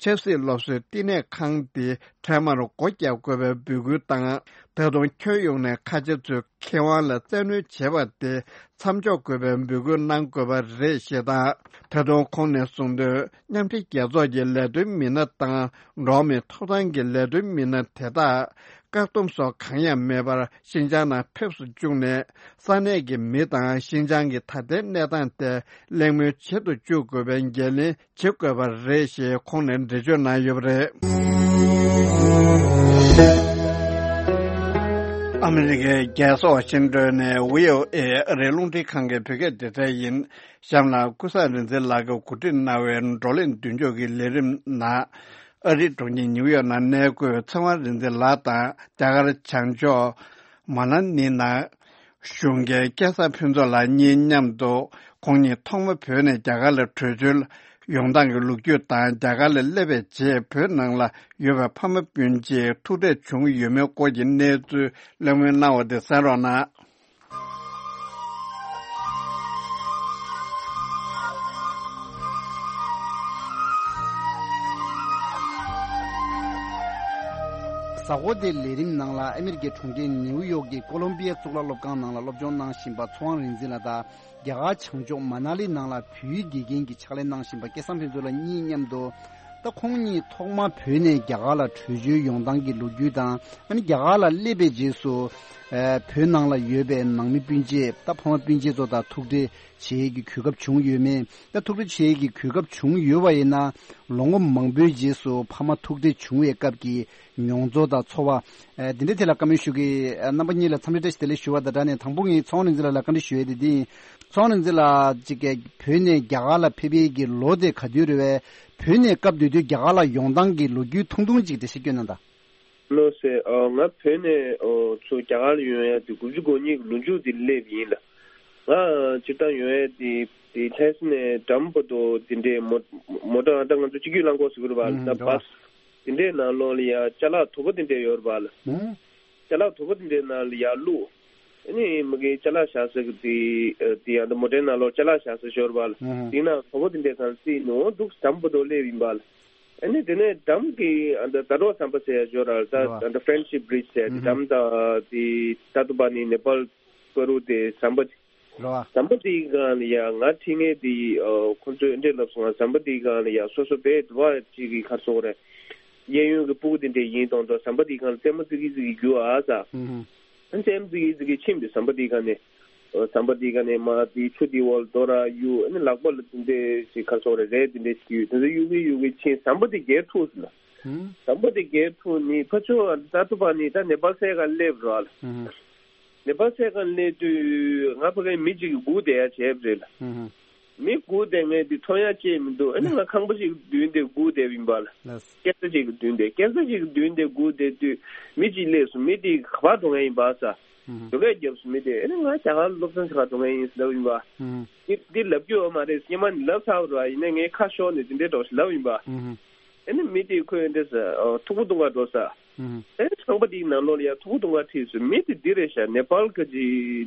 ཆབ་སྲིད་སློབ་གསོའི་བསྟི་གནས་ཁང་དེ་འཕྲལ་མར་སྒོ་རྒྱག་དགོས་པའི་འབོད་སྐུལ་དང་། ད་དུང་ཁྱོན་ཡོངས་ནས་ཁ་ཆེ་ཚོས་ཁེ་དབང་ལ་བཙན་གནོན་བྱས་པ་དེ་མཚམས་འཇོག་དགོས་པའི་འབོད་སྐུལ་གནང་དགོས་པ་རེད་ཞེས་དང་། ད་དུང་ཁོང་ནས་གསུངས་དོན། མཉམ་འབྲེལ་རྒྱལ་ཚོགས་ཀྱི་ལས་དོན་མི་སྣ་དང་འགྲོ་བ་མིའི་ཐོབ་ཐང་གི་ལས་དོན་མི་སྣ་དེ་དག་བཀག་སྡོམ་སོགས་གང་ཡང་མེད་པར་ཤིན་ཅང་ནང་ཕེབས་སུ་བཅུག་ནས། ས་གནས་ཀྱི་མི་དང་ཤིན་ཅང་གི་ད་ལྟའི་གནས་སྟངས་ཐད་གླེང་མོལ་བྱེད་དུ་བཅུག་དགོས་པའི་འགན་ལེན་བྱེད་དགོས་པ་རེད་ཞེས་ཁོང་ནས་འགྲེལ་བརྗོད་གནང་ཡོད་པ་རེད། ཨ་མི་རི་ཀའི་རྒྱལ་ས་ཝ་ཤིང་ཏོན་ནས་བྷི་ཨོ་ཨེ་ཨ་རིའི་རླུང་འཕྲིན་ཁང་གི་བོད་སྐད་སྡེ་ཚན་ཡིན། གཤམ་ལ་ཀུན་བཟང་རིག་འཛིན་ལགས་ཀྱིས་གོ་སྒྲིག་གནང་བའི་བགྲོ་གླེང་མདུན་ལྕོག་གི་ལས་རིམ་ནང་། ཨ་རིའི་གྲོང་ཁྱེར་ནིའུ་ཡོག་ནང་གནས་འཁོད་ཚེ་དབང་རིག་འཛིན་ལགས་དང་རྒྱ་གར་བྱང་ཕྱོགས་མ་ན་ལི་ནང་བཞུགས་མཁན་སྐལ་བཟང་ཕུན་ཚོགས་ལགས་གཉིས་མཉམ་དུ། ཁོང་ཉིད་ཐོག་མ་བོད་ནས་རྒྱ་གར་ལ་བྲོས་བྱོལ་ཡོང་སྟངས་ཀྱི་ལོ་རྒྱུས་དང་། རྒྱ་གར་ལ་སླེབས་པའི་རྗེས་བོད་ནང་ལ་ཡོད་པའི་ཕ་མ་སྤུན་མཆེད་ཐུག་འཕྲད་བྱུང་ཡོད་མེད་སྐོར་གྱི་གནས་ཚུལ་གླེང་མོལ་གནང་བ་དེ་གསན་རོགས་གནང་། གཟའ་འཁོར་འདིའི་ལས་རིམ་ནང་ལ་ཨ་མི་རི་ཀའི་གྲོང་ཁྱེར་ནེའུ་ཡོག་གི་ཀོ་ལོམ་པི་ཡ་གཙུག་ལག་སློབ་ཁང་ནང་ལ་སློབ་སྦྱོང་གནང་བཞིན་པ་ཚེ་དབང་རིག་འཛིན་ལགས་དང་། རྒྱ་གར་བྱང་ཕྱོགས་མ་ན་ལི་ནང་ལ་བོད་ཡིག་དགེ་རྒན་གྱི་ཕྱག་ལས་གནང་བཞིན་པ་སྐལ་བཟང་ཕུན་ཚོགས་ལགས་གཉིས་མཉམ་དུ། ད་ཁོང་གཉིས་ཐོག་མར་བོད་ནས་རྒྱ་གར་ལ་བྲོས་བྱོལ་ཡོང་སྟངས་ཀྱི་ལོ་རྒྱུས་དང་། ཨ་ནི་རྒྱ་གར་ལ་སླེབས་པའི་རྗེས་སུ། ཨ་བོད་ནང་ལ་ཡོད་པའི་ནང་མི་སྤུན་མཆེད་ད་ཕ་མ་སྤུན་མཆེད་ཚོ་དང་ཐུག་འཕྲད་བྱེད་ཡས་ཀྱི་གོ་སྐབས་བྱུང་ཡོད་མེད། ད་ཐུག་འཕྲད་བྱེད་ཡས་ཀྱི་གོ་སྐབས་བྱུང་ཡོད་པ་ཡིན་ན་ལོ་ངོ་མང་པོའི་རྗེས་སུ་ཕ་མ་ཐུག་འཕྲད་བྱུང་བའི་སྐབས་ཀྱི་མྱོང་ཚོར་དང་ཚོར་བ། ཨ་འདི་འདྲའི་ཐད་ལ་བཀའ་མོལ་ཞུ་གི། ཨ་རྣམ་པ་གཉིས་ལ་འཚམས་འདྲི་བཀྲ་ཤིས་བདེ་ལེགས་ཞུ་བ་དང་སྦྲགས་ནས་དང་པོ་ངས་ཚེ་དབང་རིག་འཛིན་ལགས་ལ་བཀའ་འདྲི་ཞུ་ཡས་དེ་འདི་ཡིན། ཚེ་དབང་རིག་འཛིན་ལགས་ཅིག་གིས་བོད་ནས་རྒྱ་གར་ལ་ཕེབས་ཡས་ཀྱི་ལོ་དེ་ག་དུས་རེད་བས། བོད་ནས་སྐབས་དེ་དུས་རྒྱ་གར་ལ་ཡོང་སྟངས་ཀྱི་ལོ་རྒྱུས་ཐུང་ཐུང་ཅིག་འགྲེལ་བཤད་སྐྱོན་གནང་དང་། ལགས་སེ། ཨ་ང་བོད་ནས་ཨོ་ཚུར་རྒྱ་གར་ལ་ཡོང་ཡ་དེ་དགུ་བཅུ་གོ་གཉིས་ཀྱི་ལོ་མཇུག་དེ་སླེབས་ཡིན་ལ། ང་སྤྱིར་བཏང་ཡོང་ཡ་དེ་དེ་ལྷ་ས་ནས་འགྲམ་བར་དུ་དེ་འདྲའི་མོ་མོ་ཊ་ད་ང་ཚོ་གཅིག་སྒྱུར་རླངས་འཁོར་ཟེར་གྱི་རེད་པ། ཨུམ་ད་འགྲོ་བ། བྷ་སི་དེ་འདྲའི་ནང་ལོགས་ལ་ཡ་ཅ་ལག་དོ་པོ་དེ་འདྲ་ཡོད་རེད་པ་ལ། ཨུམ། ཅ་ལག་དོ་པོ་དེ་འདྲའི་ནང་ལ་ཡར་བླུགས། ཨ་ནི་མ་གི་ཅ་ལག་བཞག་ས་གི་དེ་དེ་ཡང་ད་མོ་ཊའི་ནང་ལོགས་ཅ་ལག་བཞག་ས་ཞོར་བ་ལ། ཨུམ། དེ་ནང་དོ་པོ་དེ་འདྲའི་ཚང་སྲིད་ནོ་འདུག་འགྲམ་བར་དུ་སླེབས་ཡིན་པ་ལ། ཨ་ནི་དེ་ནས་འགྲམ་གི་ཨ་ད་ཟླ་གྲོགས་ཟམ་པ་ཟེར་ཡ་ཞོར་ར་ད་ཨ་ད་Friendship Bridge་ཟེར་དེ་འགྲམ་ད་དེ་ད་དུ་པ་ནི་ནེ་པཱལ་པ་རུ་དེ་ཟམ་པ། རེད་བ། ཟམ་པ་དེའི་སྒང་ལ་ཡ་ང་ཁྲིད་མཁན་དེ་ཨ་ཁོ་ཚོས་འདྲེ་ལབ་སོང་ང་། ཟམ་པ་དེའི་སྒང་ལ་ཡ་སོ་སོ་བས་དུ་བ་ཅིག་གི་ཁར་སོང་རེད། གཡས་གཡོན་གྱི་སྤུ་གུ་དེ་འདྲས་ཡིན་མདོག་མདོག་ཟམ་པ་དེའི་སྒང་ལ་རྩེད་མོ་རྩེ་གི་རྩེ་གི་རྒྱུག་ཨ་ས། ཨུ་ཧུ། ཨ་རྩེད་མོ་རྩེ་གི་རྩེ་གི་ཕྱིན་པའི་ཟམ་པ་དེའི་སྒང་ནས། ཨ་ཟམ་པ་དེའི་སྒང་ནས་མ་དེའི་ཆུ་དེའི་འོག་ལ་རྡོ་ར་གཡུག་ཨ་ནི་ལག་པ་ལ་དེ་འདྲས་ཞིག་ཁར་སོང་རེད་རེད་དེ་འདྲས་ཞིག་གཡུག་དེ་ཚོ་གཡུག་གི་གཡུག་གི་ཕྱིན་ཟམ་པ་དེ་འགྱེལ་ཐུག་ཟེར་ལ། ཨུ། ཟམ་པ་དེ་འགྱེལ་ཐུག་ནི་ཕ་ཆོ་ད་དུ་པ་ནི་ད་ནེ་པཱལ་སའི་སྒང་སླེབས་རོགས་ལ། ཨུ་ཧུ། ནེ་པཱལ་སའི་སྒང་སླེབས་དུས་ང་ཕ་གིར་མི་གཅིག་གིས་སྒུག་བསྡད་ཡ་བྱས་པ་རེད་ལ། ཧུམ་ཧུམ། མི་སྒུག་བསྡད་མཁན་དེ་མཐོང་ཡ་ཅིག་མི་འདུག་ཨ་ནི་ང་ཁང་པ་ཞིག་མདུན་དེ་སྒུག་བསྡད་པ་ཡིན་པ་ལ། ལགས། སྐས་འཛེག་ཅིག་གི་མདུན་དེ་སྐས་འཛེག་ཅིག་གི་མདུན་དེ་སྒུག་བསྡད་དུས་མི་གཅིག་སླེབས་སོང་། མི་དེ་ག་པར་འགྲོ་མཁན་ཡིན་པ་ས། ཧུམ་ཧུམ། བོད་སྐད་རྒྱབ་སོང་། མི་དེ་ཨ་ནི་ང་རྒྱ་གར་སློབ་ཚན་ཞིག་ག་འགྲོ་མཁན་ཡིན་ཟེར་ལབ་ཡིན་པ། ཧུམ་ཧུམ། འདི་འདི་ལབ་རྒྱུ་ཡོད་མ་རེད། སྔོན་མ་ནས་ལབ་ཚར་བ་རེད་བ། ཡིན་ནའི་ངས་ཁ་ཤོར་ནས་འདི་འདྲའི་འགྲོ་ཞིག་ལབ་ཡིན་པ། ཧུམ་ཧུམ། ཨ་ནི་མི་དེས་ཁོས་འདི་ཟེར། ཨོ་ཐུག་པ་བརྡུང་ག་འགྲོ་ས། ཨུམ། ཨ་ནི་ཁང་པ་དེའི་ནང་ལོགས་ལ་ཡ་ཐུག་པ་བརྡུང་ག་ཁྲིད་སོང་། མི་དེ་འདི་རེད་ཤག་ནེ་པཱལ་གི་ཅི་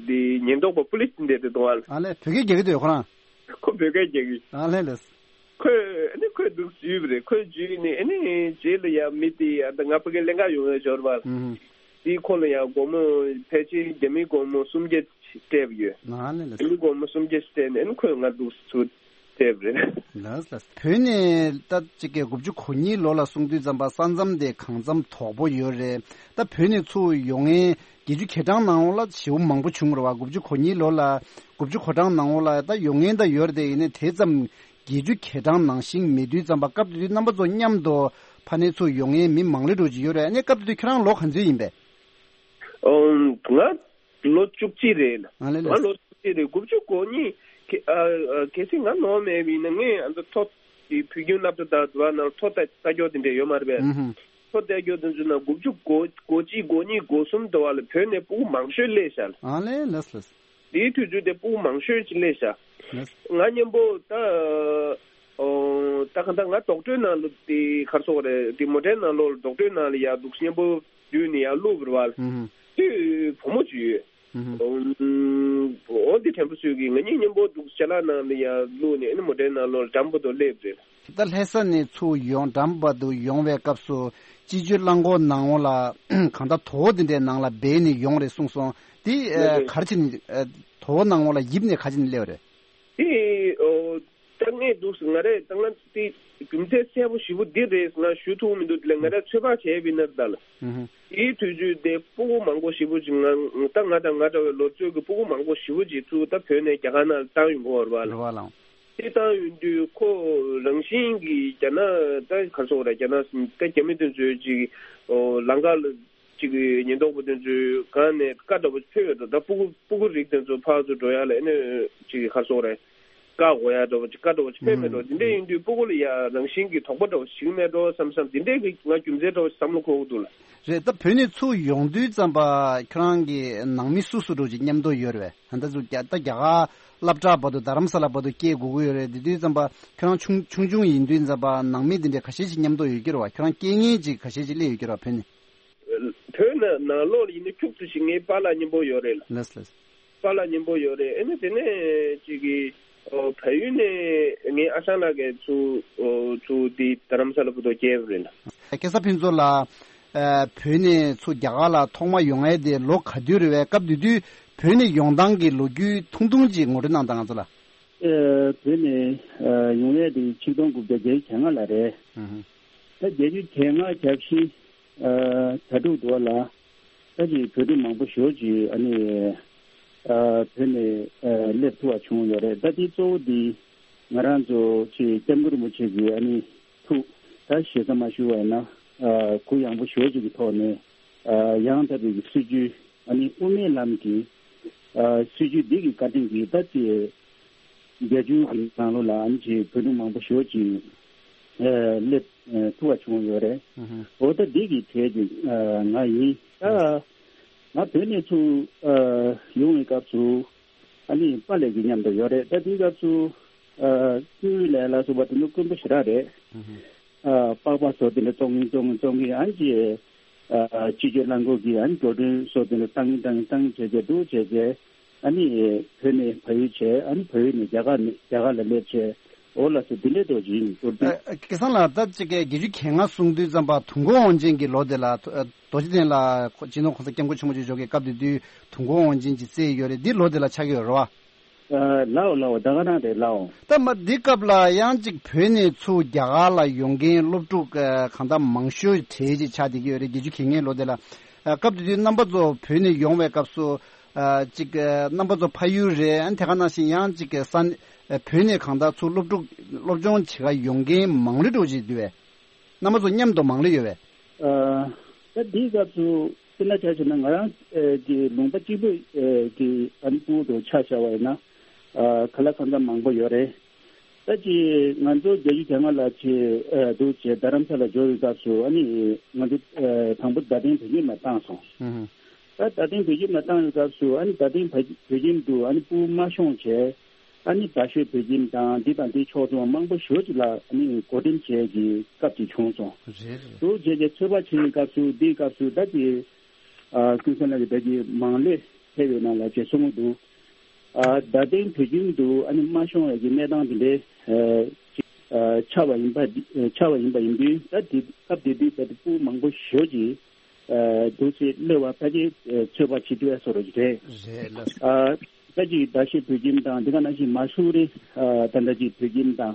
དེ་ཉེན་རྟོག་པ་པུ་ལིས་དེ་འདྲས་དེ་གཏོང་བ་ལ། ཨ་ལས་བོད་སྐད་རྒྱག་གི་འདུག་ཁོ་རང་། ཁོ་བོད་སྐད་རྒྱག་གི། ཨ་ལས་ལས། ཁོས་ཨ་ནི་ཁོས་འདུག་འཇུས་པ་རེད། ཁོས་འཇུས་ནས་ཨ་ནི་རྗེས་ལ་ཡ་མི་དེ་ཡ་ད་ང་ཕ་གི་ལེན་ག་ཡོང་བའི་ཞོར་བ་ལ། ཨུམ། དེའི་ཁོ་ལ་ཡ་སྒོར་མོ་ཕལ་ཆེར་རྒྱ་མིའི་སྒོར་མོ་སུམ་བརྒྱ་སྤྲད་པ་ཡོད། ཨ་ལས་ལས། རྒྱ་མིའི་སྒོར་མོ་སུམ་བརྒྱ་སྤྲད་ནས་ཨ་ནི་ཁོས་ང་འདུག་ཚུར་སྤྲད་པ་རེད། ལགས་ལགས། བོད་ནས་ད་ཅིག་གི་དགུ་བཅུ་གོ་གཉིས་ལོ་ལ་སོང་དུས་ཙམ་པ་ས་མཚམས་དེ་གང་འཚམ་དོག་པོ་ཡོད་རེད། ད་བོད་ནས་ཚུར་ཡོང་མཁན་བརྒྱད་ཅུ་གྱ་གྲངས་ནང་ལ་ཞེ་པོ་མང་པོ་བྱུང་རེད་བ། དགུ་བཅུ་གོ་གཉིས་ལོ་ལ་དགུ་བཅུ་གོ་གྲངས་ནང་ལ་ད་ཡོང་མཁན་ད་ཡོད་རེད་དེ། ཡིན་ནའི་དེ་ཙམ་བརྒྱད་ཅུ་གྱ་གྲངས་ནང་བཞིན་མེད་དུས་ཙམ་པ་སྐབས་དེ་དུས་རྣམ་པ་ཚོ་མཉམ་དུ་ཕ་ནས་ཚུར་ཡོང་མཁན་མི་མང་ལེ་འགྲོ་གི་ཡོད་རེད། ཨ་ནི་སྐབས་དེ་དུས་ཁྱེད་རང་ལོ་ག་ཚོད་ཡིན་པས། ཨོ་ང་ལོ་བཅུ་གཅིག་རེད། ཨ་ལེ་ལེ། ང་ལོ་བཅུ་གཅིག་རེད། དགུ་བཅུ་གོ་གཉིས། ཁེ་ཨ་ཨ་གལ་སྲིད་ང་ནོར་མེད་པ་ཡིན་ན་ངས་ཨ་ཚོ་ཐོ་དེ་བོད་ཁྱིམ་སློབ་གྲྭ་དང་དུ་བ་ནང་ཐོ་ལྟ་ལྟ་སྐྱོར་དེ་འདྲས་ཡོད་མ་རེད་པས། ཨུ་ཧུ། ཐོ་ལྟ་སྐྱོར་དེ་ཚོ་ནང་དགུ་བཅུ་གོ་གོ་གཅིག་གོ་གཉིས་གོ་གསུམ་དུ་བ་ལ་བོད་ནས་སྤུ་གུ་མང་ཤོས་སླེབས་ཤག་ལ། ཨ་ལེ་ལེ་ལེ། དེའི་དུས་ཚོད་དེ་སྤུ་གུ་མང་ཤོས་ཅིག་སླེབས་ཤག་ལེ། ང་མཉམ་པོ་ད་ཨོ་ད་ག་ད་ང་རྡོག་ཁྲེས་ནང་ལ་དེ་གར་སོང་རེད། དེ་མོ་ཊའི་ནང་ལོགས་ལ་རྡོག་ཁྲེས་ནང་ལ་ཡར་འདུག་མཉམ་པོ་བསྡུས་ནས་ཡར་བླུགས་པ་རེད་བ། ཨུ་ཧུ། དེ་བུ་མོ་ཅིག་ཡོད། ཨུ་ཧུ། འོ་འདི་དྲན་པ་གསོས་ཀྱི། ང་གཉིས་མཉམ་པོ་འདུག་ཅ་ལག་ནང་ལ་ཡར་བླུགས་ནས་ཨ་ནི་མོ་ཊའི་ནང་ལོགས་ལ་འགྲམ་བར་དུ་སླེབས་རེད། ད་ལྷ་ས་ནས་ཚུར་ཡོང་འགྲམ་བར་དུ་ཡོང་བའི་སྐབས་སུ་སྤྱི་སྤྱོད་རླངས་འཁོར་ནང་ལ་གང་ལྟར་དོ་དེ་འདྲའི་ནང་ལ་སྦས་ནས་ཡོང་རེད་གསུངས་སོང་། དེ་ཨ་ལགས་ལགས། ག་རེ་བྱས་ནས་ཨ་དོ་ནང་ལ་ཡིབ་ནས་ག་རེ་བྱས་ནས་སླེབས་རེད། དེ་ཨོ་ད་ངས་འདུག་ང་རེད་ད་ང་དེ་རྒྱུ་མཚན་གསལ་པོ་ཞེ་པོ་འདི་རེད་ང་ཞུ་ཐུབ་མི་འདུག་དེ་ལ་ང་རང་ཚོད་དཔག་བྱས་པ་ཡིན་ན་ད་ལ། ཨུ་ཧུ། དེའི་དུས་ཚོད་དེ་སྤུ་གུ་མང་པོ་ཞེ་པོ་ཅིག་ང་ད་ང་དང་ང་འདྲ་བའི་ལོ་ཚོད་ཀྱི་སྤུ་གུ་མང་པོ་ཞེ་པོ་ཅིག་ཚུར་ད་བོད་ནས་རྒྱ་གར་ནང་ལ་བཏང་ཡོང་གི་ཡོད་རེད་བ་ལགས། དེ་བཏང་ཡོང་དུས་ཁོ་རང་བཞིན་གྱིས་རྒྱ་ནག་ད་ག་རེ་ཟེར་དགོས་རེད། རྒྱ་ནག་ད་རྒྱ་མི་དེ་ཚོས་ཅིག་ཨོ་ལམ་ཁ་ལ་ཅིག་ཉེན་རྟོག་པ་དེ་ཚོས་སྒང་ནས་བཀའ་འདྲ་པོ་ཕེབས་ཡོད་འགྲོ། ད་སྤུ་གུ་སྤུ་གུ་རིགས་དེ་ཚོ་ཕར་ཚུར་འགྲོ་ཡ་ལ་ཨ་ནི་ཅིག་ག་རེ་ཟེར་དགོས་རེད། བཀག་དགོས་ཡ་འདྲ་པོ་ཅིག་བཀའ་འདྲ་པོ་ཅིག་ཕེབས་མེད་འགྲོ། ཨུམ། དེ་འདྲ་ཡིན་དུས་སྤུ་གུ་ལ་ཡ་རང་བཞིན་གྱིས་དོགས་པ་འདྲ་པོ་ཞིག་མེད་འགྲོ་བསམ་བསམ་དེ་འདྲའི་གི་ང་རྒྱུ་མཚན་འདྲ་པོ་ཞིག་བསམ་བློ་འཁོར་གྱི་འདུག་ལ། རེད། ད་བོད་ནས་ཚུར་ཡོང་དུས་ཙམ་པ་ཁྱོད་རང་གི་ནང་མི་སུ་སུ་འདྲ་པོ་ཅིག་མཉམ་དུ་ཡོད་རེད་པས། ད་ལྟ་ཚུར་རྒྱ་ད་རྒྱ་གར་སློབ་གྲྭ་བར་དུ་རྡ་རམ་ས་ལ་བར་དུ་སྐྱེལ་དགོས་ཀྱི་ཡོད་རེད། དེ་དུས་ཙམ་པ་ཁྱོད་རང་ཆུང་ཆུང་ཆུང་ཡིན་དུས་ཙམ་པ་ནང་མི་དེ་འདྲས་ག་ཤེད་ཅིག་མཉམ་དུ་ཡོད་ཀྱི་རེད་པ། ཁྱོད་རང་སྐྱེལ་མཁན་ཅིག་ག་ཤེད་ཅིག་སླེབས་ཡོད་ཀྱི་རེད་པ་བོད་ནས། བོད་ནང་ནང་ལོགས་ལ་ཡིན་ན་ཁྱུག་ཙམ་ཞིག་ངའི་པཱ་ལགས་མཉམ་པོ་ཡོད་རེད་ལ། ལགས་ལགས། པཱ་ལགས་མཉམ་པོ་ཡོད་རེད། ཨ་ནི་དེ་ནས་ཅིག་གི་ཨོ་བལ་ཡུལ་ནས་ངའི་ཨ་ཞང་ལགས་ཀྱིས་ཚུར་ཨོ་ཚུར་འདི་རྡ་རམ་ས་ལ་བར་དུ་སྐྱེལ་བ་རེད་ལ། སྐལ་བཟང་ཕུན་ཚོགས་ལགས། ཨ་བོད་ནས་ཚུར་རྒྱ་གར་ལ་ཐོག་མ་ཡོང་ཡས་དེ་ལོ་ག་དུས་རེད་པས། སྐབས་དེ་དུས་བོད་ནས་ཡོང་སྟངས་ཀྱི་ལོ་རྒྱུས་ཐུང་ཐུང་ཅིག་ངོ་སྤྲོད་གནང་དང་ང་ཚོ་ལ། ཨ་བོད་ནས་ཨ་ཡོང་ཡས་དེ་ཆིག་སྟོང་དགུ་བརྒྱ་བརྒྱད་ཅུ་གྱ་ལྔ་ལ་རེད། ཨུ་ཧུ། ད་བརྒྱད་ཅུ་གྱ་ལྔ་གྱ་བཞི་ཨ་གྱ་དྲུག་དུ་བ་ལ། ད་ཅིག་བོད་ཕྲུག་མང་པོ་ཞེ་པོ་ཅིག་ཨ་ནི་ཨ་བོད་ནས་ཨ་སླེབས་ཐུབ་པ་བྱུང་ཡོད་རེད། ད་དེ་གཙོ་བོ་དེ་ང་རང་ཚོ་ཅིག་སྐྱབས་མགོན་རིན་པོ་ཆེ་གི་ཨ་ནི་ཐུགས་ད་ཞེ་ས་མ་ཞུ་བ་ཡིན་ན་ཨ་གུ་ཡངས་པོ་ཞེ་པོ་ཅིག་གི་ཐོག་ནས་ཨ་ཡང་དག་པའི་གི་སྲིད་བྱུས་ཨ་ནི་དབུ་མའི་ལམ་གྱི་ཨ་སྲིད་བྱུས་འདི་གི་བཀའ་དྲིན་གྱིས་ད་ཅིག་བརྒྱད་ཅུ་གི་ནང་ལོགས་ལ་ཨ་ནི་ཅིག་བོད་ཕྲུག་མང་པོ་ཞེ་པོ་ཅིག་ཨ་སླེབས་ཨ་ཐུབ་པ་བྱུང་ཡོད་རེད། ཨུ་ཧུ། འོ་ད་འདི་གི་གྲས་ཀྱི་ཨ་ང་ཡིན། ད་ང་བོད་ནས་ཚུར་ཨ་ཡོང་བའི་སྐབས་སུ་ཨ་ནི་པཱ་ལགས་ཀྱི་མཉམ་དུ་ཡོད་རེད། ད་དེའི་སྐབས་སུ་ཨ་སྐུའི་ལས་ལ་སོགས་པ་དེ་ཚོ་དཀོན་པོ་ཞེ་དྲག་རེད། ཨུ་ཧུ། ཨ་པགས་པ་སོགས་དེ་འདྲ་བཙོང་གིན་བཙོང་གིན་བཙོང་གིན་ཨ་ནི་ཅིག་ཨ་སྤྱི་སྤྱོད་རླངས་འཁོར་གྱི་ཨ་ནི་འགྲོ་གྲོན་སོགས་དེ་འདྲ་བཏང་གིན་བཏང་གིན་བཏང་གིན་བྱས་བྱས་འདུག་བྱས་བྱས། ཨ་ནི་བོད་ནས་ཕ་ཡུལ་བྱས། ཨ་ནི་ཕ་ཡུལ་ནས་རྒྱ་གར་ནས་རྒྱ་གར་ལ་སླེབས་བྱས། འོ་ལགས་སོ། འདི་འདྲའི་རྡོ་རྗེ་ཡིན་མདོར་བསྡུས། ཨ་སྐལ་བཟང་ལགས། ད་ཅིག་གི་བརྒྱད་ཅུ་གྱ་ལྔ་གསུང་དུས་ཙམ་པ་དུས་འཁོར་དབང་ཆེན་གྱི་ལོ་དེ་ལ་ཨ་རྡོ་རྗེ་གདན་ལ་སྤྱི་ནོར་༸གོང་ས་༸སྐྱབས་མགོན་ཆེན་པོ་མཆོག་མཆོག་གི་སྐབས་དེ་དུས་དུས་འཁོར་དབང་ཆེན་གྱི་རྩེ་ཡོད་རེད། འདི་ལོ་དེ་ལ་ཆགས་ཀྱི་ཡོད་རེད་བ། ཨ་ལའོ་ལའོ། ད་ག་རང་རེད་ལའོ། ད་མ་འདི་སྐབས་ལ་ཡང་ཅིག་བོད་ནས་ཚུར་རྒྱ་གར་ལ་ཡོང་མཁན་སློབ་ཕྲུག་ཨ་གང་ལྟར་མང་ཤོས་གྲས་ཅིག་ཆགས་བསྡད་ཀྱི་ཡོད་རེད། བརྒྱད་ཅུ་གྱ་ལྔའི་ལོ་དེ་ལ། ཨ་སྐབས་དེ་དུས་རྣམ་པ་ཚོ་བོད་ནས་ཡོང་བའི་སྐབས་སུ། ཨ་ཅིག་ཨ་རྣམ་པ་ཚོ་ཕ་ཡུལ་རེད། ཨ་ནི་དེ་ག་ནང་བཞིན་ཡང་ཅིག་ས་ཨ་བོད་ནས་གང་ལྟར་ཚུར་སློབ་ཕྲུག་སློབ་སྦྱོང་བྱེད་ག་ཡོང་མཁན་མང་ལོས་འགྲོ་བཞིན་འདུག་བས། རྣམ་པ་ཚོ་མཉམ་དུ་མང་ལོས་ཡོད་བས། ཨ་ད་འདིའི་སྐབས་སུ་དཔེར་ན་ཆ་བཞག་ན་ང་རང་ཨ་གི་ལུང་པ་གཅིག་པུ་ཨ་གི་ཨ་ནི་སྤུ་གུ་དང་ཆ་བཞག་པ་ཡིན་ན་ཨ་ག་ལ་གང་འཚམ་མང་པོ་ཡོད་རེད། ད་ཅི་ང་ཚོ་བརྒྱད་ཅུ་གྱ་ལྔ་ལ་ཆེ་ཨ་འདུག་བྱས་རྡ་རམ་ས་ལ་འབྱོར་བའི་སྐབས་སུ་ཨ་ནི་ང་ཚོ་ཨ་དང་པོ་རྡ་སྟེང་བོད་ཁྱིམ་ལ་བཏང་སོང་། ཨུ་ཧུ། ད་རྡ་སྟེང་བོད་ཁྱིམ་ལ་བཏང་བའི་སྐབས་སུ་ཨ་ནི་རྡ་སྟེང་བོད་བོད་ཁྱིམ་དུ་ཨ་ནི་སྤུ་གུ་མ་ཤོང་བྱས། ཨ་ནི་རྡ་ཤོད་བོད་ཁྱིམ་དང་འདི་དང་འདི་ཕྱོགས་མཚུངས་མང་པོ་ཞེ་པོ་ཅིག་ལ་ཨ་ནི་བགོ་འགྲེམས་བྱས་ཀྱི་སྐབས་ཅིག་བྱུང་སོང་། རེད་རེད། འདུག་བྱས་ཀྱི་ཚོད་དཔག་བྱེད་པའི་སྐབས་སུ་འདིའི་སྐབས་སུ་ད་ཅི་ཨ་ཀུན་བཟང་ལགས་ཀྱིས་ད་ཅི་མང་ལོས་ཕེབས་ཡོད་ན་ལབ་བྱས་གསུང་གི་འདུག་ཨ་རྡ་སྟེང་བོད་ཁྱིམ་དུ་ཨ་ནི་མ་ཤོང་བའི་གི་གནས་སྟངས་དེ་འདྲའི་ཨ་ཅིག་ཨ་ཆགས་པ་ཡིན་པ་ཆགས་པ་ཡིན་པ་ཡིན་དུས། ད་དེ་སྐབས་དེ་དུས་ད་དེ་སྤུ་གུ་མང་པོ་ཞེ་པོ་ཅིག་ཨ་འདུག་སེ་གློད་པ་ཕལ་ཆེར་ཨ་ཚོད་དཔག་བྱེད་ཐུབ་ཡ་བཟོ་འདྲ་ཅིག་རེད། རེད་ལགས། ཨ་ད་ཅིག་རྡ་ཤོད་བོད་ཁྱིམ་དང་འདི་ག་ནང་བཞིན་མ་སུ་རི་ཨ་ད་ལྟ་ཅིག་བོད་ཁྱིམ་དང་།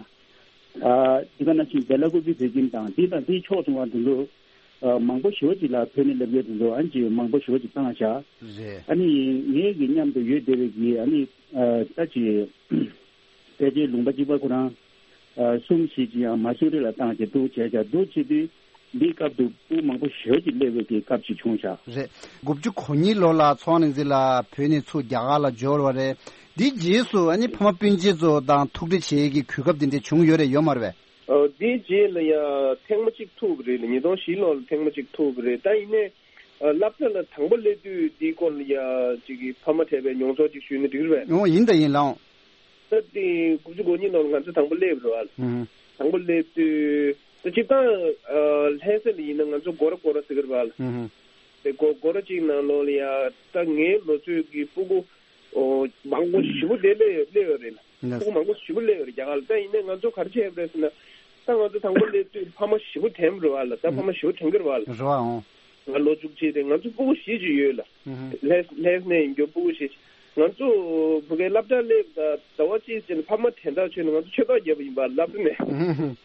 ཨ་འདི་ག་ནང་བཞིན་བེ་ལ་ཀུ་ཛི་བོད་ཁྱིམ་དང་འདི་དང་འདིའི་ཕྱོགས་མཚུངས་པ་འདི་ཚོ་ཨ་མང་པོ་ཞེ་པོ་ཅིག་ལ་བོད་ནས་སླེབས་མཁན་དེ་ཚོ་ཨ་ནི་ཅིག་མང་པོ་ཞེ་པོ་ཅིག་བཏང་བཞག་རེད། ཨ་ནི་ངེད་ཀྱི་མཉམ་དུ་ཡོད་བསྡད་པའི་གི་ཨ་ནི་ཨ་ད་ཅིག་ཕལ་ཆེར་ལུང་པ་གཅིག་པ་ཁོ་རང་ཨ་གསུམ་བཞི་ཅིག་ཡང་མ་སུ་རི་ལ་བཏང་བྱས་འདུག་བྱས་བྱས་འདུག་བྱེད་དུས་འདིའི་སྐབས་དུ་སྤུ་གུ་མང་པོ་ཞེ་པོ་ཅིག་སླེབས་པའི་གི་སྐབས་ཅིག་བྱུང་བཞག་རེད། དགུ་བཅུ་གོ་གཉིས་ལོ་ལ་ཚེ་དབང་རིག་འཛིན་ལགས་བོད་ནས་ཚུར་རྒྱ་གར་ལ་འབྱོར་བ་རེད། འདིའི་རྗེས་སུ་ཨ་ནི་ཕ་མ་སྤུན་མཆེད་ཚོ་དང་ཐུག་འཕྲད་བྱེད་ཡས་ཀྱི་གོ་སྐབས་དེ་འདྲ་བྱུང་ཡོད་རེད་ཡོད་མ་རེད་པས། ཨ་དེའི་རྗེས་ལ་ཡ་ཐེངས་མ་གཅིག་ཐུག་པ་རེད་ལ། ཉིས་སྟོང་བཞི་ལོ་ལ་ཐེངས་མ་གཅིག་ཐུག་པ་རེད། ད་ཡིན་ནའི་ཨ་སློབ་གྲྭ་ལ་དང་པོ་སླེབས་དུས་དེའི་སྐོར་ལ་ཡ་ཅིག་གི་ཕ་མ་འཕྲད་པའི་མྱོང་ཚོར་ཅིག་ཞུས་ན་འགྲིག་རེད་པས། ཨོ་ཡིན་ད་ཡིན་ལགས། ད་དེ་དགུ་བཅུ་གོ་གཉིས་ནང་ལ་ང་ཚོ་དང་པོ་སླེབས་རེད་པ། ཨུ་ཧུ། དང་པོ་སླེབས་དུས་ད་སྤྱིར་བཏང་ཨ་ལྷ་ས་ལ་ཡིན་ན་ང་ཚོ་སྒོ་ར་སྒོ་ར་ཟེར་གི་རེད་པ། ཨུ་ཧུ། དེ་སྒོ་སྒོ་ར་གཅིག་ནང་ལོགས་ལ་ཡ་ད་ངའི་ལོ་ཚོད་ཀྱི་སྤུ་གུ་ཨོ་མང་པོ་ཞེ་པོ་དེ་སླེབས་ཡོད་སླེབས་ཡོད་རེད་ལ། ལགས། སྤུ་གུ་མང་པོ་ཞེ་པོ་སླེབས་ཡོད་རེད་རྒྱ་གར་ལ། ད་ཡིན་ནའི་ང་ཚོ་ག་རེ་བྱས་པ་རེད་ཟེར་ན། ད་ང་ཚོ་དང་པོ་སླེབས་དུས་ཕ་མ་ཞེ་པོ་དྲན་པ་རེད་པ་ལ། ད་ཕ་མ་ཞེ་པོ་དྲན་གི་རེད་པ་ལ། རེད་པ། ཨོ། ང་ལོ་བཅུ་གཅིག་རེད། ང་ཚོ་སྤུ་གུ་བཞི་ཅིག་ཡོད་ལ། ཨུ་ཧུ། ལྷ་ལྷ་ས་ནས་ཡིན་རྒྱུ་སྤུ་གུ་བཞི་ཅིག་ང་ཚོ་བུ་གའི་སློབ་གྲྭ་སླེབས་ད་ཟླ་བ་གཅིག་ཅིག་ལ་ཕ་མ་དྲན་ཐག་ཆོད་ནས་ང་ཚོ་ཆོས་ཐོག་བརྒྱབ་པ་ཡིན་པ་སློབ་གྲྭ་ནས། ཨུ་ཧུ།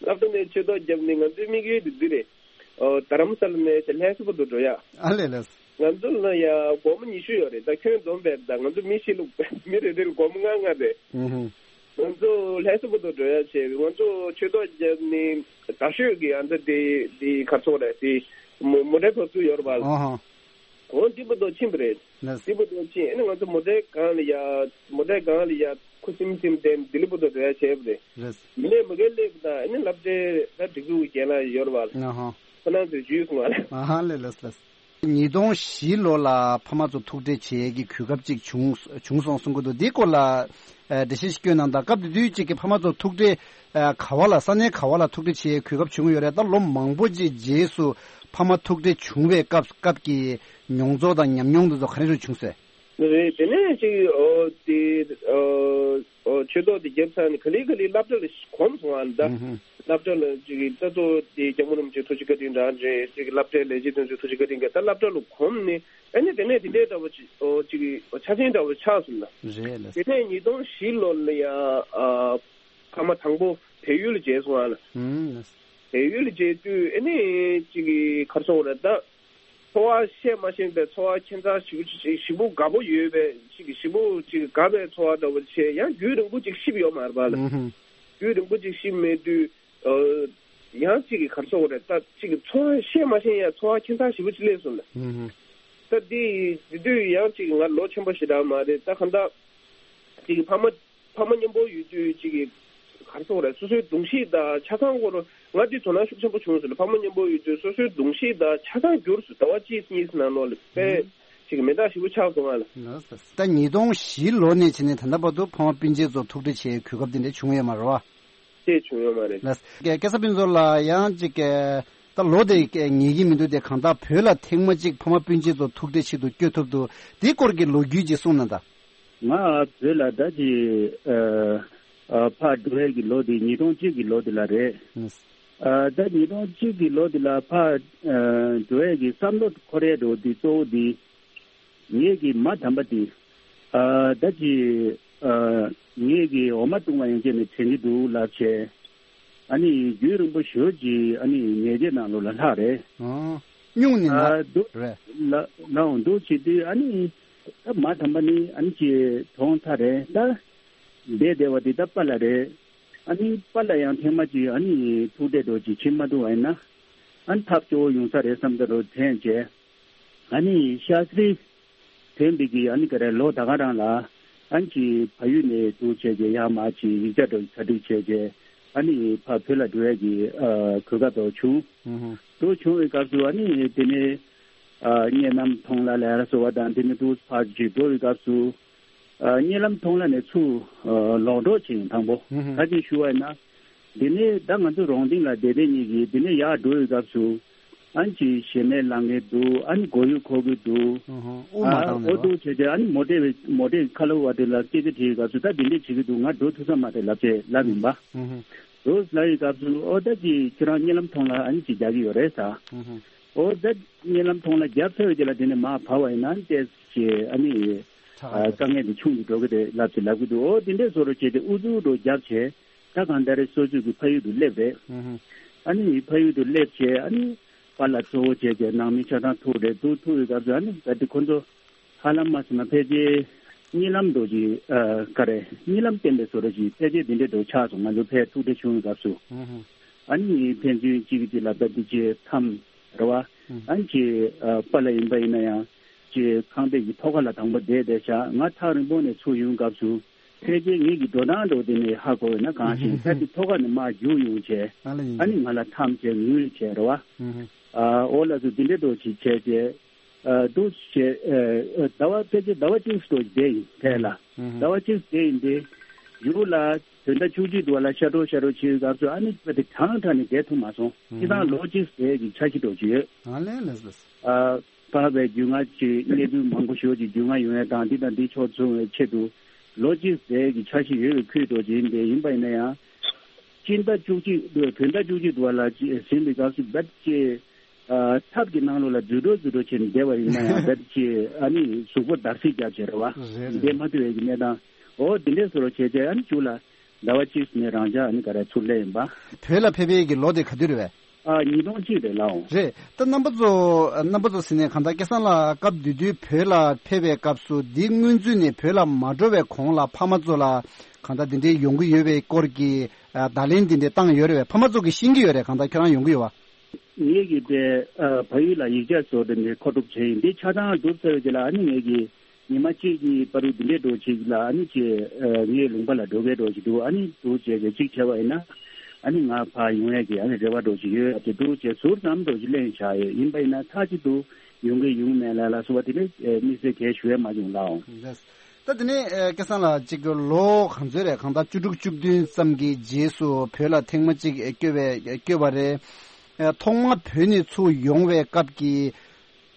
སློབ་གྲྭ་ནས་ཆོས་ཐོག་བརྒྱབ་ནས་ང་ཚོའི་དམིགས་ཡུལ་དེ་འདི་རེད། ཨོ་རྡ་རམ་ས་ལ་ནས་ལྷ་ས་བར་དུ་འགྲོ་ཡ། ཨ་ལས་ལས། ང་ཚོ་ལ་ཡ་སྒོར་མོ་ཉི་ཤུ་ཡོད་རེད། ད་ཁྱོན་བསྡོམས་པས་ད་ང་ཚོ་མི་བཞི་ལ་མི་རེ་རེ་ལ་སྒོར་མོ་ལྔ་ལྔ་རེད། ཨུ་ཧུ། ང་ཚོ་ལྷ་ས་བར་དུ་འགྲོ་ཡ་བྱས། ང་ཚོ་ཆོས་ཐོག་བརྒྱབ་ནས་རྡ་ཤོད་ཀྱི་ཨ་འདྲ་དེ་དེ་གར་སོང་རེད། དེ་མོ་མོ་ཊའི་བབས་ཚུགས་ཡོད་རེད་པ། ཨ་ཧ། འོ་འདི་བར་དུ་ཕྱིན་པ་རེད། ལགས། འདི་བར་དུ་ཕྱིན། ཨ་ནི་ང་ཚོ་མོ་ཊའི་སྒང་ལ་ཡ་མོ་ཊའི་སྒང་ལ་ཡ་ཁུ་སིམ་སིམ་བསྡད་ནས་ལྡི་ལི་བར་དུ་འགྲོ་ཡ་བྱས་པ་རེད། རེད། མི་ལས་མ་གལ་སླེབས་པ་དང་ཨ་ནི་སློབ་གྲྭའི་ད་སྒྲིག་འཛུགས་ཀྱི་རྒན་ལགས་ཡོད་རེད་པ། ཨ་ཧ། ཁོ་རང་ཚོས་འཇུས་སོང་བ་ལ། ཨ་ཧ་ལས་ལགས་ལགས། ཉིས་སྟོང་བཞི་ལོ་ལ་ཕ་མ་ཚོ་ཐུག་འཕྲད་བྱེད་ཡས་ཀྱི་གོ་སྐབས་ཅིག་བྱུང་བྱུང་སོང་གསུང་གི་འདུག་འདིའི་སྐོར་ལ་ཨ་འགྲེལ་བཤད་ཞིག་སྐྱོན་གནང་དང་། སྐབས་དེ་དུས་ཅིག་གི་ཕ་མ་ཚོ་ཐུག་འཕྲད་ཨ་ག་བ་ལ་ས་གནས་ག་བ་ལ་ཐུག་འཕྲད་བྱེད་ཡས་གོ་སྐབས་བྱུང་ཡོད་རེད། ད་ལོ་མང་པོ་ཅིག་རྗེས་སུ་ཕ་མ་ཐུག་འཕྲད་བྱུང་བའི་སྐབས་སྐབས་ཀྱི་མྱོང་ཚོར་དང་ཉམས་མྱོང་དེ་ཚོ་ག་རེ་རེ་བྱུང་སོང་། རེད། དེ་ནས་ཅིག་ཨོ་དེ་ཨོ་ཨོ་ཆོས་ཐོག་དེ་བརྒྱབ་ཚར་ནས་ག་ལེ་ག་ལེ་སློབ་གྲྭ་ལ་གོམས་སོང་ཨ་ད། ཨུ་ཧུ། སློབ་གྲྭ་ལ་ཅིག་ད་ལྟོ་དེ་སྐྱབས་མགོན་རིན་པོ་ཆེ་ཐུགས་རྗེ་བཀའ་དྲིན་རང་རེད། ཅིག་སློབ་གྲྭའི་ལས་བྱེད་དེ་ཚོའི་ཐུགས་རྗེ་བཀའ་དྲིན་གྱིས་ད་སློབ་གྲྭ་ལ་གོམས་ནས་ཨ་ནི་དེ་ནས་དེ་འདྲའི་འདྲ་བོ་ཅིག་ཨོ་ཅིག་ཨོ་ཆ་ཆེན་འདྲ་བོ་ཆགས་སོང་ལ། རེད་ལགས། དེ་ནས་ཉིས་སྟོང་བཞི་ལོ་ལ་ཡ་ཨ་ཕ་མ་དང་པོ་བལ་ཡུལ་ལ་མཇལ་སོང་ཨ་ལ། ཨུམ་ལགས། བལ་ཡུལ་ལ་མཇལ་དུས་ཨ་ནི་ཅིག་ག་རེ་ཟེར་དགོས་རེད་ད། ཚོར་བ་བཤད་མ་ཤེས་པའི་ཚོར་བ་ཁྱད་མཚར་ཞེ་པོ་ཅིག་ཞེ་པོ་དགའ་པོ་ཡོད་པའི་ཅིག་ཞེ་པོ་ཅིག་དགའ་བའི་ཚོར་བ་འདྲ་བོ་བྱས། ཡང་རྒྱུན་རིང་པོ་ཅིག་ཤི་བ་ཡོད་མ་རེད་པ་ལ། ཨུ་ཧུམ། རྒྱུན་རིང་པོ་ཅིག་ཤི་མེད་དུས། ཨ། ཡང་ཅིག་གི་ག་རེ་ཟེར་དགོས་རེད། ད་ཅིག་གི་ཚོར་བ་བཤད་མ་ཤེས་ཡ་ཚོར་བ་ཁྱད་མཚར་ཞེ་པོ་ཅིག་སླེབས་སོང་ལ། ཨུ་ཧུམ། ད་དེ་དེ་དུས་ཡང་ཅིག་ང་ལོ་ཆེན་པོ་ཞེ་དྲག་མ་རེད། ད་གང་ལྟར་ཅིག་གི་ཕ་མ་ཕ་མ་མཉམ་པོ་ཡོད་དུས་ཅིག་གི་ག་རེ་ཟེར་དགོས་རེད། སོ་སོའི་གདུང་ཤེས་དང་ཆ་ཚང་སྐོར་ང་དེ་དོ་སྣང་ཤུགས་ཆེན་པོ་བྱུང་སོང་ལ། ཕ་མ་མཉམ་པོ་ཡོད་དུས་སོ་སོའི་གདུང་ཤེས་དང་ཆ་ཚང་འགྱུར་སོང་། ཟླ་བ་གཅིག་གཉིས་ནང་ལོགས་ལ་དཔེ་ཅིག་མེ་མདའ་ཞེ་པོ་ཆགས་སོང་ང་ལ། ལགས་སོ། ད་ཉིས་སྟོང་བཞི་ལོ་ནས་བྱས་ནས་ད་ལྟ་བར་དུ་ཕ་མ་སྤུན་མཆེད་ཚོ་ཐུག་འཕྲད་བྱེད་གོ་སྐབས་དེ་འདྲ་བྱུང་ཡོད་མ་རེད་བ། དེ་བྱུང་ཡོད་མ་རེད། ལགས། སྐལ་བཟང་ཕུན་ཚོགས་ལགས་ཡང་ཅིག་ད་ལོ་དེ་ངེས་ཀྱི་མི་འདུག་སྟེ། གང་ལྟར་བོད་ལ་ཐེངས་མ་གཅིག་ཕ་མ་སྤུན་མཆེད་ཚོ་ཐུག་འཕྲད་ཆེད་དུ་བསྐྱོད་ཐུབ་འདུག། དེའི་སྐོར་གྱི་ལོ་རྒྱུས་ཅིག་གསུངས་གནང་དང་། ང་བོད་ལ་ད་ཅི་ཨ་ཨ་ཕར་འགྲོ་ཡས་ཀྱི་ལོ་དེ་ཉིས་སྟོང་གཅིག་གི་ལོ་དེ་ལ་རེད། ཨ་ད་ཉིས་སྟོང་གཅིག་གི་ལོ་དེ་ལ་ཕར་ཨ་འགྲོ་ཡས་ཀྱི་བསམ་བློ་འཁོར་ཡས་འགྲོ་དེ་གཙོ་བོ་དེ། ངེད་ཀྱི་མ་དམ་པ་དེ། ཨ་ད་ཅི་ཨ་ངེད་ཀྱི་འོ་མ་བཏུང་བ་ཡན་ཆད་ནས་དྲན་གྱི་འདུག་ལབ་བྱས། ཨ་ནི་རྒྱུན་རིང་པོ་ཞེ་པོ་ཅིག་ཨ་ནི་ནད་བརྗེད་ནང་ལོགས་ལ་ལྷག་རེད། ཨང་། སྨྱུང་གནས་ན། ཨ་འདུག་རེད། ལ་ལའང་འདུག་བྱེད་དུས་ཨ་ནི་ད་མ་དམ་པ་ནི་ཨ་ནི་ཅིག་གྲོངས་ཚར་རེད། ད་བསྡད་བསྡད་པ་དེ་ད་པཱ་ལགས་རེད། ཨ་ནི་པཱ་ལགས་ཡང་ཐེངས་མ་ཅིག་ཨ་ནི་ཐུག་འཕྲད་འགྲོ་ཅིག་བྱེད་མ་ཐུབ་པ་ཡིན་ན། ཨ་ནི་ཐབས་སྐྱོ་བོ་ཡོང་ས་རེད་བསམ་ད་རོ་དྲན་བྱས། ཨ་ནི་ཤ་སྟག་ཐོན་པའི་གི་ཨ་ནི་ག་རེ་ལོ་ད་ག་རང་ལ་ཨ་ནི་ཅིག་ཕ་ཡུལ་ནས་འདུག་བྱས་རྗེས་ཡར་མར་ཅིག་ཡིག་ཆ་འདྲ་གྲ་སྒྲིག་བྱས་རྗེས་ཨ་ནི་ཕར་བོད་ལ་འགྲོ་ཡས་ཀྱི་ཨ་གོ་སྐབས་དེ་བྱུང་། ཨུ་ཧུ། དེ་བྱུང་བའི་སྐབས་སུ་ཨ་ནི་དེ་ནས་ཨ་གཉའ་ལམ་མཐོང་ལ་ལ་ཡ་ཟེར་བ་དང་དེ་ནས་འདུག་ཕར་ཅིག་འགྲོ་བའི་སྐབས་སུ། ཨ་གཉའ་ལམ་མཐོང་ལ་ནས་ཚུར་ཨ་ལོག་འགྲོ་བྱས་ཡིན་དང་པོ། ཧུམ་ཧུམ། ཁ་ཅིག་ཞུ་བ་ཡིན་ན། འདི་ནས་ད་ང་ཚོ་རོང་སྡིང་ལ་བསྡད་བསྡད་གཉིས་ཀྱིས་འདི་ནས་ཡར་འགྲོ་བའི་སྐབས་སུ། ཨ་ནི་ཅིག་ཞེ་མེར་ལངས་མཁན་འདུག། ཨ་ནི་མགོ་ཡུ་འཁོར་གྱི་འདུག། ཧུམ་ཧུམ། དབུགས་མ་འགྲོ་འདུག་བྱས་བྱས་ཨ་ནི་མོ་ཊའི་མོ་ཊའི་ཁ་ལོ་བ་དེ་ལ་སྐད་ཆ་དྲིས་པའི་སྐབས་སུ་ད་འདི་འདྲས་བྱེད་ཀྱི་འདུག། ང་འགྲོ་ཐུབ་ས་མ་རེད་ལབ་བྱས་ལབ་ཡིན་པ། ཧུམ་ཧུམ། འདུག་ལབ་ཡི་སྐབས་སུ་ཨོ་ད་ཅིག་ཁྱོད་རང་གཉའ་ལམ་མཐོང་ལ་ཨ་ནི་ཅིག་རྒྱག་གི་ཡོད་རེད་ཟེར། ཧུམ་ཧུམ། ཨོ་ད་གཉའ་ལམ་མཐོང་ལ་རྒྱབ་ཚར་བའི་རྗེས་ལ་དེ་ནས་མར་བབས་པ་ཡིན་ན་ཏོག་ཙམ་ཨ་ནི་ཁྲག་ཨ་དཀའ་ངལ་དེ་ཆུང་དུ་འགྲོ་གི་རེད་ལབ་ཅིག་ལབ་གི་འདུག། ཨོ་དེ་འདྲས་བཟོ་འདྲ་བྱས་ཏེ་ཨུ་ཚུགས་འདྲ་རྒྱབ་བྱས་ད་གང་ལྟར་སོ་སོ་གི་ཕ་ཡུལ་དུ་སླེབས་རེད། ཧུམ་ཧུམ། ཨ་ནི་ཕ་ཡུལ་དུ་སླེབས་བྱས་ཨ་ནི་པཱ་ལགས་གཙོ་བོ་བྱས་བྱས་ནང་མི་ཆ་ཚང་ཐུག་རེད། འདུག་ཐུག་ཡི་སྐབས་སུ་ཨ་ནི་ད་དེ་ཁོ་ཚོ་ཧ་ལམ་མ་ཟེར་ན་ཕལ་ཆེར་གཉིད་ལམ་འདྲ་ཅིག་ཨ་ག་རེ་གཉིད་ལམ་བསྟན་པའི་བཟོ་འདྲ་ཅིག་ཕལ་ཆེར་འདི་འདྲའི་འདྲ་ཆགས་སོང་། ང་ཚོ་ཕར་ཐུག་འཕྲད་བྱུང་བའི་སྐབས་སུ། ཧུམ་ཧུམ། ཨ་ནི་ཕན་ཚུན་གཅིག་གིས་གཅིག་ལ་ད་འདི་ཅིག་འཐམ་རེད་བ། ཧུམ། ཨ་ནི་ཅིག་ཨ་པཱ་ལགས་ཡིན་པ་ཡིན་ན་ཡང་ཅིག་ཁང་པའི་གི་ཐོག་ཁ་ལ་དང་པོ་བསྡད་བསྡད་བཞག། ང་ཐག་རིང་པོ་ནས་ཚུར་ཡོང་སྐབས་སུ་ཕལ་ཆེར་ངེད་ཀྱི་འགྲོ་སྟངས་འདྲ་བོ་དེ་ནས་ཧ་གོ་བས་ན་གང་ཞིག་ད་ཅིག་ཐོག་ཁ་ནས་མར་རྒྱུགས་ཡོང་བྱས། ཨ་ལ་ཡིན། ཨ་ནི་ང་ལ་འཐམ་བྱས་ངུས་བྱས་རེད་བ། ཧུམ་ཧུམ། ཨ་ཨོ་ལགས་སོ་འདི་འདྲའི་འདྲ་ཅིག་བྱས་བྱས། ཨ་འདུག་བྱས། ཨ་ཟླ་བ་ཕལ་ཆེར་ཟླ་བ་གཅིག་ཙམ་བསྡད་ཡིན་དེ་ལ། ཨུ་ཧུ། ཟླ་བ་གཅིག་བསྡད་ཡིན་དེ། ཡུལ་ལ་བོད་ཟླ་བཅུ་གཅིག་འདུག་བ་ལ་ཤ་འགྲོ་ཤ་འགྲོ་བྱེད་སྐབས་སུ་ཨ་ནི་དཔེ་དེ་གྲང་དྲགས་ནས་བསྡད་ཐུབ་མ་སོང་། ཨུ་ཧུ། སྤྱིར་བཏང་ལོ་གཅིག་བསྡད་ཀྱི་འཆར་གཞི་འདྲ་ཅིག་ཡོད། ཨ་ལས་ལས་ལས། ཨ་བར་བའི་རྒྱུས་མངའ་ཅིག་གནས་ཚུལ་མང་པོ་ཞེ་པོ་ཅིག་རྒྱུས་མངའ་ཡོང་ཡ་དང་འདི་དང་འདི་ཕྱོགས་བྱུང་བའི་ཆེད་དུ་ལོ་གཅིག་བསྡད་ཀྱི་འཆར་གཞི་ཡོད་པའི་ཁུལ་འདྲ་ཅིག་ཡིན་དེ་ཡིན་པ་ཡིན་ན་ཡང་། སྤྱི་ཟླ་བཅུ་གཅིག་བོད་ཟླ་བཅུ་གཅིག་འདུག་བ་ལ་ཟིན་པའི་སྐབས་སུ་བེད་ཅེ། ཨ་ཐབ་ཀྱི་ནང་ལོགས་ལ་འཛུལ་འགྲོ་འཛུལ་འགྲོ་བྱས་ནས་བསྡད་པ་ཡིན་ན་ཡང་བེད་ཅེ་ཨ་ནི་གཟུགས་པོ་འདར་སིག་རྒྱབ་བྱས་རེད་བ། རེད་རེད། བསྡད་མ་ཐུབ་པའི་གི་གནས་སྟངས། འོ་འདི་འདྲས་བཟོ་འདྲ་བྱས་བྱས་ཨ་ནི་གཅིག་ལ་ཟླ་བ་གཅིག་ནས་རང་འཇགས་ཨ་ནི་ག་རེ་ཚུར་སླེབས་ཡིན་པ། བོད་ལ་ཕེབས་པའི་གི་ལོ་དེ་ག་དུས་རེད་བས། ཨ་ཉིས་སྟོང་གཅིག་རེད་ལགས་འོང་། རེད། ད་རྣམ་པ་ཚོ་རྣམ་པ་ཚོ་ཟེར་ནས་གང་ལྟར་སྐལ་བཟང་ལགས་སྐབས་དེ་དུས་བོད་ལ་ཕེབས་པའི་སྐབས་སུ་འདི་སྔོན་ཚུད་ནས་བོད་ལ་མ་འགྲོ་བའི་གོང་ལ་ཕ་མ་ཚོ་ལ་གང་ལྟར་འདི་འདྲའི་ཡོང་གི་ཡོད་པའི་སྐོར་གྱི་ཨ་བརྡ་ལན་འདི་འདྲའི་བཏང་ཡོད་རེད་བས། ཕ་མ་ཚོ་གིས་ཤེས་ཀྱི་ཡོད་རེད། གང་ལྟར་ཁྱོད་རང་ཡོང་གི་ཡོད་བ། ངེད་ཀྱིས་དེ་ཨ་ཕ་ཡུལ་ལ་ཡིག་ཆ་བཟོ་དེ་འདྲའི་མཁོ་སྒྲུབ་བྱས་ཡིན། དེ་ཆ་ཚང་གྲུབ་ཚར་བའི་རྗེས་ལ་ཨ་ནི་ངེད་ཀྱིས་ཉི་མ་གཅིག་གཉིས་བར་དུ་འདི་འདྲའི་འདྲ་ཅིག་ལ་ཨ་ནི་ཅེ་ཨ་ངའི་ལུང་པ་ལ་འགྲོ་མཁན་འདྲ་ཅིག་འདུག། ཨ་ནི་འདུག་བྱས་བྱས་གཅིག་བྱས་པ་ཡིན་ན་ཨ་ནི་ང་ཕར་ཡོང་ཡས་ཀྱི་ཨ་ནི་རེ་བ་འདྲ་ཅིག་ཡོད་ཨ་ཅེ་འདུག་བྱས་ཟུར་ཙམ་འདྲ་ཅིག་གླེང་བཞག་ཡོད། ཡིན་པ་ཡིན་ན་མཐའ་གཅིག་ཏུ་ཡོང་གི་ཡོང་མེད་ལ་ལ་སོགས་པ་དེ་འདྲའི་དམིགས་བསལ་གས་ཞུ་ཡས་མ་བྱུང་ལགས་འོང་། ལགས། ད་དེ་ནས་ཨ་སྐལ་བཟང་ལགས་གཅིག་ལོ་གང་ཚོད་རེད། གང་ལྟར་བཅུ་དྲུག་བཅུ་བདུན་ཙམ་གྱི་རྗེས་སུ་བོད་ལ་ཐེངས་མ་གཅིག་བསྐྱོད་པའི་བསྐྱོད་པ་རེད། ཨ་ཐོག་མར་བོད་ནས་ཚུར་ཡོང་བའི་སྐབས་ཀྱི་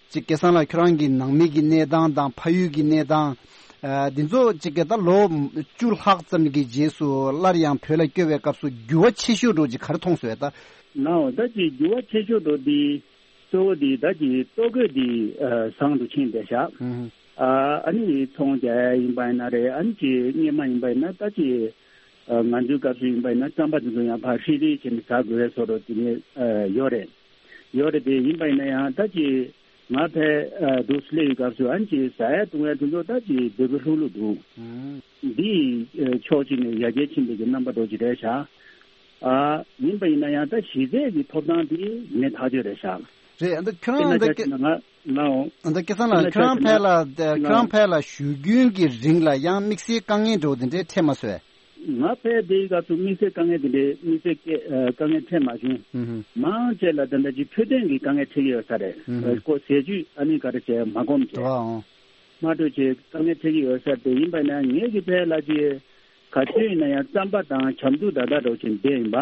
གཅིག་སྐལ་བཟང་ལགས་ཁྱོད་རང་གི་ནང་མི་གི་གནས་སྟངས་དང་ཕ་ཡུལ་གྱི་གནས་སྟངས། ཨ་འདི་ཚོ་གཅིག་གི་ད་ལོ་བཅུ་ལྷག་ཙམ་གྱི་རྗེས་སུ་སླར་ཡང་བོད་ལ་བསྐྱོད་པའི་སྐབས་སུ་འགྱུར་བ་ཆེ་ཤོས་འདྲ་ཅིག་ག་རེ་མཐོང་སོང་ད། ལགས་འོང་། ད་ཅིག་འགྱུར་བ་ཆེ་ཤོས་འདྲ་འདི། གཙོ་བོ་འདི་ད་ཅིག་ལྟོ་གོས་འདི་ཨ་བཟང་དུ་ཕྱིན་བསྡད་ཤག། ཨུ་ཧུ། ཨ་ཨ་ནི་ཚོང་རྒྱག་ཡ་ཡིན་པ་ཡིན་ན་རེད། ཨ་ནི་ཅིག་སྔོན་མ་ཡིན་པ་ཡིན་ན་ད་ཅིག་ཨ་ང་ཚོའི་སྐབས་སུ་ཡིན་པ་ཡིན་ན་རྩམ་པ་དེ་ཚོ་ཡང་ཕར་ཧྲིལ་ཧྲིལ་བྱས་ནས་ཟ་དགོས་པའི་བཟོ་འདྲ་དེ་ནས་ཨ་ཡོད་རེད། ཡོད་རེད་དེ་ཡིན་པ་ཡིན་ན་ཡང་ད་ཅིག་ ང་ཕའི་དུ་སླེབས་ཡི་སྐབས་སུ་ཨན་ཅི་ཟ་ཡ་བཏུང་ཡ་དུ་ཚོ་ད་ཅི་བེ་བེ་ལྷུག་ལྷུག་འདུག་འདི་ཕྱོགས་གཅིག་ནས་ཡར་རྒྱས་ཕྱིན་པའི་གི་རྣམ་པ་འདྲ་ཅིག་རེད་ཤག་ཨ་ཡིན་པ་ཡིན་ན་ཡང་ད་གཞི་རྩའི་གི་ཐོབ་ཐང་དེ་མེད་ཐག་ཆོད་རེད་ཤག་རེད། ཨ་ད་ཁྱོད་རང་ད་ང་ལའོ། ཨ་ད་སྐལ་བཟང་ལགས་ཁྱོད་རང་ཕལ་ལ་ཁྱོད་རང་ཕལ་ལ་བཞུགས་རྒྱུན་གྱི་རིང་ལ་ཡང་དམིགས་བསལ་དཀའ་ངལ་འདྲ་བོ་དེ་འདྲའི་འཕྲད་མ་སོང་། ང་ཕལ་དེའི་སྐབས་སུ་དམིགས་བསལ་དཀའ་ངལ་དེ་འདྲའི་དམིགས་བསལ་སྐད་དཀའ་ངལ་འཕྲད་མ་བྱུང་། མང་ཆེ་ལ་ད་ལྟ་ཅིག་འཕྲོད་བསྟེན་གྱི་དཀའ་ངལ་འཕྲད་ཀྱི་ཡོད་ས་རེད། ཨ་ཁོ་ཟས་བཅུད་ཨ་ནི་ག་རེ་བྱས་མ་སྒོམ་བྱས། དུ་བའང་། མ་འགྲོ་ཆེ་དཀའ་ངལ་འཕྲད་ཀྱི་ཡོད་ས་དེ་ཡིན་པ་ན་ངེད་ཀྱི་ཕལ་ལ་ཅི་ག་ཚོད་ཡིན་ན་ཡང་རྩམ་པ་དང་བྱམས་སྡུག་ད་ལྟ་འགྲོ་ཆེ་བསྡད་ཡིན་པ།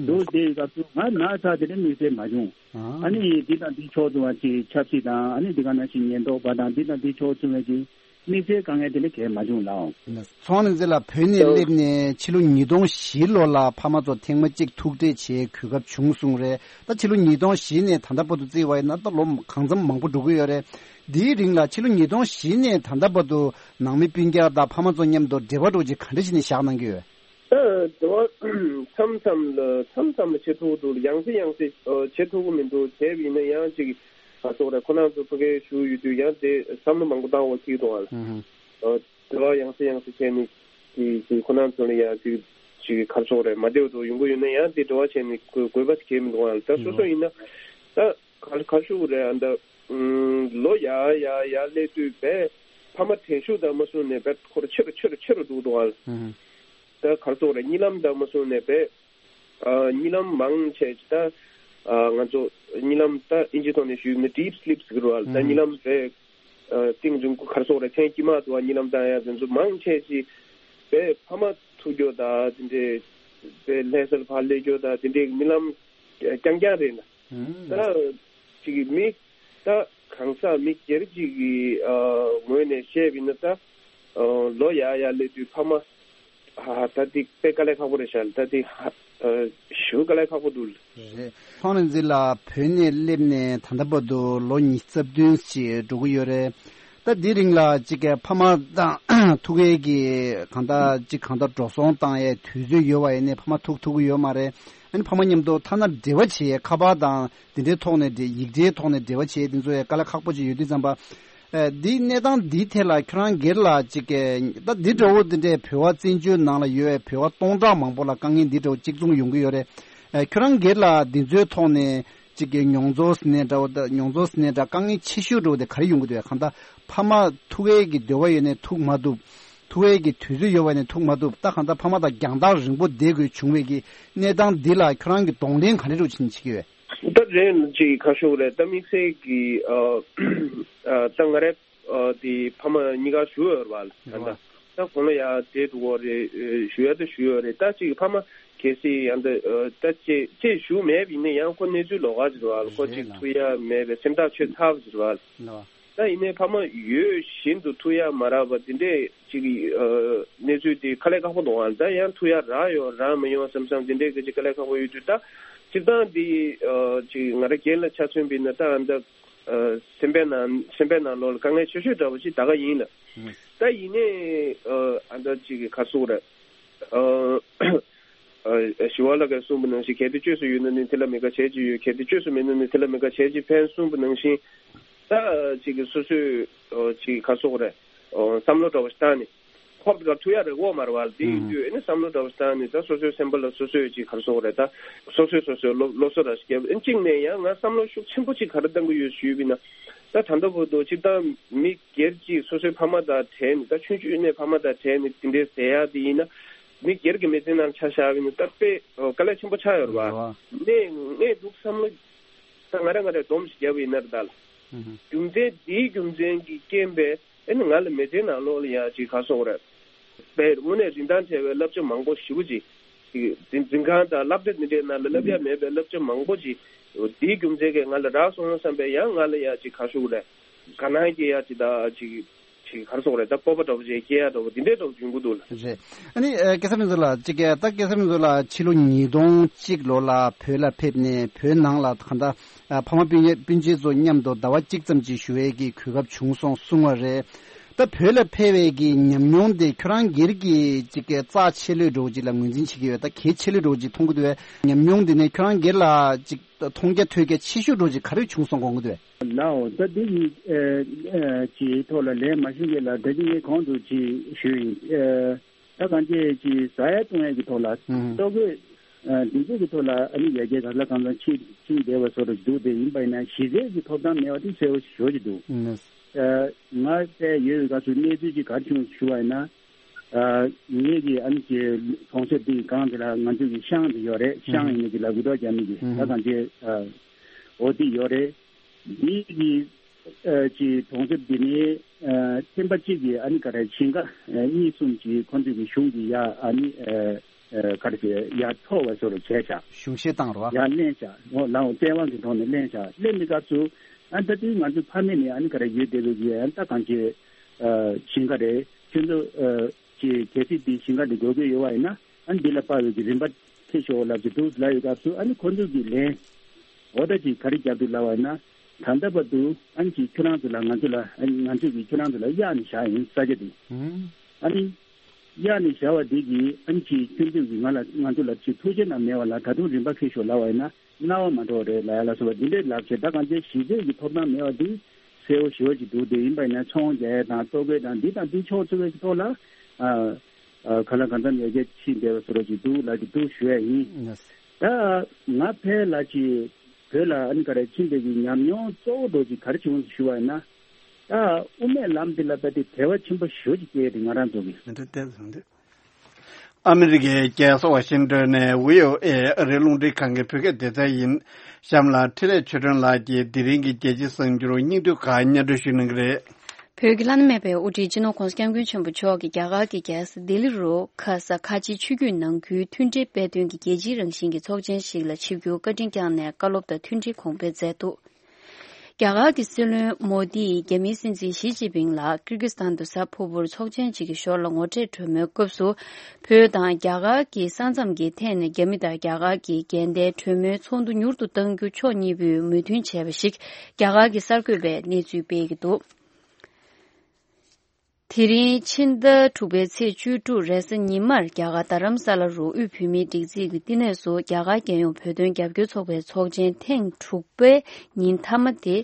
འདུག་བསྡད་ཡོད་སྐབས་སུ་ང་ན་ཚ་དེ་འདྲ་དམིགས་བསལ་མ་བྱུང་། ཨ་ནི་འདི་དང་འདི་ཕྱོགས་བཙུན་བ་ཅིག་ཆབ་སྲིད་དང་ཨ་ནི་འདི་ག་ནང་བཞིན་ཉེན་རྟོག་པ་དང་འདི་དང་འདི་ཕྱོགས་བཙུན་བ་ཅིག་དམིགས་བསལ་དཀའ་ངལ་དེ་འདྲ་གས་མ་བྱུང་ལགས། ཚོང་ནི་ཛི་ལ་བོད་ནས་སླེབས་ནས་ཕྱི་ལོ་ཉིས་སྟོང་བཞི་ལོ་ལ་ཕ་མ་ཚོ་ཐེངས་མ་གཅིག་ཐུག་འཕྲད་བྱེད་གོ་སྐབས་བྱུང་སོང་རེད། ད་ཕྱི་ལོ་ཉིས་སྟོང་བཞི་ནས་ད་ལྟ་བར་དུ་བརྩིས་པ་ཡིན་ན་ད་ལོ་གང་འཚམ་མང་པོ་འགྲོ་གི་ཡོད་རེད། འདིའི་རིང་ལ་ཕྱི་ལོ་ཉིས་སྟོང་བཞི་ནས་ད་ལྟ་བར་དུ་ནང་མི་སྤུན་ཀྱག་དང་ཕ་མ་ཚོ་མཉམ་དུ་འབྲེལ་བ་འགྲོ་ཅིག་ག་འདྲ་ཞིག་ནས་བཞག་གནང་གི་ཡོད། ད་འབྲེལ་བ་མཚམས་མཚམས་ལ་མཚམས་མཚམས་ལ་བྱེད་ཐུབ་འདུག་ཡང་སེ་ཡང་སེ་བྱེད་ཐུབ་ཀྱི་མི་འདུག་བྱས་པ་ཡིན་ན་ཡང་ཅིག་ག་ཚོད་རེད། ཁོ་རང་ཚོ་ཕ་གིར་བཞུགས་ཡོད་དུས་ཡང་དེ་བསམ་བློ་མང་པོ་བཏང་བ་ཅིག་འདུག་ཨ། འབྲེལ་བ་ཡང་སེ་ཡང་སེ་བྱས་ནས་ཅིག་ཅིག་ཁོ་རང་ཚོ་ལ་ཡང་ཅིག་ཅིག་ག་ཚོད་རེད། མ་བདེ་བ་ཚོ་ཡོང་གི་ཡོད་ན་ཡང་དེ་འབྲེལ་བ་བྱས་ནས་དགོས་དགོས་པ་ཅིག་གལ་མི་འདུག་ཨ། ད་སོ་སོ་ཡིན་ན་ད་ག་ག་ཞུ་རེད། ཨ་ད་ལོ་ཡར་ཡར་ཡར་སླེབས་དུས་བས་ཕ་མ་དྲན་ཤུགས་དང་མ་བཟུང་ནས་བས་ཁོ་ར་ཆེ་རུ་ཆེ་རུ་ཆེ་རུ་འགྲོ་གི་འདུག་ཨ། ད་ག་ཚོད་རེད། གཉིད་ལམ་དང་མ་བཟུང་ནས་བས་ཨ་གཉིད་ལམ་མང་ཆེ་ད་ཨ་ང་ཚོ་གཉིད་ལམ་ད་ཨིན་ཇི་ཐོག་ནས་ཞུས་ན་deep sleep ཟེར་གི་རེད་བ། ད་གཉིད་ལམ་རེད། ཨ་གཏིང་རིང་པོ་ག་རེ་ཟེར་དགོས་རེད། མཚན་དཀྱིལ་མ་དུ་བ་གཉིད་ལམ་བཏང་ཡ་དེ་ཚོ་མང་ཆེ་ཅིག་བས་ཕ་མ་ཐུག་རྒྱུ་དང་དེ་འདྲའི་བས་ལྷ་སར་ཕར་སླེབས་རྒྱུ་དང་དེ་འདྲའི་གཉིད་ལམ་རྐྱང་རྐྱང་རེད་ན། ད་ཅིག་མི་ད་གང་ཟག་མི་སྒེར་གཅིག་གི་ཨ་ངོས་ནས་བཤད་པ་ཡིན་ན་ད་ཨ་ལོ་ཡར་ཡར་སླེབས་དུས་ཕ་མ་ཧ་ཧ་ད་འདི་དཔེ་དཀའ་ལས་ཁག་པོ་རེད་ཤག་ད་འདི་ཧ་ཨ་ཞེ་པོ་དཀའ་ལས་ཁག་པོ་འདུག་རེད། ཁོང་རང་ཚོ་ལ་བོད་ནས་སླེབས་ནས་ད་ལྟ་བར་དུ་ལོ་ཉི་ཤུ་རྩ་བདུན་ཞིག་འགྲོ་གི་ཡོད་རེད། ད་འདི་རིང་ལ་གཅིག་གི་ཕ་མ་དང་ཐུག་ཡས་ཀྱི་གང་ལྟར་གཅིག་གང་ལྟར་འགྲོ་སོང་བཏང་ཡས་དུས་ཚོད་ཡོད་པ་ཡིན་ནའི་ཕ་མ་ཐུག་ཐུབ་ཀྱི་ཡོད་མ་རེད། ཨ་ནི་ཕ་མ་མཉམ་དུ་ཐ་ན་འབྲེལ་བ་བྱེད་ཡས་ཁ་པར་དང་དེ་འདྲའི་ཐོག་ནས་འབྲེལ་ཡིག་འབྲེལ་ཐོག་ནས་འབྲེལ་བ་བྱེད་ཡས་དེ་ཚོ་ཡས་དཀའ་ལས་ཁག་པོ་ཅིག་ཡོད་དུས་ཙམ་པ། ཨ་འདིའི་གནས་སྟངས་འདིའི་ཐད་ལ་ཁྱོད་རང་སྒེར་ལ་གཅིག་གི་ད་འདི་འདྲ་བོ་དེ་འདྲའི་བོད་པ་བཙན་བྱོལ་ནང་ལ་ཡོད་པའི་བོད་པ་སྟོང་ཕྲག་མང་པོ་ལ་དཀའ་ངལ་འདི་འདྲ་བོ་གཅིག་མཚུངས་ཡོང་གི་ཡོད་རེད། ཨ་ཁྱོད་རང་སྒེར་ལ་འདི་ཚོའི་ཐོག་ནས་གཅིག་གི་མྱོང་ཚོར་ཟེར་ནའི་འདྲ་བོ་ད་མྱོང་ཚོར་ཟེར་ནའི་འདྲ་དཀའ་ངལ་ཆེ་ཤོས་འདྲ་བོ་དེ་ག་རེ་ཡོང་གི་འདུག་གང་ལྟར་ཕ་མ་ཐུག་ཡས་ཀྱི་འདོད་པ་ཡོད་ནའི་ཐུག་མ་ཐུབ། ཐུག་ཡས་ཀྱི་དུས་ཚོད་ཡོད་པ་ནས་ཐུག་མ་ཐུབ། ད་གང་ལྟར་ཕ་མ་དང་རྒྱང་ཐག་རིང་པོ་བསྡད་དགོས་བྱུང་བའི་གི་གནས་སྟངས་འདི་ལ་ཁྱོད་རང་གི་གདོང་ལེན་ག་འདྲ་འདྲ་བྱེད་ཀྱི་ཡོད། ད་རེད་ཅིག་ཁ་ཤོག་རེད། ད་དམིགས་བསལ་གྱི་ཨ་ཨ་ད་ང་རེ་ཨ་དེ་ཕ་མ་གཉིས་ཀ་བཞུགས་ཡོད་རེད་བ། ད་ད་ད་དགུང་ལོ་ཡ་དེ་འགྲོ་གི་རེད། ཨ་བཞུགས་ཡ་ད་བཞུགས་ཡོད་རེད། ད་ཅིག་ཕ་མ་གལ་སྲིད་ཡང་ད་ཨ་ད་ཅེ་ཅེ་བཞུགས་མེད་པ་ཡིན་ན་ཡང་ཁོ་གནས་ཚུལ་ལོགས་ཀ་ཅིག་རེད་བ། ཁོ་ཅིག་ཐུག་ཡ་མེད་པའི་སེམས་ཐག་ཆོད་ཚར་བ་ཅིག་རེད་བ། ད་ཡིན་ནའི་ཕ་མ་ཡོད་བཞིན་དུ་ཐུག་ཡ་མ་རག་པ་འདི་འདྲས་ཅིག་ཨ་གནས་ཚུལ་འདི་དཀའ་ལས་ཁག་པོ་འདུག་ཨ། ད་ཡང་ཐུག་ཡ་རག་ཡོང་རག་མ་ཡོང་བསམ་བསམ་འདི་འདྲས་ཀྱི་ཅིག་དཀའ་ལས་ཁག་པོ་ཡོད་དུས་ད་སྤྱིར་བཏང་འདི་ཨ་ཅིག་ང་རང་སྒེར་ལ་ཆ་མཚོན་པ་ཡིན་ན་ད་ཨ་ད་ཨ་སེམས་པའི་ནང་སེམས་པའི་ནང་ལོགས་ལ་དཀའ་ངལ་ཆེ་ཤོས་འདྲ་བོ་ཅིག་ད་ག་ཡིན་ལ། ད་ཡིན་ནའི་ཨ་ཨ་ད་ཅིག་ག་རེ་ཟེར་དགོས་རེད། ཨ། ཨ་ཞི་བ་ལྷ་གིས་གསུངས་པ་ནང་བཞིན་གལ་ཏེ་བཅོས་སུ་ཡོད་ན་ནི་དེ་ལ་མི་དགའ་བྱས་ཀྱི་ཡོད། གལ་ཏེ་བཅོས་སུ་མེད་ན་ནི་དེ་ལ་མི་དགའ་བྱས་ཀྱི་ཕན་གསུངས་པ་ནང་བཞིན། ད་ཅིག་གི་སོ་སོས་ཨ་ཅིག་ག་རེ་ཟེར་དགོས་རེད། ཨ་བསམ་བློ་འདྲ་བོ་ཞིག་བཏང་ནས་ཁོག་དཀར་ཐུག་ཡ་རེད་འོ་མ་རེད་བ། དེ་ཡིན་དུས་ཨ་ནི་བསམ་བློ་འདྲ་བོ་ཞིག་བཏང་ནས་ད་སོ་སོའི་སེམས་པ་ལ་སོ་སོས་ཅིག་ག་རེ་ཟེར་དགོས་རེད། ད་སོ་སོས་སོ་སོའི་སློབ་སློབ་གསོ་འདྲ་ཞིག་བརྒྱབ། ཨ་གཅིག་ནས་ཡང་ང་བསམ་བློ་ཤུགས་ཆེན་པོ་ཅིག་ག་རེ་བཏང་གི་ཡོད་ཞུས་པ་ཡིན་ན། ད་ད་ལྟ་བར་དུ་སྤྱིར་བཏང་མི་སྒེར་གྱིས་སོ་སོའི་ཕ་མ་དང་བྲལ་ནས་ད་ཆུང་ཆུང་ནས་ཕ་མ་དང་བྲལ་ནས་དེ་འདྲའི་ཟེར་ཡག་དེ་ཡིན་ན། མི་སྒེར་གྱི་མི་ཚེ་ནང་ཆ་བཞག་པ་ཡིན་ན་ད་དཔེ་དཀའ་ལས་ཆེན་པོ་ཆགས་ཡོད་རེད་བ། ངས་ངས་འདུག་བསམ་བློ་ད་ང་རང་ང་རང་སྡོམ་ཞིག་བརྒྱབ་པ་ཡིན་ན་རེད་ད། རྒྱུ་མཚན་འདིའི་རྒྱུ་མཚན་གྱི་རྐྱེན་པས་ཨེ་ནི་ང་ལ་མི་ཚེའི་ནང་ལོགས་ལ་ཡང་ཅིག་ག་རེ་ཟེར་དགོས་རེད། དཔེ་དངོས་གནས་རིན་ཐང་བྲལ་བའི་བསླབ་བྱ་མང་པོ་ཞེ་པོ་ཅིག་ཅིག་འཛིན་འཛིན་ཁང་དང་སློབ་གྲྭ་འདི་འདྲའི་ནང་ལ་བསླབ་ཡ་མེད་པའི་བསླབ་བྱ་མང་པོ་ཅིག་འདིའི་རྒྱུ་མཚན་གྱིས་ང་ལ་རག་སོང་བསམ་པའི་ཡང་ང་ལ་ཡ་ཅིག་ག་རེ་ཟེར་དགོས་རེད། དགའ་སྣང་སྐྱེ་ཡ་ཅིག་དང་ཅིག་ཅིག་ག་རེ་ཟེར་དགོས་རེད། ད་སྤོབས་པ་འདྲ་པོ་ཅིག་སྐྱེ་ཡ་འདྲ་པོ་འདི་འདྲའི་འདྲ་པོ་ཡོང་གི་འདུག་ལ། རེད། ཨ་ནི་ཨ་སྐལ་བཟང་ཕུན་ཚོགས་ལགས་ཅིག་ག་ད་སྐལ་བཟང་ཕུན་ཚོགས་ལགས་ཕྱི་ལོ་ཉིས་སྟོང་གཅིག་ལོ་ལ་བོད་ལ་ཕེབས་ནས་བོད་ནང་ལ་གང་ལྟར་ཨ་ཕ་མ་སྤུན་ཉེ་སྤུན་མཆེད་ཚོ་མཉམ་དུ་ཟླ་བ་གཅིག་ཙམ་ཅིག་བཞུགས་ཡས་ཀྱི་གོ་སྐབས་བྱུང་སོང་གསུང་བ་རེད། ད་བོད་ལ་ཕེབས་པའི་གི་ཉམས་མྱོང་དེ་ཁྱོད་རང་སྒེར་གྱི་ཅིག་གི་རྩ་ཆེ་ལོས་འདྲ་པོ་ཅིག་ལ་ངོས་འཛིན་བྱེད་ཀྱི་ཡོད། ད་གལ་ཆེ་ལོས་འདྲ་པོ་ཅིག་མཐོང་གི་འདུག་བས། ཉམས་མྱོང་དེ་ནས་ཁྱོད་རང་སྒེར་ལ་ཅིག་ མཐོང་རྒྱ་ཐོས་རྒྱ་ཆེ་ཤོས་འདྲ་ཅིག་ག་རེ་བྱུང་སོང་དགོངས་ཀྱི་འདུག་ལགས། ད་འདི་ཡི་ཨ་ཨ་ཅིག་ཐོག་ལ་ལན་མ་ཞུ་གི་ལ་ད་ཅི་ངས་གོང་དུ་ཅིག་ཞུས་ཡིན། ཨ་ད་གང་ཅི་ཅིག་ཟ་ཡ་བཏུང་ཡ་གི་ཐོག་ལ་ཨུ་ཧུ། ལྟོ་གོས་ཨ་འདི་ཚོ་གི་ཐོག་ལ་ཨ་ནི་ཡ་གྱལ་ག་ལ་གང་ལ་ཕྱིན་ཕྱིན་བསྡད་པ་བཟོ་འདྲ་ཅིག་འདུག་དེ་ཡིན་པ་ཡིན་ན་གཞི་རྩའི་གི་ཐོབ་ཐང་མེད་པ་དེ་གསལ་པོ་ཞེ་པོ་ཅིག་འདུག་ཨུ་ཧུ། ཨ་ང་བལྟས་ཡོད་པའི་སྐབས་སུ་གནས་ཚུལ་ཅིག་ག་རེ་བྱུང་ཞུ་བ་ཡིན་ན། ཨ་ངེད་ཀྱི་ཨ་ནི་ཀྱི་གྲོང་གསེབ་འདི་སྒང་འདི་ལ་ང་ཚོ་གི་ཤང་འདི་ཡོད་རེད། ཤང་ཡིན་ནི་འདི་ལ་འུར་སྒྲོག་རྒྱག་མི་གི་ད་གང་ཅི་ཨ་འོ་འདི་ཡོད་རེད། འདི་གི་ཨ་ཀྱི་གྲོང་གསེབ་འདི་ནི་ཨ་ཐེམ་པ་གཅིག་གི་ཨ་ནི་ག་རེ་ཞིང་ཁ་ཨ་གཉིས་གསུམ་ཅིག་ཁོ་ཚོ་གི་གཞུང་གི་ཡ་ཨ་ནི་ཨ་ཨ་ག་རེ་ཟེར་ཡ་འཕྲོག་པ་བཟོ་འདྲ་བྱས་བཞག་གཞུང་བཞེས་བཏང་རོགས། ཡ་ལེན་བཞག་འོ་ལའོ་བཙན་དབང་གི་ཐོག་ནས་ལེན་བཞག་ལེན་པའི་སྐབས་སུ་ཨ་ད་དུང་ང་ཚོ་ཕ་མེས་ནས་ཨ་ནི་ག་རེ་ཡོད་བསྡད་པའི་གི་ཨ་ད་གང་ཅི་ཨ་ཞིང་ཁ་རེད། ཁྱོད་ཚོ་ཨ་ཅེས་གལ་སྲིད་འདི་ཞིང་ཁ་འདི་དགོས་མཁོ་ཡོད་པ་ཡིན་ན་ཨ་ནི་འདི་ལ་དཔག་པའི་གི་རིན་པ་ཁྱེར་ཤོག་ལབ་ཀྱི་འདུག་ལབ་ཡོད་སྐབས་སུ་ཨ་ནི་ཁོ་ཚོ་གི་ལན་འོ་ད་ཅིག་ག་རེ་བརྒྱབ་འདུག་ལབ་པ་ཡིན་ན་ད་ལྟ་བར་དུ་ཨ་ནི་ཅིག་ཁྱོད་རང་ཚོ་ལ་ང་ཚོ་ལ་ཨ་ནི་ང་ཚོས་གི་ཁྱོད་རང་ཚོ་ལ་གཡར་ནས་བཞག་ཡིན་ས་ཆ་འདི་ཨ་ནི་གཡར་ནས་བཞག་པ་འདི་གིས་ཨ་ནི་ཅིག་ཁྱོད་ཚོས་གི་ང་ལ་ང་ཚོ་ལ་ཅིག་ཐུགས་རྗེ་ན་མེད་པ་ལ་ད་དུང་རིན་པ་ཁྱེར་ཤོག་ལབ་པ་ཡིན་ན། རྣ་བ་མ་འགྲོ་བ་རེད་ལབ་ཡ་ལ་སོགས་པ་འདི་འདྲའི་ལབ་བྱས་ད་གང་ཅི་གཞི་རྩའི་གི་ཐོབ་ཐང་མེད་པ་འདི་གསལ་པོ་ཞེ་པོ་ཅིག་འདུག་དེ་ཡིན་པ་ཡིན་ན་ཚོང་རྒྱག་ཡ་དང་ལྟོ་གོས་དང་འདི་དང་འདི་ཕྱོགས་ཚུད་པའི་ཐོག་ལ་ཨ་ཨ་ག་ལ་གང་འཚམ་ཡར་རྒྱས་ཕྱིན་བསྡད་པ་བཟོ་འདྲ་ཅིག་འདུག་ལབ་ཀྱི་འདུག་ཞུ་ཡ་ཡིན། ད་ང་ཕལ་ལ་ཅིག་བོད་ལ་ཨ་ནི་ག་རེ་ཕྱིན་པའི་གི་ཉམས་མྱོང་གཙོ་བོ་འདྲ་ཅིག་ག་རེ་བྱུང་ཞུ་བ་ཡིན་ན། ད་དབུ་མའི་ལམ་འདི་ལ་ད་དེ་དད་པ་ཆེན་པོ་ཞེ་པོ་ཅིག་སྐྱེས་ཏེ་ང་རང་ཚོ་གི་མི་འདྲ་ཏེ་བཟང་འདུག་ཨ་མི་རི་ཀའི་རྒྱལ་ས་ཝ་ཤིང་ཏོན་ནས་བྷི་ཨོ་ཨེ་ཨ་རིའི་རླུང་འཕྲིན་ཁང་གི་བོད་སྐད་སྡེ་ཚན་ཡིན། གཤམ་ལ་འཕྲིན་ལས་ཆོས་སྒྲོན་ལགས་ཀྱིས་དེ་རིང་གི་རྒྱལ་སྤྱིའི་གསར་འགྱུར་སྙིང་བསྡུས་ཁག་སྙན་སྒྲོན་ཞུ་གནང་གི་རེད། བོད་ཀྱི་བླ་ན་མེད་པའི་དབུ་ཁྲིད་སྤྱི་ནོར་༧གོང་ས་༧སྐྱབས་མགོན་ཆེན་པོ་མཆོག་གིས་རྒྱ་གར་གྱི་རྒྱལ་ས་ལྡི་ལི་རུ་ཁ་ས་ཁ་ཆེའི་ཆོས་བརྒྱུད་ནང་ཁུལ་མཐུན་སྒྲིལ་སྤེལ་དོན་གྱི་རྒྱལ་སྤྱིའི་རང་བཞིན་གྱི་ཚོགས་ཆེན་ཞིག་ལ་ཆིབས་བསྒྱུར་བཀའ་དྲིན་བསྐྱངས་ནས་བཀའ་སློབ་དང་མཐུན་སྒྲིལ་གོང་འཕེལ་མཛད་འདུག་རྒྱ་གར་གྱི་སྲིད་བློན་མོ་དིས་རྒྱ་མིའི་སྲིད་འཛིན་ཞི་ཅིན་ཕིང་ལ་ཀིར་ཀི་སི་ཐན་དུ་གཟའ་ཕུར་བུར་ཚོགས་ཆེན་གཅིག་གི་ཞོར་ལ་ངོ་འཕྲད་གྲོས་མོལ་སྐབས་སུ། བོད་དང་རྒྱ་གར་གྱི་ས་མཚམས་ཀྱི་ཐད་ནས་རྒྱ་མི་དང་རྒྱ་གར་གྱི་འགལ་ཟླའི་གྲོས་མོལ་ཚོགས་འདུ་མྱུར་དུ་གཏང་རྒྱུ་ཕྱོགས་གཉིས་པོས་མོས་མཐུན་བྱས་པ་ཞིག་རྒྱ་གར་གྱི་གསར་འགོད་པས་གནས་ཚུལ་སྤེལ་གྱི་འདུག་དེ་རིང་ཕྱི་ཟླ་དྲུག་པའི་ཚེས་བཅུ་དྲུག་རེས་གཟའ་ཉི་མར་རྒྱ་གར་རྡ་རམ་ས་ལ་རུ་དབུས་བོད་མིའི་སྒྲིག་འཛུགས་ཀྱི་བསྟི་གནས་སུ་རྒྱ་གར་རྒྱལ་ཡོངས་བོད་དོན་རྒྱབ་སྐྱོར་ཚོགས་པའི་ཚོགས་ཆེན་ཐེངས་དྲུག་པའི་ཉིན་མཐའ་མ་དེ་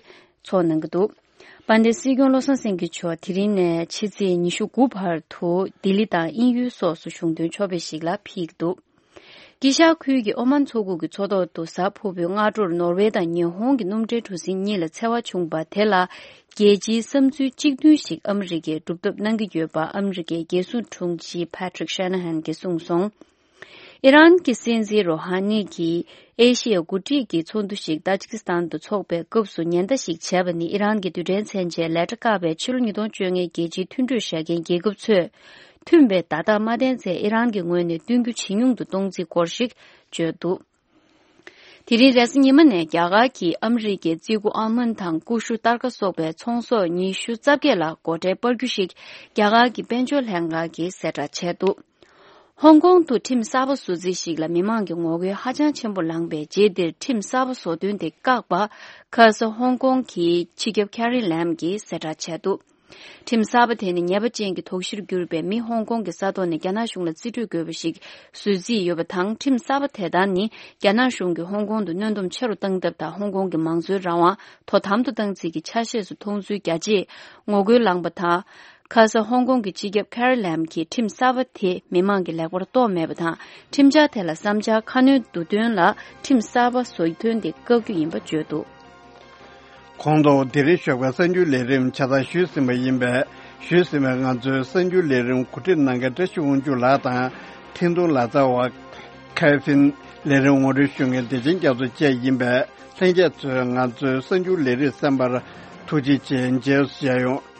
ཚོགས་གནང་གི་འདུག་དཔལ་ལྡན་སྲིད་སྐྱོང་བློ་བཟང་སེང་གེ་མཆོག་དེ་རིང་ནས་ཕྱི་ཚེས་ཉི་ཤུ་དགུ་བར་དུ་ལྡི་ལི་དང་དབྱིན་ཡུལ་སོགས་སུ་གཞུང་དོན་ཕྱོགས་ཕེབས་ཤིག་ལ་ཕེབས་ཀྱི་འདུག་དཀྱིལ་ཤར་ཁུལ་གྱི་ཨོ་མན་མཚོ་ཁུག་གི་མཚོ་ཐོག་ཏུ་གཟའ་ཕུར་བུའི་སྔ་དྲོར་ནོར་ཝེ་དང་ཉི་ཧོང་གི་སྣུམ་འདྲེན་གྲུ་གཟིངས་གཉིས་ལ་འཚེ་བ་བྱུང་བ་དེ་ལ་རྒྱལ་སྤྱིའི་བསམ་ཚུལ་གཅིག་མཐུན་ཞིག་ཨ་མི་རི་ཀས་སྒྲུབ་ཐབས་གནང་གི་ཡོད་པ་ཨ་མི་རི་ཀའི་རྒྱལ་སྲུང་དྲུང་ཆེ་Patrick Shanahan་གྱིས་གསུངས་སོང་། ཨི་རན་གྱི་སྲིད་འཛིན་རོ་ཧ་ནི་གྱིས་ཨེ་ཤི་ཡ་འགོ་ཁྲིད་ཀྱི་ཚོགས་འདུ་ཞིག་ཏཱ་ཇི་ཀི་སི་ཐན་དུ་འཚོགས་པའི་སྐབས་སུ་ཉེན་བརྡ་ཞིག་བྱས་པ་ནི་ཨི་རན་གྱི་རྡུལ་ཕྲན་མཚོན་ཆས་ལས་གྲྭ་བཀག་པའི་ཕྱི་ལོ་ཉིས་སྟོང་བཅོ་ལྔའི་རྒྱལ་སྤྱིའི་མཐུན་གྲོས་བཞག་མཁན་རྒྱལ་ཁབ་ཚོས། མཐུན་པའི་བརྡ་རྟགས་མ་བསྟན་ཚེ་ཨི་རན་གྱི་ངོས་ནས་བསྟུན་རྒྱུ་ཇེ་ཉུང་དུ་གཏོང་རྩིས་སྐོར་ཞིག་བརྗོད་འདུག་དེ་རིང་རེས་གཟའ་ཉི་མ་ནས་རྒྱ་གར་གྱིས་ཨ་མི་རི་ཀའི་རྩི་ཁུ་ཨལ་མོན་དང་ཀུ་ཤུ་སྟར་ཀ་སོགས་པའི་ཚོང་ཟོག་ཉི་ཤུ་རྩ་བརྒྱད་ལ་སྒོ་ཁྲལ་སྤར་རྒྱུ་ཞིག་རྒྱ་གར་གྱི་དཔལ་འབྱོར་ལྷན་ཁང་གིས་གསལ་བསྒྲགས་བྱས་འདུག་ཧོང་ཀོང་དུ་ཁྲིམས་གསར་པ་བཟོ་རྩིས་ཤིག་ལ་མི་མང་གི་ངོ་རྒོལ་ཧ་ཅང་ཆེན་པོ་ལངས་པའི་རྗེས་འདིར་ཁྲིམས་གསར་པ་བཟོ་དོན་དེ་བཀག་པ། ཁ་ས་ཧོང་ཀོང་གི་སྤྱི་ཁྱབ་ཁེ་རི་ལེམ་གྱིས་གསལ་བསྒྲགས་བྱས་འདུག་ཁྲིམས་གསར་པ་དེ་ནི་ཉེས་པ་ཅན་གྱི་དོགས་གཞིར་གྱུར་པའི་མི་ཧོང་ཀོང་གི་ས་ཐོག་ནས་རྒྱ་ནག་གཞུང་ལ་རྩིས་སྤྲོད་དགོས་པ་ཞིག་བཟོ་རྩིས་ཡོད་པ་དང་། ཁྲིམས་གསར་པ་དེ་དག་ནི་རྒྱ་ནག་གཞུང་གིས་ཧོང་ཀོང་དུ་གནོན་སྡོམ་ཆེ་རུ་བཏང་ཐབས་དང་། ཧོང་ཀོང་གི་མང་གཙོའི་རང་དབང་དོ་དམ་དུ་བཏང་རྩིས་ཀྱི་ཆ་ཤས་སུ་མཐོང་ཚུལ་རྒྱ་ཆེའི་ངོ་རྒོལ་ལངས་པ་དང་། ཁ་ས་ཧོང་ཀོང་གི་སྤྱི་ཁྱབ་ཁེ་རི་ལེམ་གྱིས་ཁྲིམས་གསར་པ་དེ་མི་མང་གིས་ལེགས་པར་རྟོགས་མེད་པ་དང་། ཁྲིམས་འཆར་དེ་ལ་བསམ་འཆར་ཁ་སྣོན་བསྡུ་དོན་ལ་ཁྲིམས་གསར་པ་བཟོ་དོན་དེ་བཀག་རྒྱུ་ཡིན་པ་བརྗོད་འདུག་གོང་དུ་དེ་རིང་ཞོགས་པའི་གསར་འགྱུར་ལས་རིམ་ཆ་ཚང་ཞུས་ཟིན་པ་ཡིན་པས། ཞུས་ཟིན་པའི་ང་ཚོའི་གསར་འགྱུར་ལས་རིམ་གོ་སྒྲིག་གནང་མཁན་བཀྲ་ཤིས་དབང་ཕྱུག་ལགས་དང་། འཕྲིན་གཏོང་ལག་རྩལ་བ་ཁེ་ཕིན། ལས་རིམ་ངོ་སྤྲོད་ཞུ་མཁན་བདེ་ཆེན་རྒྱ་མཚོ་བཅས་ཡིན་པས། ལྷན་རྒྱས་ཚོས་ང་ཚོའི་གསར་འགྱུར་ལས་རིམ་གསན་པར་ཐུགས་རྗེ་ཆེ། མཇལ་བསུ་ཞུ་ཡ་ཡོང་།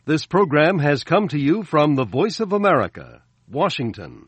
This program has come to you from the Voice of America, Washington.